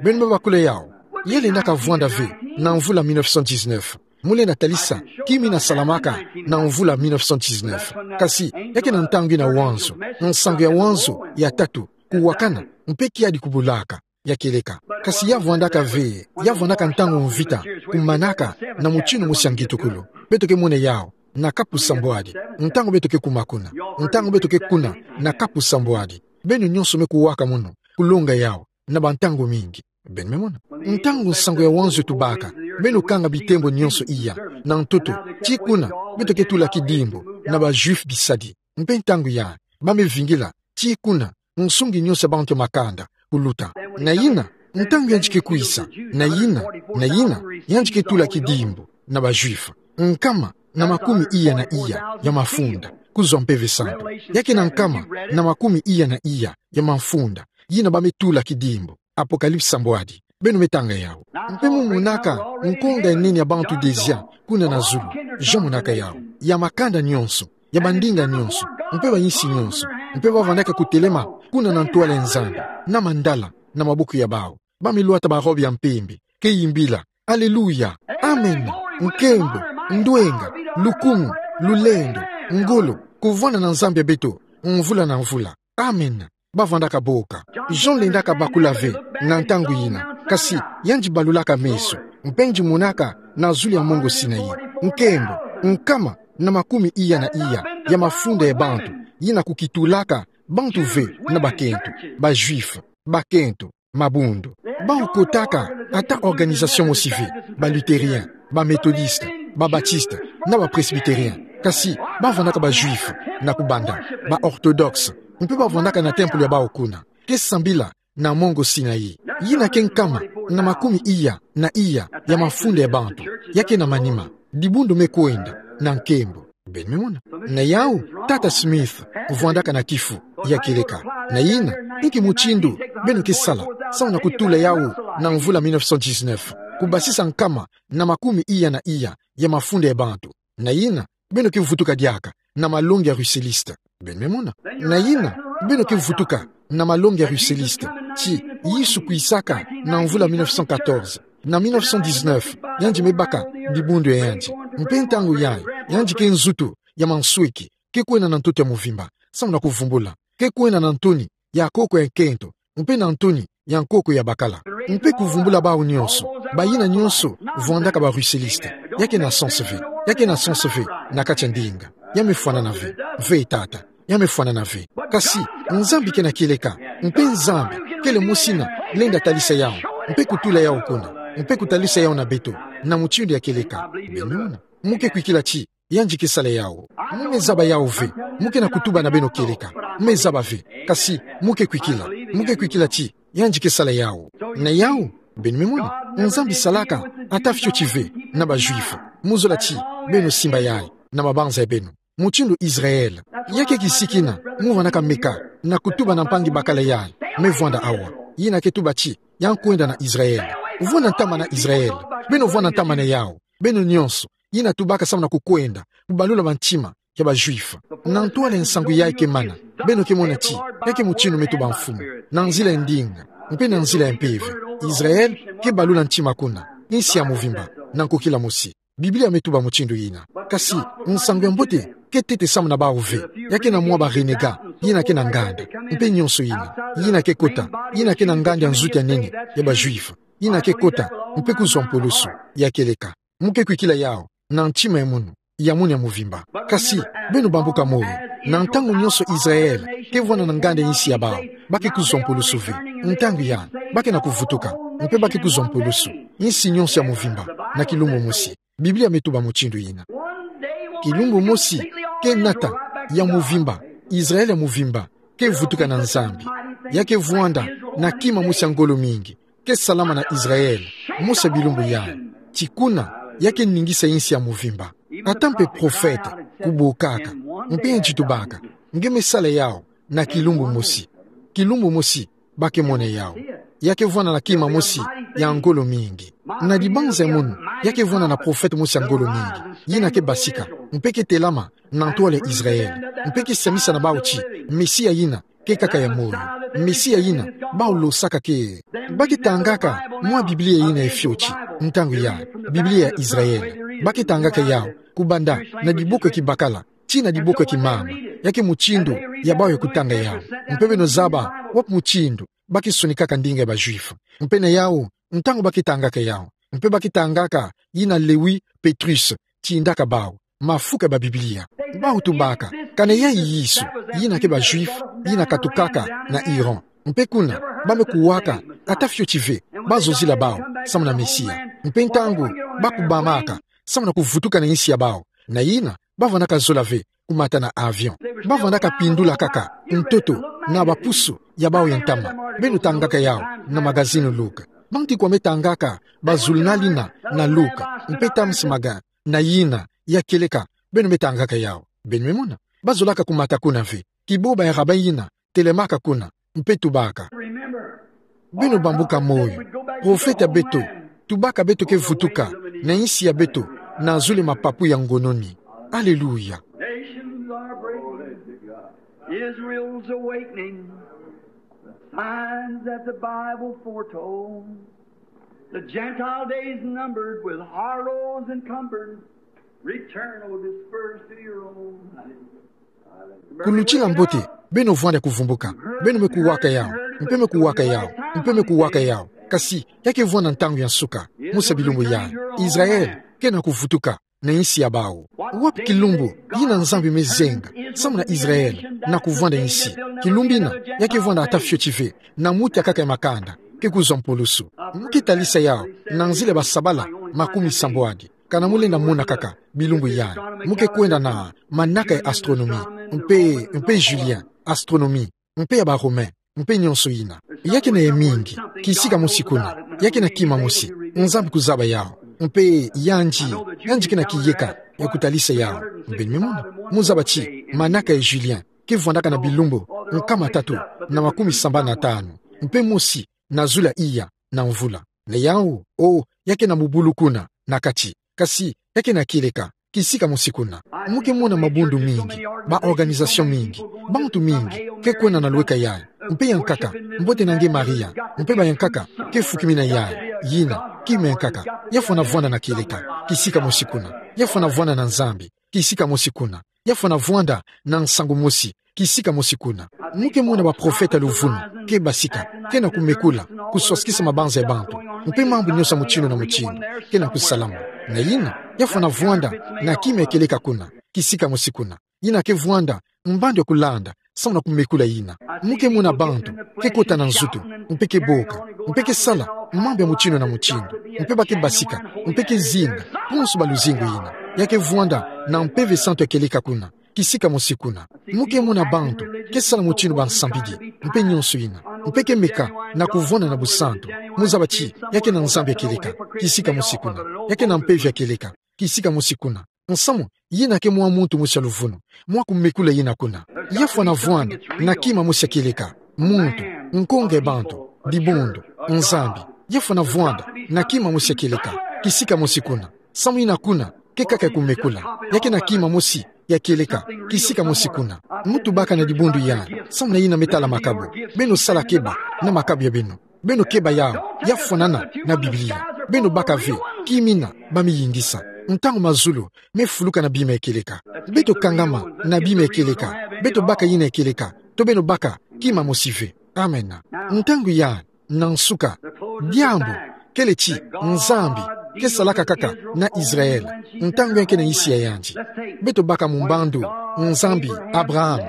Beno me bakula yawu, ya lendaka vwanda ve na mvula mille neuf cent dix-neuf. Mu lenda talisa, ki mi na salamaka na mvula mille neuf cent dix-neuf. Kasi, ya ke na ntangu ina wanzo, nsangu ya wanzo, ya tatu, kuwakana, mpe kiadi kubulaka, ya kieleka. Kasi ya vwandaka ve, ya vwandaka ntangu mvita kumanaka na mutindu mosi ya ngitukulu. Beto ke mona yawu na kapu sambwadi, ntangu beto ke kuma kuna, ntangu beto ke kuna na kapu sambwadi. Beno nyonso me kuwaka munu, kulonga yawu, na bantangu mingi. Beno me mona. Ntangu nsangu ya wanzo etubaka, beno kanga bitembo nyonso iya na ntoto, tii kuna, beto ke tula kidimbu na ba Juifs bisadi. Mpe ntangu yayi, ba me vingila, tii kuna, nsungi nyonso ya bantu ya makanda kuluta. Na yina, ntangu yandi ke kwisa, na yina, na yina, yandi ke tula kidimbu na ba Juifs nkama na makumi iya na iya ya mafunda, kuzwa Mpeve Santu. Ya ke na nkama na makumi iya na iya ya mafunda, yina ba me tula kidimbu. Apocalypse sambwadi. Beno me tanga yawu. Mpe mu monaka nkonga ya nene ya bantu déjà kuna na zulu. Jean monaka yawu. Ya makanda nyonso, ya bandinga nyonso, mpe ba insi nyonso. Mpe ba vandaka kutelema kuna na ntwala ya Nzambi, na mandala na maboko ya bawu. Ba me lwata ba robe ya mpembe, ke yimbila: Alléluia. Amen. Nkembo, ndwenga, lukumu, lulendo, ngolo, kuvwanda na Nzambi ya beto mvula na mvula. Amen. Ba vandaka boka. Jean lendaka bakula ve na ntangu yina, kasi yandi balulaka meso, mpe yandi monaka na zulu ya mongo Sinaï nkembo, nkama na makumi iya na iya ya mafunda ya bantu, yina kukitulaka bantu ve na bakento, ba Juifs, bakento, mabundu. Bawu kotaka ata organisation mosi ve, ba Lutherien, ba Methodiste, ba Batiste, na ba Presbyterien. Kasi ba vandaka ba Juifs na kubanda, ba Orthodoxe, mpe ba vandaka na temple ya bawu kuna, ke sambila na mongo Sinaï. Yina ke nkama na makumi iya na iya ya mafunda ya bantu. Ya ke na manima, dibundu me kwenda na nkembo. Beno me mona. Na yawu, Tata Smith vwandaka na kifu, ya kieleka: Na yina, inki mutindu beno ke sala samu na kutula yawu na mvula mille neuf cent dix-neuf, kubasisa nkama na makumi iya na iya ya mafunda ya bantu? Na yina, beno ke vutuka diaka na malongi ya Russelliste. Beno me mona. Na yina, beno ke vutuka na malongi ya Russelliste, ti Yesu kwisaka na mvula mille neuf cent quatorze. Na mille neuf cent dix-neuf, yandi me baka dibundu ya yandi. Mpe ntangu yayi, yandi ke nzutu ya mansweki, ke kwenda na ntoto ya mvimba samu na kuvumbula, ke kwenda na ntoni ya nkoko ya nkento, mpe na ntoni ya nkoko ya bakala, mpe kuvumbula bawu nyonso, bayina nyonso vwandaka ba Russelliste. Ya ke na sens ve, ya ke na sens ve na kati ya ndinga. Ya me fwanana ve. Ve, tata. Ya me fwanana ve. Kasi Nzambi ke na kieleka, mpe Nzambi kele mosi na lenda talisa yawu, mpe kutula yawu kuna, mpe kutalisa yawu na beto na mutindu ya kieleka. Beno me mona. Mu ke kwikila ti yandi ke sala yawu. Mu me zaba yawu ve. Mu ke na kutuba na beno kieleka. Mu me zaba ve. Kasi mu ke kwikila. Mu ke kwikila ti yandi ke sala yawu. Na yawu, beno me mona, Nzambi salaka ata fioti ve na ba Juifs. Mu zola ti beno simba yayi na mabanza ya beno, mutindu Israël. Ya ke kisiki na mu vandaka meka na kutuba na mpangi bakala yayi me vwanda awa, yina ke tuba ti ya kwenda na Israël. Vwanda ntama na Israël. Beno vwanda ntama na yawu, beno nyonso, yina tubaka samu na kukwenda kubalula bantima ya ba Juifs. Na ntwala ya nsangu yayi ke mana, beno ke mona ti ya ke mutindu me tuba Mfumu, na nzila ya ndinga, mpe na nzila ya Mpeve. Israël ke balula ntima kuna, insi ya mvimba, na nkokila mosi. Biblia me tuba mutindu yina. Kasi nsangu ya mbote ke tete samu na bawu ve. Ya ke na mwa ba renégats, yina ke na nganda, mpe nyonso yina, yina ke kota, yina ke na nganda ya nzutu ya nene ya ba Juifs, yina ke kota, mpe kuzwa mpulusu, ya kieleka. Mu ke kwikila yawu na ntima ya munu, ya munu ya mvimba. Kasi beno bambuka moyo, na ntangu nyonso Israël ke vwanda na nganda ya insi ya bawu, ba ke kuzwa mpulusu ve. Ntangu yandi, ba ke na kuvutuka, mpe ba ke kuzwa mpulusu, insi nyonso ya mvimba, na kilumbu mosi. Biblia me tuba mutindu yina. Kilumbu mosi, ke nata ya mvimba, Israël ya mvimba ke vutuka na Nzambi. Ya ke vwanda na kima mosi ya ngolo mingi ke salama na Israel, mosi ya bilumbu yai. Ti kuna ya ke ningisa insi ya mvimba. Ata mpe profete kubokaka, mpe yandi tubaka, nge me sala yau na kilumbu mosi. Kilumbu mosi ba ke mona yau. Ya ke vwanda na kima mosi ya ngolo mingi. Na dibanza ya munu, ya ke vwanda na profete mosi ya ngolo mingi, yina ke basika, mpe ke telama na ntwala ya Israel, mpe ke samisa na bau ti Mesia yina ke kaka ya moyo. Mesia yina bau losaka ke. Ba ke tangaka mwa Biblia yina ya fioti, ntangu ya Biblia ya Israel. Ba ke tangaka yau kubanda na diboko ya kibakala tii na diboko ya kimama. Ya ke mutindu ya bau ya kutanga yau. Mpe beno zaba wapi mutindu ba ke sonikaka ndinga ya ba Juif. Mpe na yau, ntangu ba ke tangaka yau, mpe ba ke tangaka yina Lewi Petrus, tindaka bau mafuka ya ba Biblia. Bau tubaka, kana yai Yesu, yina ke ba Juif, yina katukaka na Iran. Mpe kuna ba me kuwaka, ata fioti ve ba zozila bau samu na Mesia. Mpe ntangu ba kubamaka samu na kuvutuka na insi ya bau, na yina ba vandaka zola ve kumata na avion. Ba vandaka pindula kaka ntoto na bapusu ya bau ya ntama. Beno tangaka yau na magazine Look. Bantu ikwa me tangaka ba zulunali na, na Look, mpe Times Magazine, na yina ya kieleka, beno me tangaka yau. Beno me mona, ba zolaka kumata kuna ve. Kiboba ya rabbin yina telemaka kuna, mpe tubaka. Beno bambuka moyo. Profete ya beto tubaka beto ke vutuka na insi ya beto na zulu ya mapapu ya ngononi. Aleluya. Nations are breaking. Israel's awakening. The signs that the Bible foretold. The Gentile days numbered with horrors encumbered. Return, O dispersed, to your own. Kulutila mbote, beno vwanda kuvumbuka. Beno me kuwaka yau, mpe me kuwaka yau, mpe me kuwaka yau. Kasi ya ke vwanda ntangu ya nsuka, mosi ya bilumbu yai. Israel kena kuvutuka na insi ya bau. Wapi kilumbu yina Nzambi me zenga samu na Israel na kuvwanda insi? Kilumbu yina ya ke vwanda ata fioti ve, na muti akaka ya makanda ke kuzwa mpulusu. Mu ke talisa yau na nzila ya basabala makumi sambwadi. Kana mu lenda mona kaka bilumbu yai, mu ke kwenda na manaka ya astronomie, mpe, mpe Julien, astronomie, mpe ya ba Romain, mpe nyonso yina. Ya ke na ya mingi, kisika mosi kuna, ya ke na kima mosi Nzambi kuzaba yau. Mpe yandi, yandi kena kiyeka ya kutalisa yau. Mpe me mona, mu zaba ti manaka ya Julien ke vwandaka na bilumbu nkama tatu na makumi sambanu na tanu, mpe mosi na zulu iya na mvula. Na yau, o, ya ke na mubulu kuna na kati. Kasi ya ke na kieleka, kisika mosi kuna. Mu ke mona mabundu mingi, ba organisation mingi, bantu mingi ke kwenda na lweka yai. Mpe yankaka, mbote na nge Maria, mpe bayankaka ke fukimina yai. Yina kima yankaka. Ya fwana vwanda na kieleka, kisika mosi kuna. Ya fwana vwanda na Nzambi, kisika mosi kuna. Ya fwana vwanda na nsangu mosi, kisika mosi kuna. Mu ke mona baprofeta ya luvunu ke basika, kena kumekula, kuswasikisa mabanza ya bantu, mpe mambu nyonso ya mutindu na mutindu kena kusalama. Na yina, ya fwana vwanda na kima ya kieleka kuna, kisika mosi kuna. Yina ke vwanda mbandu ya kulanda samu na kumekula yina. Mu ke mona bantu ke kota na nzutu, mpe ke boka, mpe ke sala mambu ya mutindu na mutindu, mpe ba ke basika, mpe ke zinga konso ba luzingu yina. Ya ke vwanda na Mpeve Santu ya kieleka kuna, kisika mosi kuna. Mu ke mona bantu ke sala mutindu ba nsambidi, mpe nyonso yina, mpe ke meka na kuvwanda na busantu. Mu zaba ti ya ke na Nzambi ya kieleka, kisika mosi kuna. Ya ke na mpeve ya kieleka, kisika mosi kuna. Nsamu yina ke mwa muntu mosi ya luvunu, mwa kumekula yina kuna. Ya fwana vwanda na kima mosi ya kieleka, muntu, nkonga ya bantu, dibundu, Nzambi. Ya fwana vwanda na kima mosi ya kieleka, kisika mosi kuna. Samu yina kuna ke kaka ya kumekula. Ya ke na kima mosi ya kieleka, kisika mosi kuna. Mu tubaka na dibundu yai samu na yina me tala makabu. Beno sala keba na makabu ya beno. Beno keba yau, ya fwanana na Biblia. Beno baka ve kima yina ba me yingisa. Ntangu mazulu me fuluka na bima ya kieleka, beto kangama na bima ya kieleka. Beto baka yina ya kieleka, to beno baka kima mosi ve. Amen. Ntangu yai, na nsuka, diambu kele ti Nzambi ke salaka kaka na Israel ntangu yandi ke na insi ya yandi. Beto baka mu mbandu Nzambi Abraham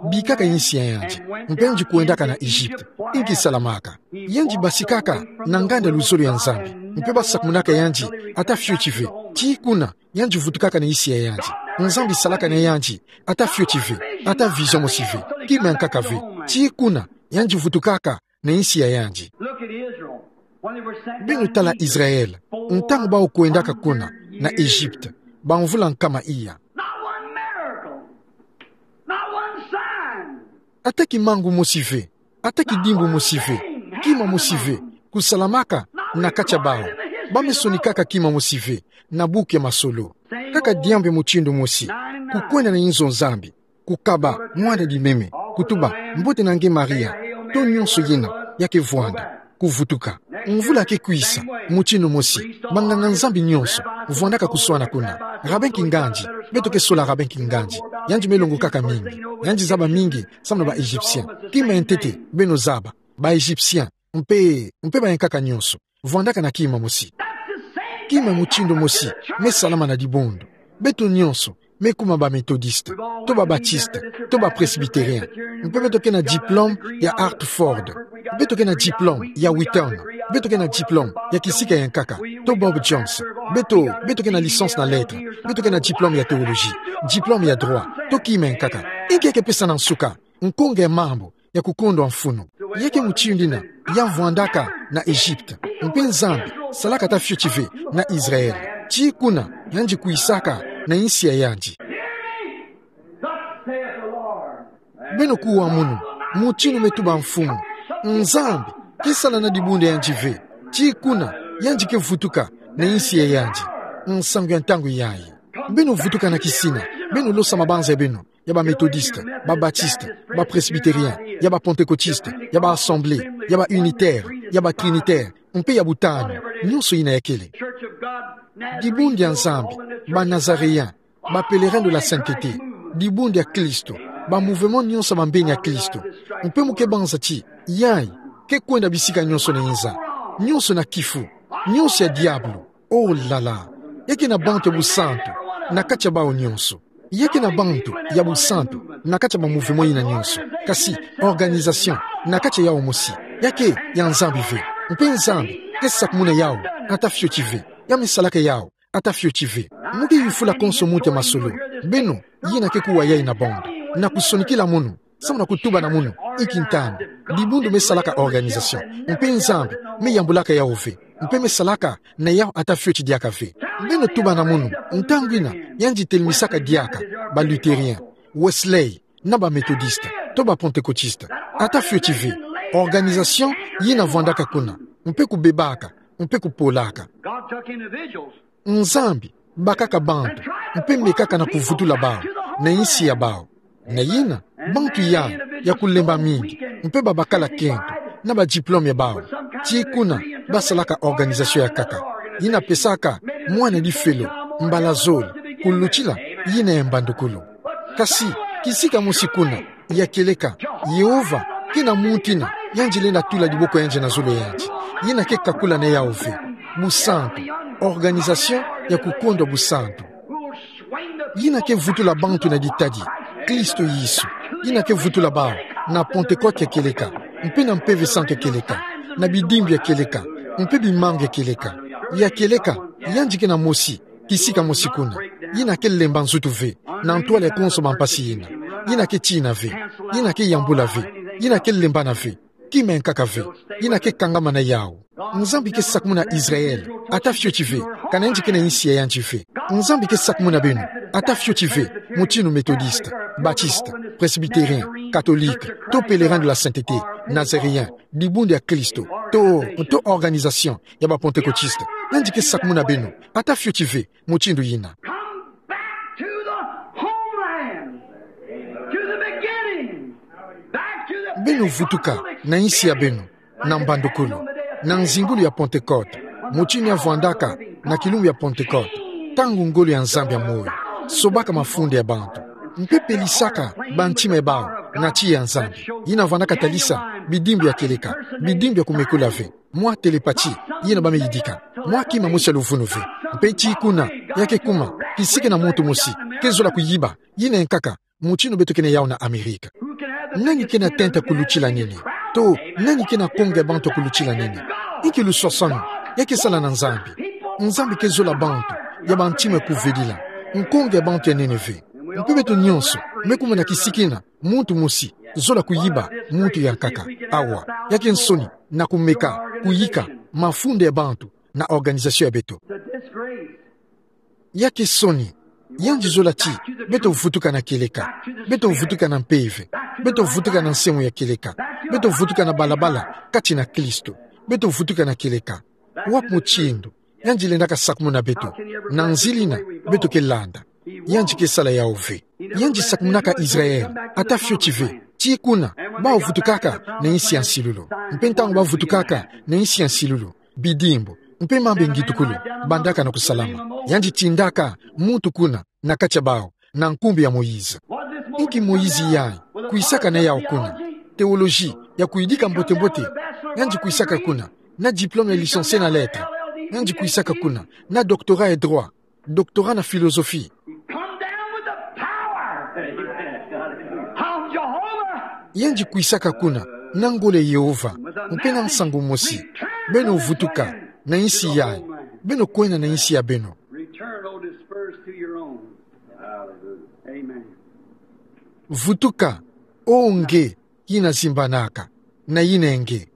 bikaka insi ya yandi, mpe yandi kwendaka na Egypte. Inki salamaka? Yandi basikaka na nganda luzolo ya Nzambi, mpe ba sakumunaka yandi ata fioti ve. Tii kuna yandi vutukaka na insi ya yandi. Nzambi salaka na yandi ata fioti ve, ata vision mosi ve, kima ya nkaka ve. Tii kuna yandi vutukaka na insi ya yandi. Look at Israel. When they were sent down in Egypt, four years. Beno tala Israel, ntangu bau kwendaka kuna na Egypte, bamvula nkama iya. Not one miracle. Not one sign. Ata kimangu mosi ve, ata kidimbu mosi ve, kima mosi ve kusalamaka na kati ya bau. Bame sonikaka kima mosi ve na buku ya masolo. Kaka diambu ya mutindu mosi, kukwenda na inzo Nzambi, kukaba mwana di meme, kutuba: Mbote na nge Maria. To nyonso yina ya ke vwanda, kuvutuka. Mvula ke kwisa, mutindu mosi, banganga-Nzambi nyonso vwandaka kuswana kuna. Rabbin Kinganji, beto ke sola Rabbin Kinganji. Yandi me longokaka mingi, yandi zaba mingi samu na ba Égyptiens. Kima ya ntete beno zaba, ba Égyptiens, mpe, mpe bayankaka nyonso vwandaka na kima mosi. Kima mutindu mosi me salama na dibundu. Beto nyonso me kuma ba Methodistes, to ba Baptistes, to ba Presbytériens. Mpe beto ke na diplôme ya Hartford. Beto ke na diplôme ya Wheaton. Beto ke na diplôme ya kisika yankaka, to Bob Jones. Beto, beto ke na licence na lettres. Beto ke na diplôme ya théologie, diplôme ya droit, to kima yankaka. Inki ya ke pesa na nsuka? Nkonga ya mambu ya kukondwa mfunu. Ya ke mutindu yina ya vwandaka na Egypte. Mpe Nzambi salaka ata fioti ve na Israel. Ti kuna yandi kwisaka na insi ya yandi. Beno kuwa munu, mutindu me tuba Mfumu. Nzambi ke sala na dibundu ya yandi ve. Ti kuna yandi ke vutuka na insi ya yandi. Nsangu ya ntangu yayi. Beno vutuka na kisina, beno losa mabanza ya beno, ya ba Methodistes, ba Baptistes, ba Presbytériens, ya ba Pentecôtistes, ya ba Assemblées, ya ba Unitaires, ya ba Trinitaires, mpe ya butanu nyonso yina ya kele. Dibundu ya Nzambi, ba Nazaréens, ba Pèlerins de la Sainteté, dibundu ya Kristo, ba mouvements nyonso ya bambeni ya Kristo. Mpe mu ke banza ti yayi ke kwenda bisika nyonso na inza, nyonso na kifu, nyonso ya diabulu. Oh là là. Ya ke na bantu ya busantu na kati ya bau nyonso. Ya ke na bantu ya busantu na kati ya ba mouvements yina nyonso. Kasi organisation na kati ya yau mosi, ya ke ya Nzambi ve. Mpe Nzambi ke sakumuna yau ata fioti ve. Ya me salaka yau ata fioti ve. Mu ke yufula konso muntu ya masolo. Beno yina ke kuwa yayi na bando, na kusonikila munu, samu na kutuba na munu: Inki ntangu? Dibundu me salaka organisation, mpe Nzambi me yambulaka yau ve, mpe me salaka na yau ata fioti diaka ve. Beno tuba na munu ntangu yina yandi telemesaka diaka ba Luthériens, Wesley, na ba Methodistes, to ba Pentecôtistes. Ata fioti ve. Organisation yina vwandaka kuna, mpe kubebaka, mpe kupolaka. God took individuals. Nzambi bakaka bantu, mpe mekaka na kuvutula bau na insi ya bau. Na yina, bantu yayi ya kulemba mingi, mpe babakala kento na ba diplôme ya bau. Ti kuna basalaka organisation ya nkaka, yina pesaka mwana difelo mbala zole, kulutila yina ya mbandukulu. Kasi kisika mosi kuna, ya kieleka, Yehova ke na muntu yina yandi lenda tula diboko ya yandi na zulu ya yandi. Yina ke kakula na yau ve. Busantu. Organisation ya kukondwa busantu. Yina ke vutula bantu na ditadi Kristo Yesu. Yina ke vutula bau na Pentecôte ya kieleka, mpe na Mpeve Santu ya kieleka, na bidimbu ya kieleka, mpe bimangu ya kieleka. Ya kieleka, yandi ke na mosi, kisika mosi kuna. Yina ke lemba nzutu ve na ntwala ya konso bampasi yina. Yina ke tina ve. Yina ke yambula ve. Yina ke lembana ve. Kima ya nkaka ve. Yina ke kangama na yau. Nzambi ke sakumuna Israël ata fioti ve, kana yandi ke na insi ya yandi ve. Nzambi ke sakumuna beno ata fioti ve, mutindu Methodiste, Baptiste, Presbytérien, Catholique, to Pèlerins de la Sainteté, Nazaréens, Dibundu ya Kristo, to, to organisation ya ba Pentecôtistes. Yandi ke sakumuna beno ata fioti ve, mutindu yina. Come back to the homeland, to the beginning, back to the Beno vutuka na insi ya beno, na mbandukulu, na nzingulu ya Pentecôte, mutindu ya vwandaka na kilumbu ya Pentecôte, ntangu ngolo ya Nzambi ya moyo sobaka mafunda ya bantu, mpe pelisaka bantima ya bau na tiya ya Nzambi. Yina vwandaka talisa bidimbu ya kieleka, bidimbu ya kumekula ve, mwa télépathie yina bameyidika, mwa kima mosi ya luvunu ve. Mpe ti kuna, ya ke kuma, kisike na muntu mosi ke zola kuyiba yina ya nkaka, mutindu beto ke na yau na Amerika. Nani ke na tenta kulutila nene? To, nani ke na konge bantu kulutila nene? Inki luswaswanu? Ya ke sala na Nzambi. Nzambi ke zola bantu ya bantima ya kuvedila. Nkonge bantu ya nene ve. Mpe beto nyonso me kuma na kisike na muntu mosi Zola kuyiba muntu ya nkaka. Awa. Ya ke nsoni, na kumeka, kuyika mafunda ya bantu na organisation ya beto. Yaki soni, yandi zola ti beto vutuka na kieleka, beto vutuka na mpeve, beto vutuka na nsengo ya kieleka, beto vutuka na balabala kati na Kristo, beto vutuka na kieleka. Wapi mutindu yandi lendaka sakumuna beto? Na nzila ina beto ke landa, yandi ke sala yawu ve. Yandi sakumunaka Israël, ata fioti ve, ti kuna, bawu vutukaka na insi ya nsilulu. Mpe ntangu bawu vutukaka na insi ya nsilulu, bidimbu mpe mambu ya ngitukulu bandaka na kusalama. Yandi tindaka muntu kuna na kati ya bawu, na nkumbu ya Moïse. Inki Moïse yayi kwisaka na yawu kuna? Théologie ya kuyidika mbote-mbote. Yandi kwisaka kuna na diplôme ya licencié na lettres. Yandi kwisaka kuna na doctorat ya droit, doctorat na philosophie. Come down with the power of Jehovah. Yandi kwisaka kuna na ngolo ya Yehova mpe na nsangu mosi. Beno vutuka na insi yayi, beno kwenda na insi ya beno. Return, O dispersed, to your own. Amen. Vutuka, O nge yina zimbanaka, na yinenge.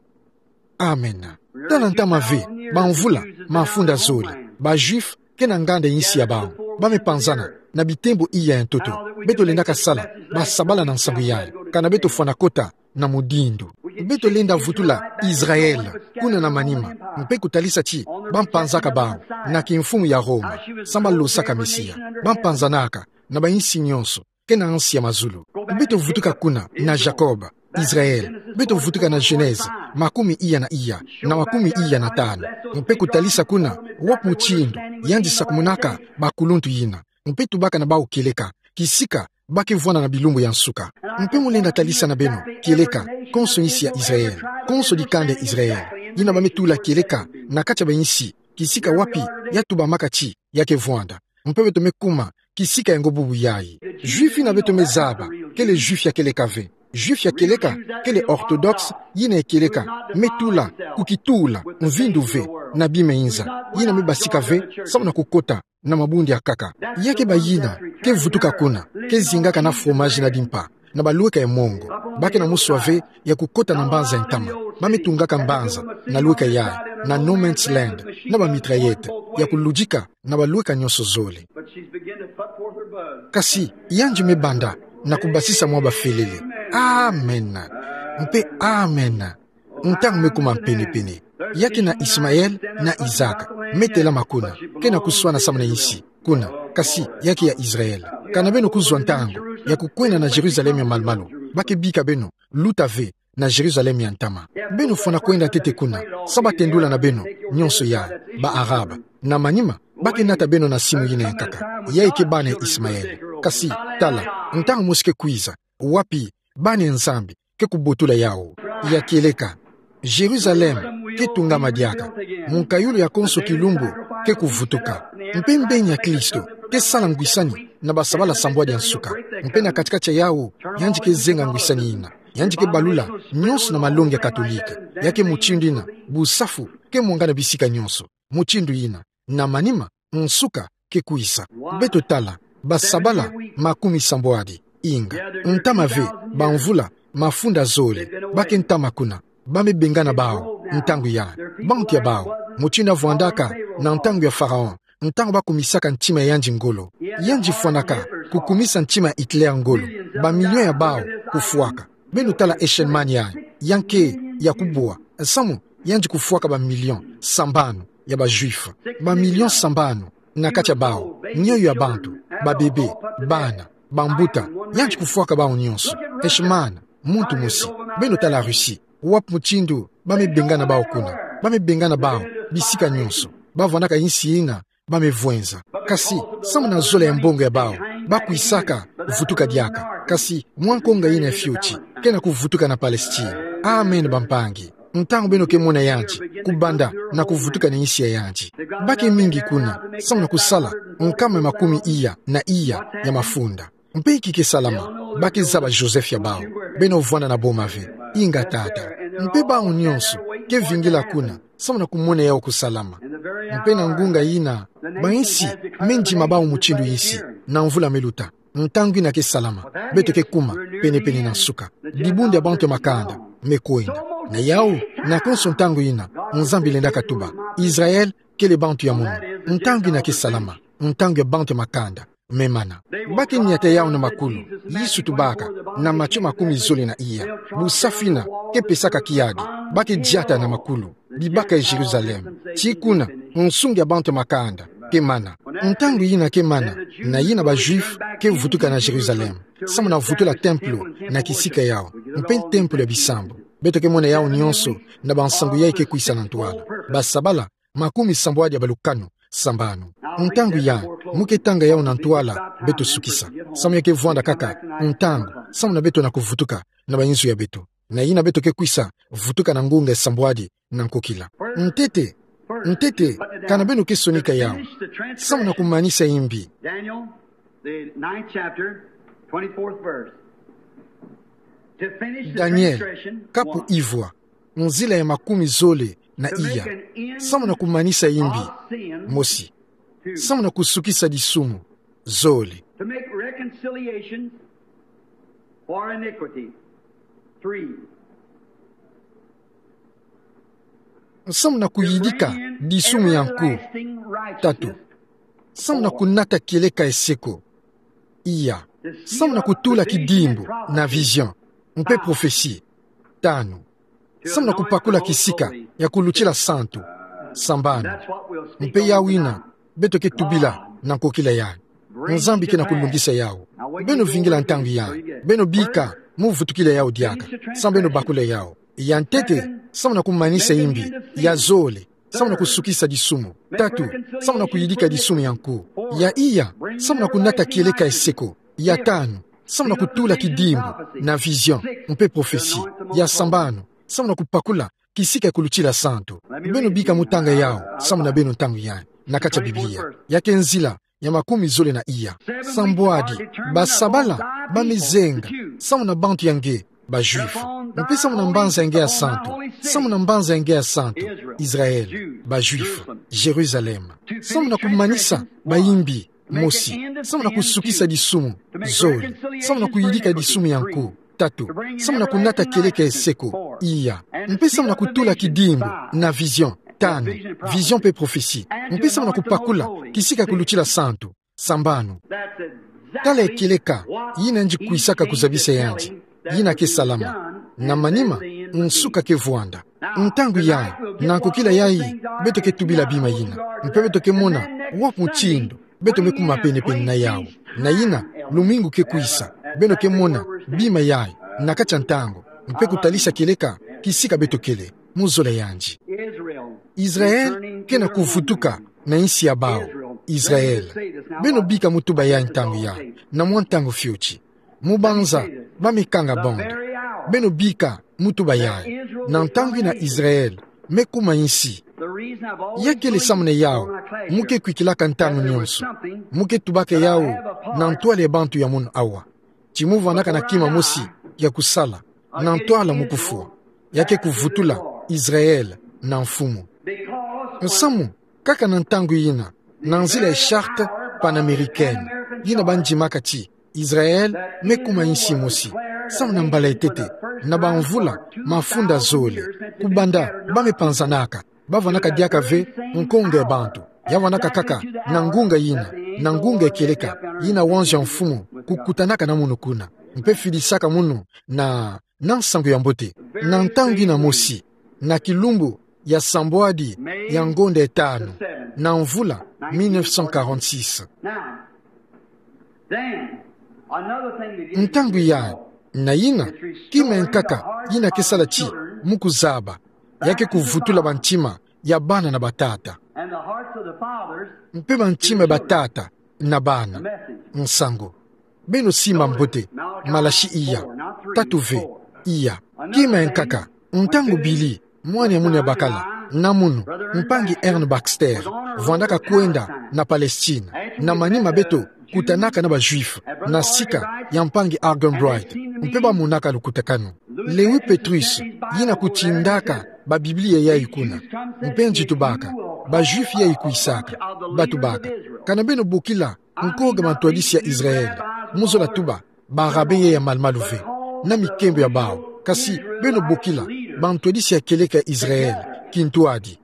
Amen. Tala ntama ve, bamvula mafunda zole, ba Juifs ke na nganda ya insi ya bawu, ba me panzana na bitembo iya ya ntoto. Beto lendaka sala basabala na nsangu yayi, kana beto fwana kota na mudindo. Beto lenda vutula Israël kuna na manima, mpe kutalisa ti ba mpanzaka bawu na kimfumu ya Roma, samu ba losaka Mesia. Ba mpanzanaka na ba insi nyonso ke na nsi ya mazulu. Beto vutuka kuna na Jacob, Israël. Beto vutuka na Genèse makumi iya na iya, na makumi iya na tanu. Mpe kutalisa kuna wapi mutindu yandi sakumunaka bakuluntu yina. Mpe tubaka na bawu kieleka, kisika ba ke vwanda na bilumbu ya nsuka. Mpe mu lenda talisa na beno kieleka konso insi ya Israël, konso dikanda ya Israël, yina ba me tula kieleka na kati ya ba insi, kisika wapi ya tubamaka ti ya ke vwanda. Mpe beto me kuma kisika yango bubu yayi. Juif yina beto me zaba kele Juif ya kieleka ve. Juif ya kieleka kele orthodoxe, yina ya kieleka me tula, kukitula mvindu ve na bima ya inza, yina me basika ve samu na kukota na mabundu ya nkaka. Ya ke bayina ke vutuka kuna, ke zingaka na fromage na dimpa, na balweka ya mongo. Ba ke na muswa ve ya kukota na mbanza ya ntama. Ba me tungaka mbanza na lweka yayi, na no man's land, na ba mitraillette ya kuludika na balweka nyonso zole. But she's beginning to put forth her bud. Kasi yandi me banda na kubasisa mwa bafelele. Amen. Mpe amen. Ntangu me kuma mpene-pene. Ya ke na Ismaël na Isaac me telama kuna, ke na kuswana samu na insi kuna, kasi ya ke ya Israël. Kana beno kuzwa ntangu ya kukwenda na Jérusalem ya malu-malu. Ba ke bika beno luta ve na Jérusalem ya ntama. Beno fwana kwenda ntete kuna, samu ba tendula na beno nyonso yayi, ba Arabes. Na manima, ba ke nata beno na simu yina ya nkaka. Yayi ke bana ya Ismaël. Kasi tala, ntangu mosi ke kwiza, wapi bana ya Nzambi ke kubotula yawu. Ya kieleka, Jérusalem ke tungama diaka. Munkayulu ya konso kilumbu ke kuvutuka. Mpe mbeni ya Kristo ke sala ngwisani na basabala sambwadi ya nsuka. Mpe na kati-kati ya yawu, yandi ke zenga ngwisani yina. Yandi ke balula nyonso na malongi ya Katolike. Ya ke mutindu yina busafu ke mwangana bisika nyonso. Mutindu yina, na manima, nsuka ke kwiza. Beto tala, basabala makumi sambwadi, inga, ntama ve, bamvula mafunda zole, ba ke ntama kuna, ba me bengana bawu ntangu yayi, bantu ya bawu, mutindu ya vwandaka na ntangu ya Pharaon, ntangu ba kumisaka ntima ya yandi ngolo. Yandi fwanaka kukumisa ntima ya Hitler ngolo, ba millions ya bawu kufwaka. Beno tala Eichmann yayi, ya nke ya kubwa, samu yandi kufwaka ba millions sambanu ya ba Juifs. Ba millions sambanu na kati ya bawu, mioyo ya bantu, ba bébés, bana, bambuta, yandi kufwaka bawu nyonso. Eichmann, muntu mosi. Beno tala Russie, wapi mutindu ba me bengana bawu kuna. Ba me bengana bawu bisika nyonso. Ba vwandaka insi yina ba me vwenza. Kasi, samu na zola ya mbongo ya bawu, ba kwisaka vutuka diaka. Kasi, mwa nkonga yina ya fioti ke na kuvutuka na Palestine. Amen, bampangi. Ntangu beno ke mona yandi kubanda na kuvutuka na insi ya yandi. Ba ke mingi kuna, samu na kusala nkama makumi iya na iya ya mafunda. Mpe inki ke salama? Ba ke zaba Joseph ya bawu. Beno vwanda na boma ve. Inga, tata. Mpe bawu nyonso ke vingila kuna, samu na kumona yawu kusalama. Mpe na ngunga yina, ba insi me ndima bawu mutindu insi, na mvula me luta. Ntangu ina ke salama. Beto ke kuma penepene na nsuka. Dibundu ya bantu ya makanda me kwenda. Na yau, na konso ntangu ina, Nzambi lenda katuba: Israel kele bantu ya mono. Ntangu ina ke salama. Ntangu ya bantu ya makanda me mana. Ba ke niata yau na makulu. Yesu tubaka, na Matio makumi zole na iya. Bu safu ina ke pesaka kiadi, ba ke diata na makulu, bibaka ya Jérusalem. Ti kuna, nsungi ya bantu ya makanda ke mana. Ntangu ina ke mana, na ina ba Juifs ke vutuka na Jérusalem, samu na vutula templo na kisika yau, mpe templo ya bisambu. Beto ke mona yau nyonso na bansangu yayi ke kwisa na ntwala. Basabala makumi sambwadi ya balukanu, sambanu. Ntangu yayi, mu ke tanga yau na ntwala, beto sukisa. Samu ya ke vwanda kaka ntangu, samu na beto na kuvutuka na bayinzo ya beto. Na ina beto ke kwisa vutuka na ngunga ya sambwadi na nkokila. Ntete, ntete, kana beno ke sonika yau. Samu na kumanisa imbi. Daniel, the ninth chapter, twenty-fourth verse. To finish the Daniel, transgression, kapu one. Ivwa, nzila ya makumi zole na iya. Samu na kumanisa imbi, mosi. Samu na kusukisa disumu, zole. To make reconciliation for iniquity, three. Samu na kuyidika disumu ya nku, tatu. Samu na kunata kieleka ya seko, iya. Samu na kutula kidimbu na vision mpe prophetie, tanu. Samu na kupakula kisika ya kulutila santu, sambanu. Mpe yau ina beto ke tubila na nkokila yayi. Nzambi ke na kulungisa yau. Beno vingila ntangu yayi. Beno bika mu vutukila yau diaka. Samu beno bakula yau. Ya ntete, samu na kumanisa imbi. Ya zole, samu na kusukisa disumu. Tatu, samu na kuyidika disumu ya nku. Ya iya, samu na kunata kieleka ya seko. Ya tanu, samu na kutula kidimbu na vision mpe prophetie. Ya sambanu, samu na kupakula kisika ya kulutila santu. Beno bika mu tanga yau, samu na beno ntangu yayi, na kati ya Biblia. Ya ke nzila ya makumi zole na iya. Sambwadi, basabala ba me zenga, samu na bantu ya nge, ba Juifs. Mpe samu na mbanza ya nge ya santu, samu na mbanza ya nge ya santu, Israel, ba Juifs, Jérusalem. Samu na kumanisa bayimbi, mosi. Samu na kusukisa disumu, zole. Samu na kuyidika disumu ya nku, tatu. Samu na kunata kieleka ya seko, iya. Mpe samu na kutula kidimbu na vision, tanu. Vision mpe prophetie. Mpe samu na kupakula kisika ya kulutila santu, sambanu. Tala kieleka yina ngienda kwisaka kuzabisa yandi, yina ke salama. Na manima, nsuka ke vwanda. Ntangu yayi, na nkokila yayi, beto ke tubila bima yina. Mpe beto ke mona wapi mutindu beto me kuma penepene na yau. Na yina, lumingu ke kwisa, beno ke mona bima yayi na kati ya ntangu, mpe kutalisa kieleka kisika beto kele, mu zola yandi. Israel ke na kuvutuka na insi ya bawu. Israel. Beno bika mu tuba yayi ntangu yayi, na mwa ntangu fioti. Mu banza ba me kanga bande. Beno bika mu tuba yayi. Na ntangu ina Israel me kuma insi. Ya kele samu na yau mu ke kwikilaka ntangu nyonso, mu ke tubaka yau na ntwala ya bantu ya munu awa. Ti mu vwanaka na kima mosi ya kusala, na ntwala mu kufwa. Ya ke kuvutula Israel na mfumu. Nsamu, kaka na ntangu yina, na nzila ya charte panaméricaine, yina ba ndimaka ti Israel me kuma insi mosi, samu na mbala ya ntete, na bamvula mafunda zole, kubanda ba me panzanaka, ba vwanaka diaka ve nkonga ya bantu. Ya vwanaka kaka na ngunga yina, na ngunga ya kieleka, yina wanzo ya mfumu kukutanaka na munu kuna, mpe fidisaka munu na, na nsangu ya mbote, na ntangu yina mosi, na kilumbu ya sambwadi ya ngonda ya tanu, na mvula mille neuf cent quarante-six. Ntangu yayi, na yina, kima ya nkaka yina ke sala ti mu kuzaba, ya ke kuvutula bantima ya bana na batata. Mpe bantima ya batata na bana. Nsangu. Beno simba mbote, Malachie iya, tatu ve, iya. Kima ya nkaka, ntangu Billy, mwana ya munu ya bakala, na munu, mpangi Ern Baxter, vwandaka kwenda na Palestine, na manima beto kutanaka na ba Juifs na sika ya mpangi Arganbright, mpe ba monaka lukutakanu. Lewi Petrus, yina kutindaka ba Biblia yayi kuna, mpe nge tubaka, ba Juifs yayi kwisaka, ba tubaka: Kana beno bokila nkoga mantwadisi ya Israel? Mu zola tuba ba rabbin ya malumalu ve, na mikembo ya bawu, kasi beno bokila bantwadisi ya kieleka Israël, kintwadi.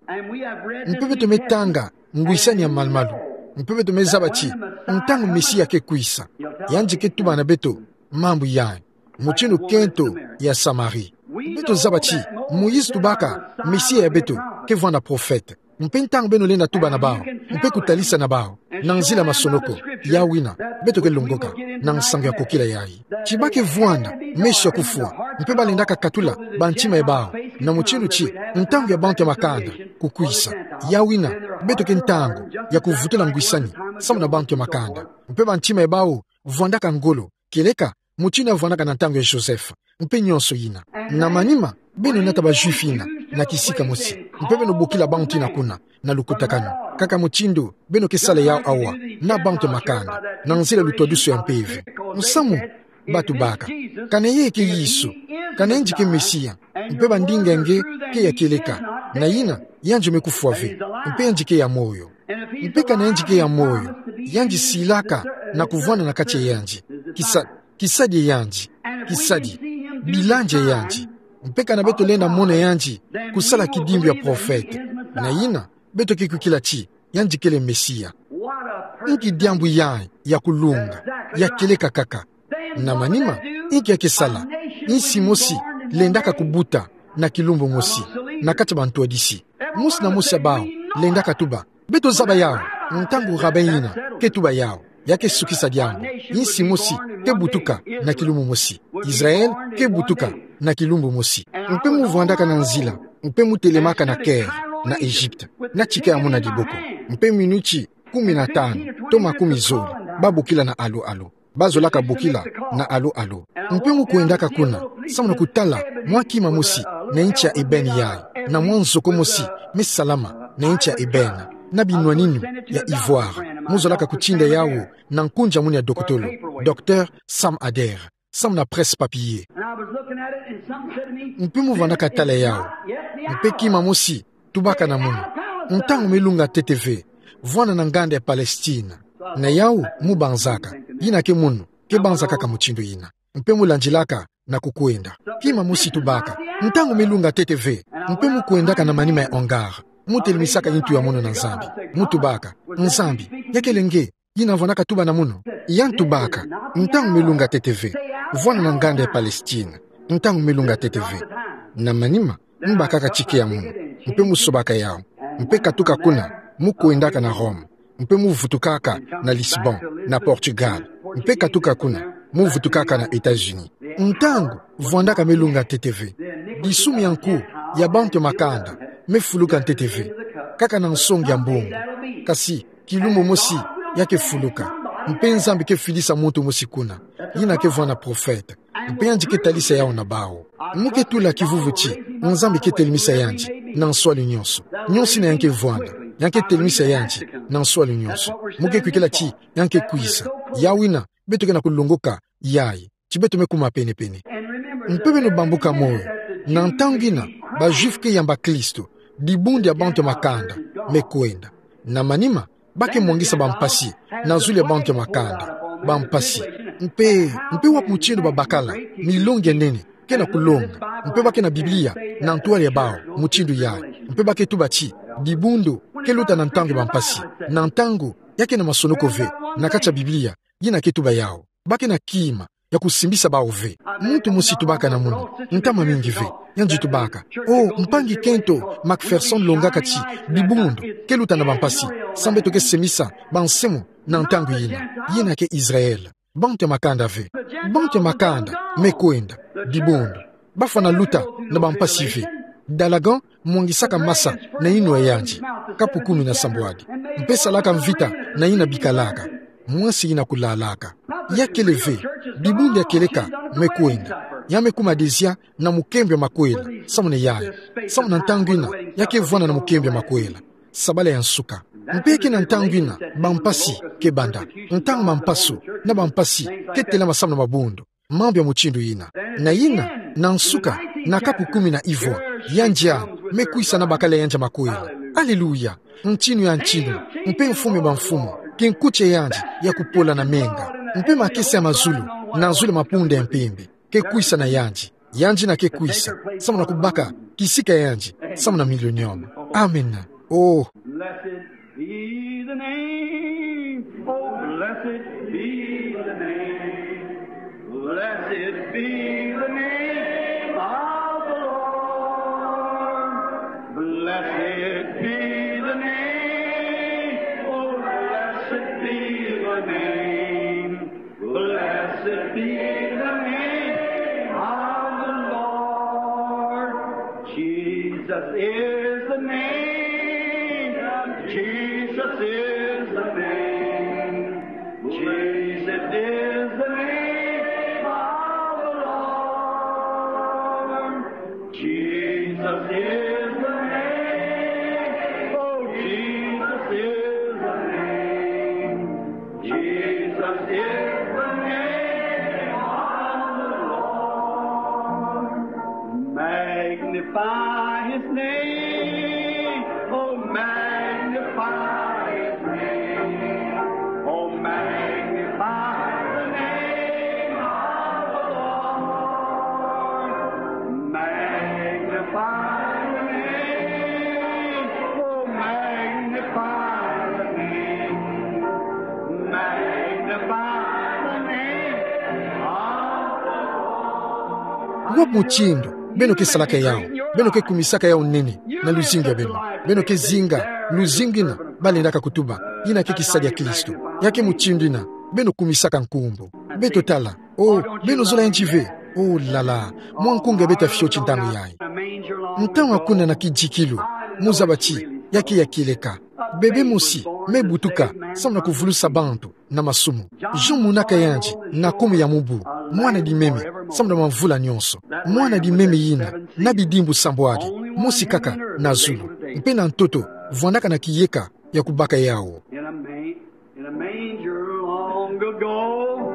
Mpe beto me tanga ngwisani ya malumalu. Mpe beto me zaba ti ntangu Mesia ke kwisa, yandi ke tuba na beto mambu yayi, mutindu kento ya Samarie. Beto zaba ti Moïse tubaka Mesia ya beto ke vwanda prophète. Mpe ntangu beno lenda tuba na bawu mpe kutalisa na bawu na nzila masonoko, yawu yina beto ke longoka na nsangu ya kokila yayi ti ba ke vwanda meso ya kufwa, mpe ba lendaka katula bantima ya bawu, na mutindu ti ntangu ya bantu ya makanda kukwisa. Yawu yina beto ke ntangu ya kuvutula ngwisani samu na bantu ya makanda. Mpe bantima ya bawu vwandaka ngolo, kieleka mutindu ya vwandaka na ntangu ya Joseph, mpe nyonso yina. Na manima, beno nata ba Juifs yina na kisika mosi, mpe beno bokila bantu yina kuna na lukutakanu, kaka mutindu beno ke sala yawu awa na bantu ya makanda, na nzila lutwadusu ya mpeve. Musamu ba tubaka: Kana yee ke Yesu, kana yandi ke Mesia, mpe bandinga nge ke ya kieleka, na yina yandi me kufwa ve, mpe yandi ke ya moyo. Mpe kana yandi ke ya moyo, yandi silaka na kuvwanda na kati ya yandi, kisa, kisadi ya yandi, kisadi, bilandi ya yandi. Mpe kana beto lenda mona yandi kusala kidimbu ya prophète, na yina beto ke kwikila ti yandi kele Mesia. Inki diambu yayi ya kulunga, ya kieleka kaka! Na manima, inki ya ke sala? Insi mosi lendaka kubuta na kilumbu mosi na kati ya bantwadisi. Mosi na mosi ya bawu lendaka tuba: Beto zaba yawu. Ntangu rabbin yina ke tuba yawu, ya ke sukisa diambu. Insi mosi ke butuka na kilumbu mosi. Israël ke butuka na kilumbu mosi. Mpe mu vwandaka na nzila, mpe mu telemaka na Caire, na Egypte, na tika ya muna diboko, mpe minuti kumi na tanu to makumi zole, ba bokila na alo alo. Ba zolaka bokila na alo alo. Mpe mu kwendaka kuna samu na kutala mwa kima mosi na inti ya ébène yayi, na mwa nzoko mosi me salama na inti ya ébène, na binwaninu ya ivoire. Mu zolaka kutinda yawu na nkundi ya munu ya dokotolo, Docteur Sam Adair, samu na presse-papier. Mpe mu vwandaka tala yawu. Mpe kima mosi tubaka na munu: Ntangu me lunga ntete ve, vwanda na nganda ya Palestine. Na yawu mu banzaka, yina ke munu ke banzaka kaka mutindu yina. Mpe mu landilaka na kukwenda. Kima mosi tubaka: Ntangu me lunga ntete ve. Mpe mu kwendaka na manima ya hangar, mu telemisaka yintu ya munu na Nzambi, mu tubaka: Nzambi, ya kele nge yina vwandaka tuba na munu? Yandi tubaka: Ntangu me lunga ntete ve, vwanda na nganda ya Palestine. Ntangu me lunga ntete ve. Na manima, mu bakaka tika ya munu, mpe mu sobaka yawu, mpe katuka kuna, mu kwendaka na Rome, mpe mu vutukaka na Lisbonne, na Portugal, mpe katuka kuna, mu vutukaka na États-Unis. Ntangu vwandaka me lunga ntete ve, disumu ya nku ya bantu ya makanda me fuluka ntete ve, kaka na nsongi ya mbongo. Kasi kilumbu mosi ya ke fuluka, mpe Nzambi ke fidisa muntu mosi kuna, yina ke vwanda prophète, mpe yandi ke talisa yawu na bawu. Mu ke tula kivuvu ti Nzambi ke telemisa yandi na nswalu nyonso. Nyonso yina ya ke vwanda, ya ke telemisa yandi na nswalu nyonso. Mu ke kwikila ti ya ke kwisa. Yawu yina beto ke na kulongoka yayi, ti beto me kuma penepene. Mpe beno bambuka moyo, na ntangu yina ba Juifs ke yamba Kristo, dibundu ya bantu ya makanda me kwenda. Na manima, ba ke mwangisa bampasi na zulu ya bantu ya makanda. Bampasi. Mpe, mpe wapi mutindu babakala milongi ya nene ke na kulonga, mpe ba ke na Biblia na ntwala ya bawu mutindu yayi, mpe ba ke tuba ti dibundu ke luta na ntangu ya bampasi, na ntangu ya ke na masonoko ve na kati ya Biblia yina ke tuba yawu. Ba ke na kima ya kusimbisa bawu ve. Muntu mosi tubaka na munu, ntama mingi ve, yandi tubaka: Oh, mpangi kento McPherson longaka ti dibundu ke luta na bampasi, samu beto ke semisa bansemo na ntangu yina. Yina ke Israël, bantu ya makanda ve. Bantu ya makanda me kwenda, dibundu. Bafwana luta na bampasi ve. Dalagan mwangisaka masa na yinwa ya yandi, kapu kumi na sambwadi, mpe salaka mvita na yina bikalaka, mwasi yina kulalaka. Ya kele ve, dibundu ya kieleka me kwenda, ya me kuma dezia na mukembo ya makwela, samu na yayi, samu na ntangu yina ya ke vwanda na mukembo ya makwela, sabala ya nsuka. Mpe ke na ntangu yina bampasi ke banda, ntangu mampaso na bampasi ke telama samu na mabundu, mambu ya mutindu yina. Na yina, na nsuka, na kapu kumi na ivwa, yandi ya me kwisa na bakala ya yandi ya makwela. Alléluia! Ntinu ya ntinu, mpe Mfumu ya bamfumu, kinkuti ya yandi ya kupola na menga. Mpe makesa ya mazulu, na zulu ya mapunda ya mpimbi, ke kwisa na yandi. Yandi na ke kwisa, samu na kubaka kisika yandi, samu na millennium. Amen. Oh. Blessed be the name. Oh, blessed be the name. Blessed be the name of the Lord. Blessed be the name. Oh, blessed be the name. Blessed be the name of the Lord. Jesus is the name. Jesus is the name. Jesus is the name of the Lord. Jesus is the name. Oh, Jesus is the name. Jesus is the name of the Lord. Magnify his name. Oh, magnify his name. Oh, magnify the name of the Lord. Magnify the name. Oh, magnify the name. Magnify the name of the Lord. Wapi mutindu beno ke salaka yawu, beno ke kumisaka yawu nene na luzingu ya beno? Beno ke zinga luzingu yina balendaka kutuba, yina ke kisadi ya Kristo. Ya ke mutindu yina beno kumisaka nkumbu. Beto tala. Oh, beno zola yandi ve? Oh là là. Mwa nkunga beto fioti ntangu yayi. Ntangu ya kuna na kidikilu, muzaba ti ya ke ya kieleka. Bebe mosi me butuka samu na kuvulusa bantu na masumu. Jean monaka yandi na kumi ya mubu, mwana dimeme samu na mavula nyonso. Mwana dimeme yina na bidimbu sambwadi, mosi kaka na zulu, mpe na ntoto vwandaka na kiyeka ya kubaka yawu. In a ma-, in a manger long ago,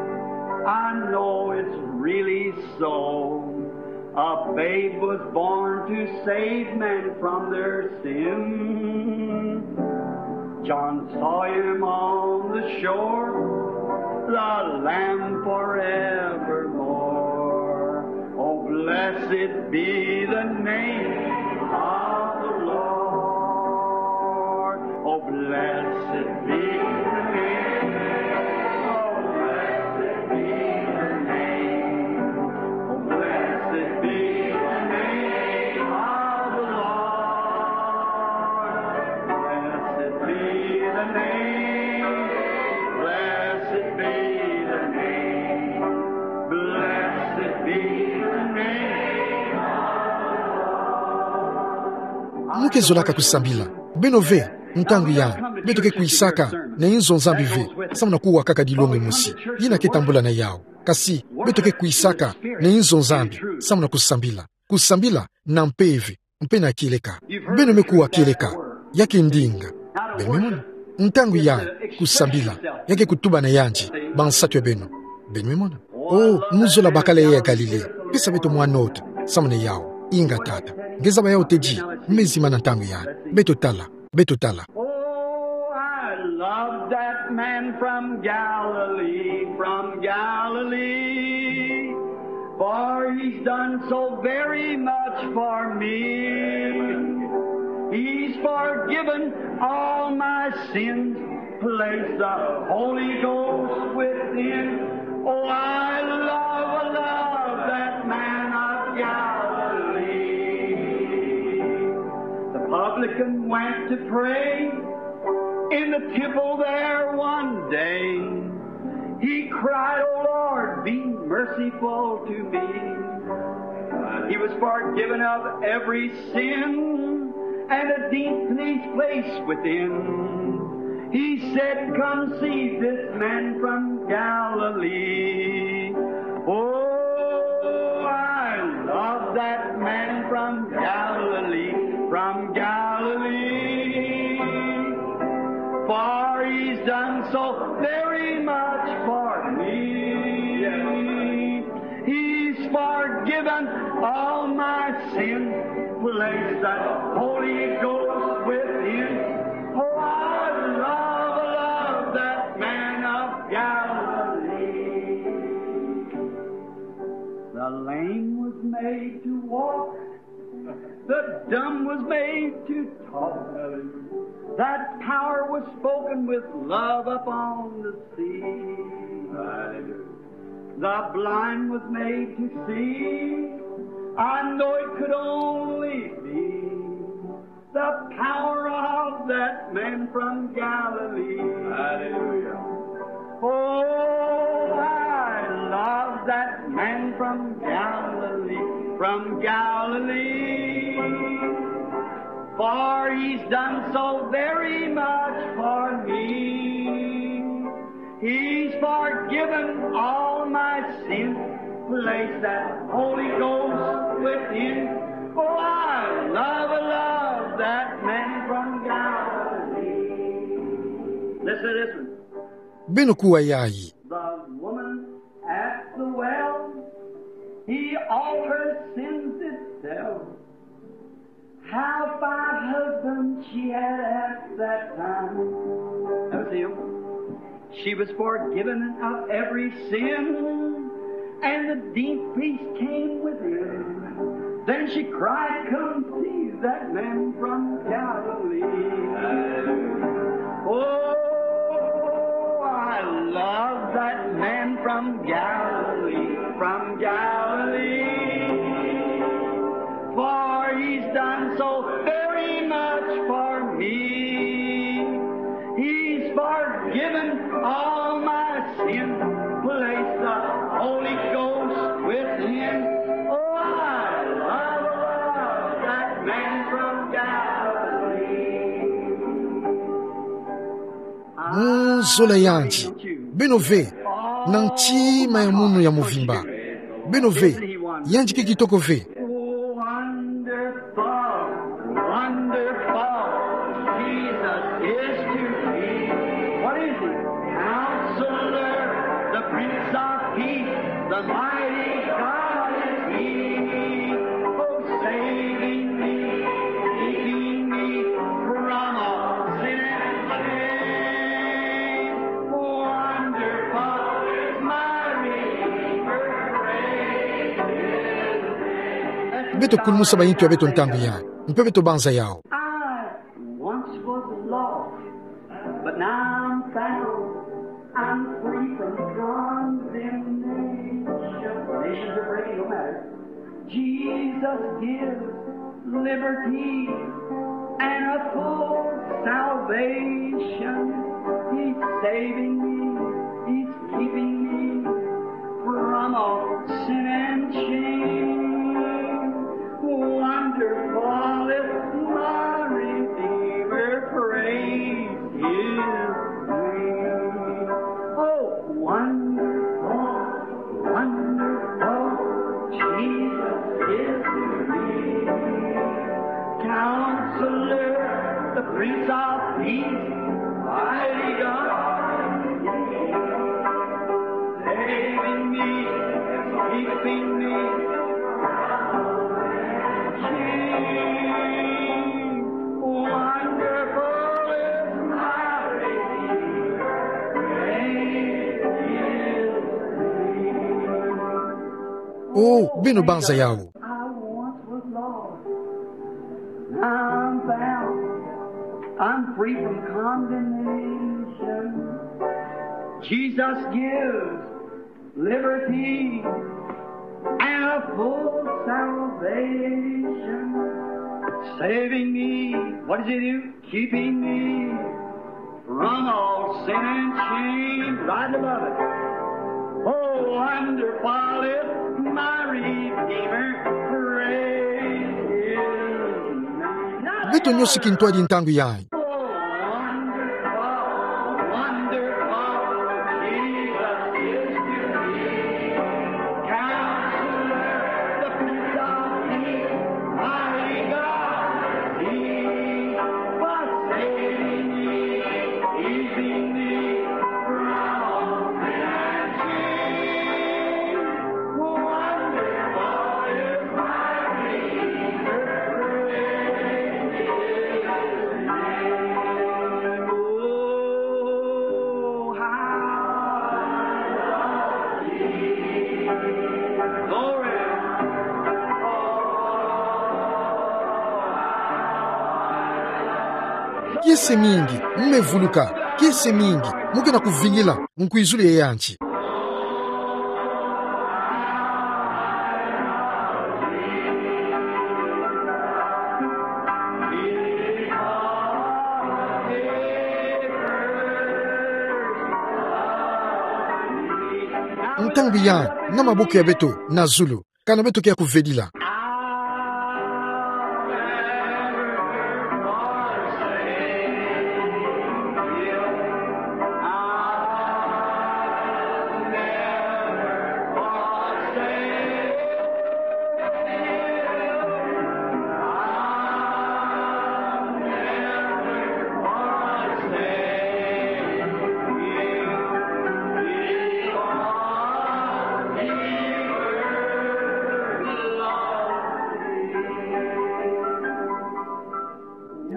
I know it's really so. A babe was born to save men from their sin. John saw him on the shore, the Lamb forevermore. Oh, blessed be the name of the Lord. Oh, blessed be the name. Oh, blessed be the name. Oh, blessed be the name of the Lord. Blessed be the name. Blessed be the name. Blessed be the name of the Lord. Mu ke zolaka kusambila? Beno ve, ntangu yayi beto ke kwisaka na inzo Nzambi ve samu na kuwa kaka dilongi mosi yina ke tambula na yawu. Kasi beto ke kwisaka na inzo Nzambi samu na kusambila. Kusambila na mpeve mpe na kieleka. Beno me kuwa kieleka, ya ke ndinga. Beno me mona? Ntangu yayi kusambila ya ke kutuba na yandi bansatu ya beno. Beno me mona? Oh, muzola bakala ya Galilée. Pesa beto mwa nota samu na yawu. Inga tata. Nge zaba yawu tedi, me zimana ntangu yayi. Beto tala. Beto tala. Oh, I love that man from Galilee, from Galilee. For he's done so very much for me. He's forgiven all my sins, placed the Holy Ghost within. Oh, I love, I love that man of Galilee. The publican went to pray in the temple there one day. He cried, "O Lord, be merciful to me." He was forgiven of every sin, and a deep peace placed within. He said, "Come see this man from Galilee." Oh, I love that man from Galilee, from Galilee. For he's done so very much for me. He's forgiven all my sins, placed that Holy Ghost within. Oh, I love, love that man of Galilee. made to walk. The dumb was made to talk. That power was spoken with love upon the sea. Hallelujah. The blind was made to see. I know it could only be the power of that man from Galilee. Hallelujah. Oh, I love that man from Galilee, from Galilee. For he's done so very much for me. He's forgiven all my sin. Place that Holy Ghost within. Oh, I love, I love that man from Galilee. Listen to this one. Beno ku ai. The woman at the well, he all her sins did tell. How five husbands she had at that time. Now see, she was forgiven of every sin, and the deep peace came within. Then she cried, "Come see that man from Galilee." Oh, I love that man from Galilee, from Galilee. For he's done so very much for me. He's forgiven all my sin. Place the Holy Ghost within. Oh, I love, love that man from Galilee. Mu zolea yandi. Beno ve. Na ntima ya munu ya mvimba. Beno ve. Yandi kiki toko ve. Wonderful, wonderful, Jesus is to me. What is he? Counselor, the Prince of Peace, the mighty God is he. Oh, saving me, keeping me from all sin and shame. Wonderful is my Redeemer, praise his name. Beto kulmusa ba intu ya beto ntangu ya. Mpe beto banza yao. I once was lost, but now I'm found. I'm free from condemnation. Nations are breaking, no matter. Jesus gives liberty and a full salvation. He's saving me, he's keeping me from all sin and shame. Wonderful is my Redeemer, praise his name. Oh, wonderful, wonderful, Jesus is to me. Counselor, the Prince of Peace, mighty God, saving me, keeping me. Wonderful is my Redeemer, praise his name. Oh, beno banza yao. I once was lost, now I'm found. I'm free from condemnation. Jesus gives liberty and a full salvation. Saving me, what does he do? Keeping me from all sin and shame. Right above it. Oh, wonderful is my Redeemer. Praise his name. Beto nyosi ki ntwadi ntangu ya. Oh, wonderful, wonderful, Jesus is to me. Counselor, the Prince of Peace, mighty God, he was saving me, keeping me from all sin and shame. Wonderful is my Redeemer, praise his name. Kiese mingi, mme vuluka, kiese mingi, mo ke na kuvilila, nkwizulu ye yandi. Ntangu ya, na maboko ya beto, na zulu, kana beto ke ya kuvelila.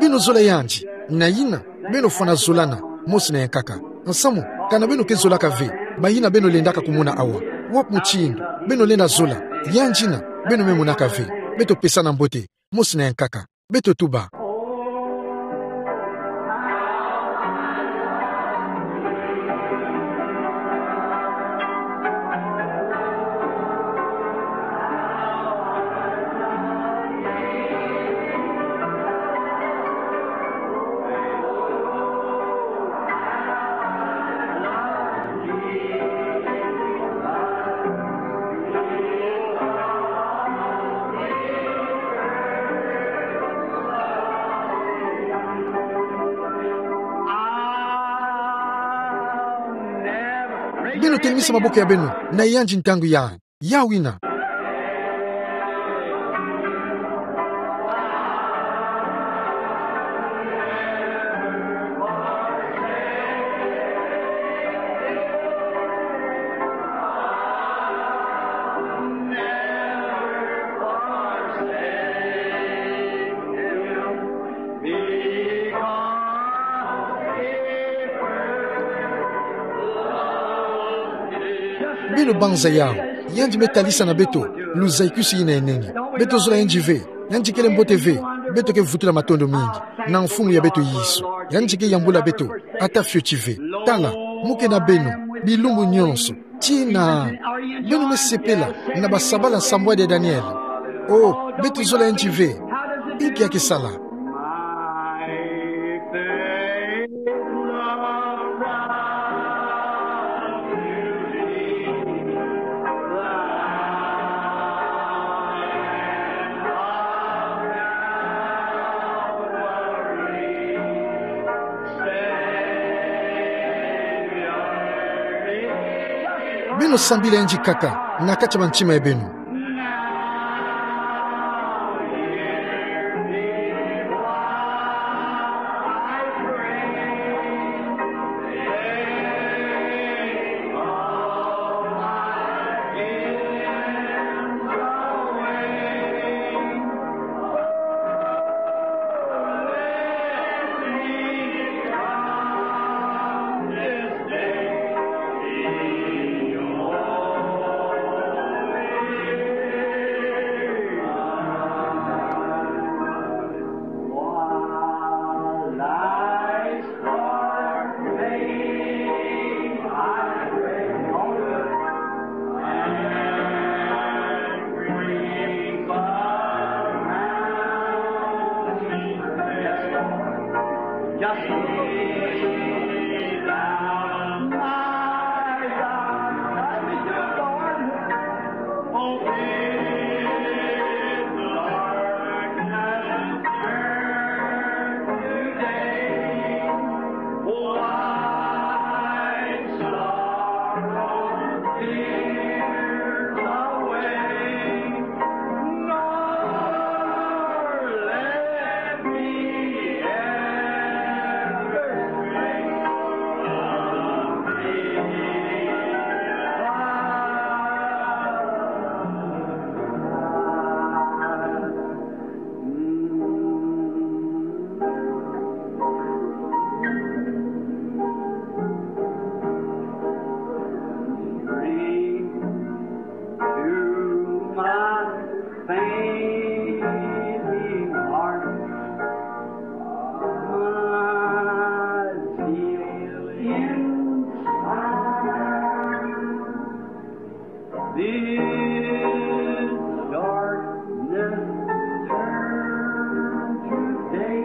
Beno zola yandi, na yina, beno fwana zolana, mosi na yankaka. Nsamu, kana beno ke zolaka ve, bayina beno lendaka kumona awa. Wapi mutindu beno lenda zola, yandi yina, beno me monaka ve. Beto pesana mbote, mosi na yankaka. Beto tuba. Beno telimisa maboko ya beno, na yandi ntangu ya. Ya wina. Beno banza yau, yandi me talisa na beto, luzaikusi yina enengi. Beto zola yandi ve, yandi kele mbote ve, beto ke vutula matondo mingi, na mfumu ya beto Yesu, yandi ke yambula beto, ata fioti ve. Tala, mo ke na beno, bilumbu nyonso, tii na, beno me sepela, na basabala nsambwadi ya Daniele. O, beto zola yandi ve, inki ya ke sala. Beno sambila yandi kaka, na kati ya bantima ya beno. This darkness turn to day.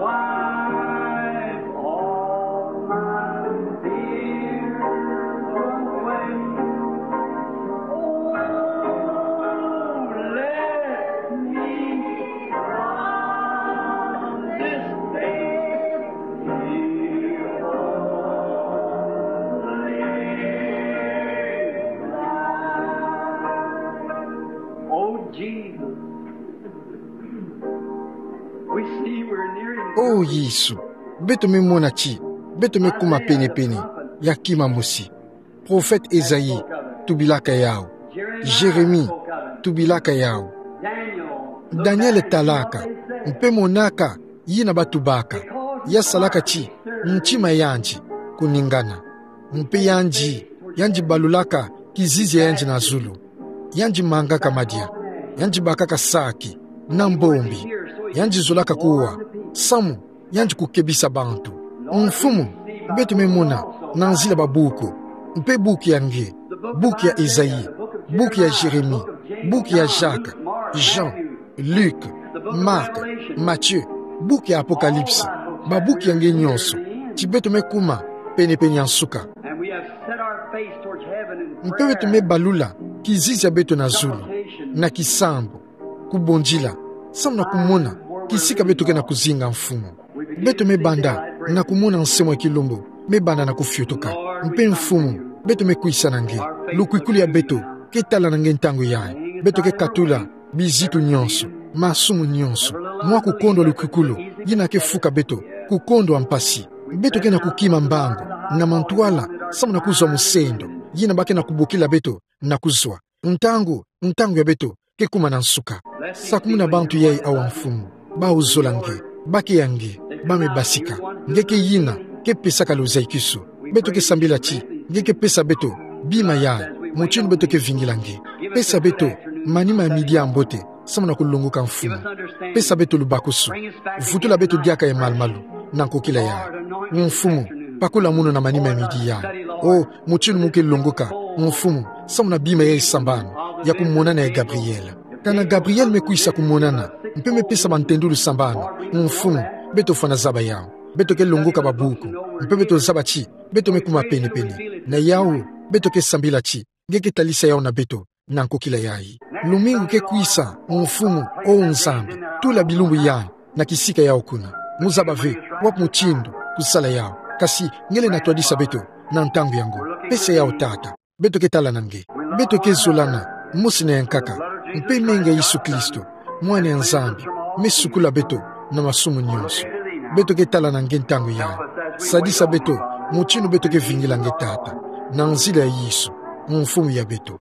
Wipe all my tears away. Oh, let me from this day be holy. Oh, Jesus. We see we're nearing O Yesu, beto me mona ti beto me kuma penepene ya kima mosi. Prophète Esaïe tubilaka yawu. Jérémie tubilaka yawu. Daniel talaka, mpe monaka yina batubaka, ya salaka ti ntima yandi kuningana. Mpe yandi, yandi balulaka kizizi ya yandi na zulu. Yandi mangaka madia, yandi bakaka saki na mbombi, yandi zolaka kuwa, samu yandi kukebisa bantu. Mfumu, beto me mona na nzila ba buku, mpe buku ya nge, buku ya Esaïe, buku ya Jérémie, buku ya Jacques, Jean, Luc, Marc, Matthieu, buku ya Apocalypse, ba buku ya nge nyonso, ti beto me kuma penepene ya nsuka. And we have set our face towards heaven in prayer. Mpe beto me balula kizizi ya beto na zulu, na kisambu, kubondila, samu na kumona kisika beto ke na kuzinga, Mfumu. Beto me banda na kumona nsemwa ya kilumbu me banda na kufiotoka. Mpe Mfumu, beto me kwisa na nge. Lukwikulu ya beto ke tala na nge ntangu yayi. Beto ke katula bizitu nyonso, masumu nyonso, mwa kukondwa lukwikulu yina ke fuka beto, kukondwa mpasi. Beto ke na kukima mbangu na mantwala, samu na kuzwa musendo yina ba ke na kubokila beto na kuzwa. Ntangu, ntangu ya beto ke kuma na nsuka. Sakumuna bantu yayi awa, Mfumu, bawu zola nge, ba ke ya nge, ba me basika. Nge ke yina ke pesaka luzaikisu. Beto ke sambila ti nge ke pesa beto bima yayi, mutindu beto ke vingila nge. Pesa beto manima ya midi ya mbote, samu na kulongoka, Mfumu. Pesa beto lubakusu. Vutula beto diaka ya malumalu na nkokila yayi. Mfumu, pakula munu na manima ya midi yayi. O, mutindu mu ke longoka, Mfumu, samu na bima ya sambanu ya kumonana ya Gabriel. Kana Gabriel me kwisa kumonana, mpe me pesa bantendulu sambanu, Mfumu, beto fwana zaba yawu. Beto ke longoka ba buku, mpe beto zaba ti beto me kuma penepene. Na yawu, beto ke sambila ti nge ke talisa yawu na beto na nkokila yayi. Lumingu ke kwisa, Mfumu, O Nzambi, tula bilumbu yayi na kisika yawu kuna. Mu zaba ve wapi mutindu kusala yawu, kasi nge lenda twadisa beto na ntangu yango. Pesa yawu, Tata. Beto ke tala na nge. Beto ke zolana mosi na yankaka. Mpe menga Yesu Kristo, Mwana ya Nzambi, me sukula beto na masumu nyonso. Beto ke tala na nge ntangu yayi. Sadisa beto mutindu beto ke vingila nge, Tata, na nzila ya Yesu, Mfumu ya beto.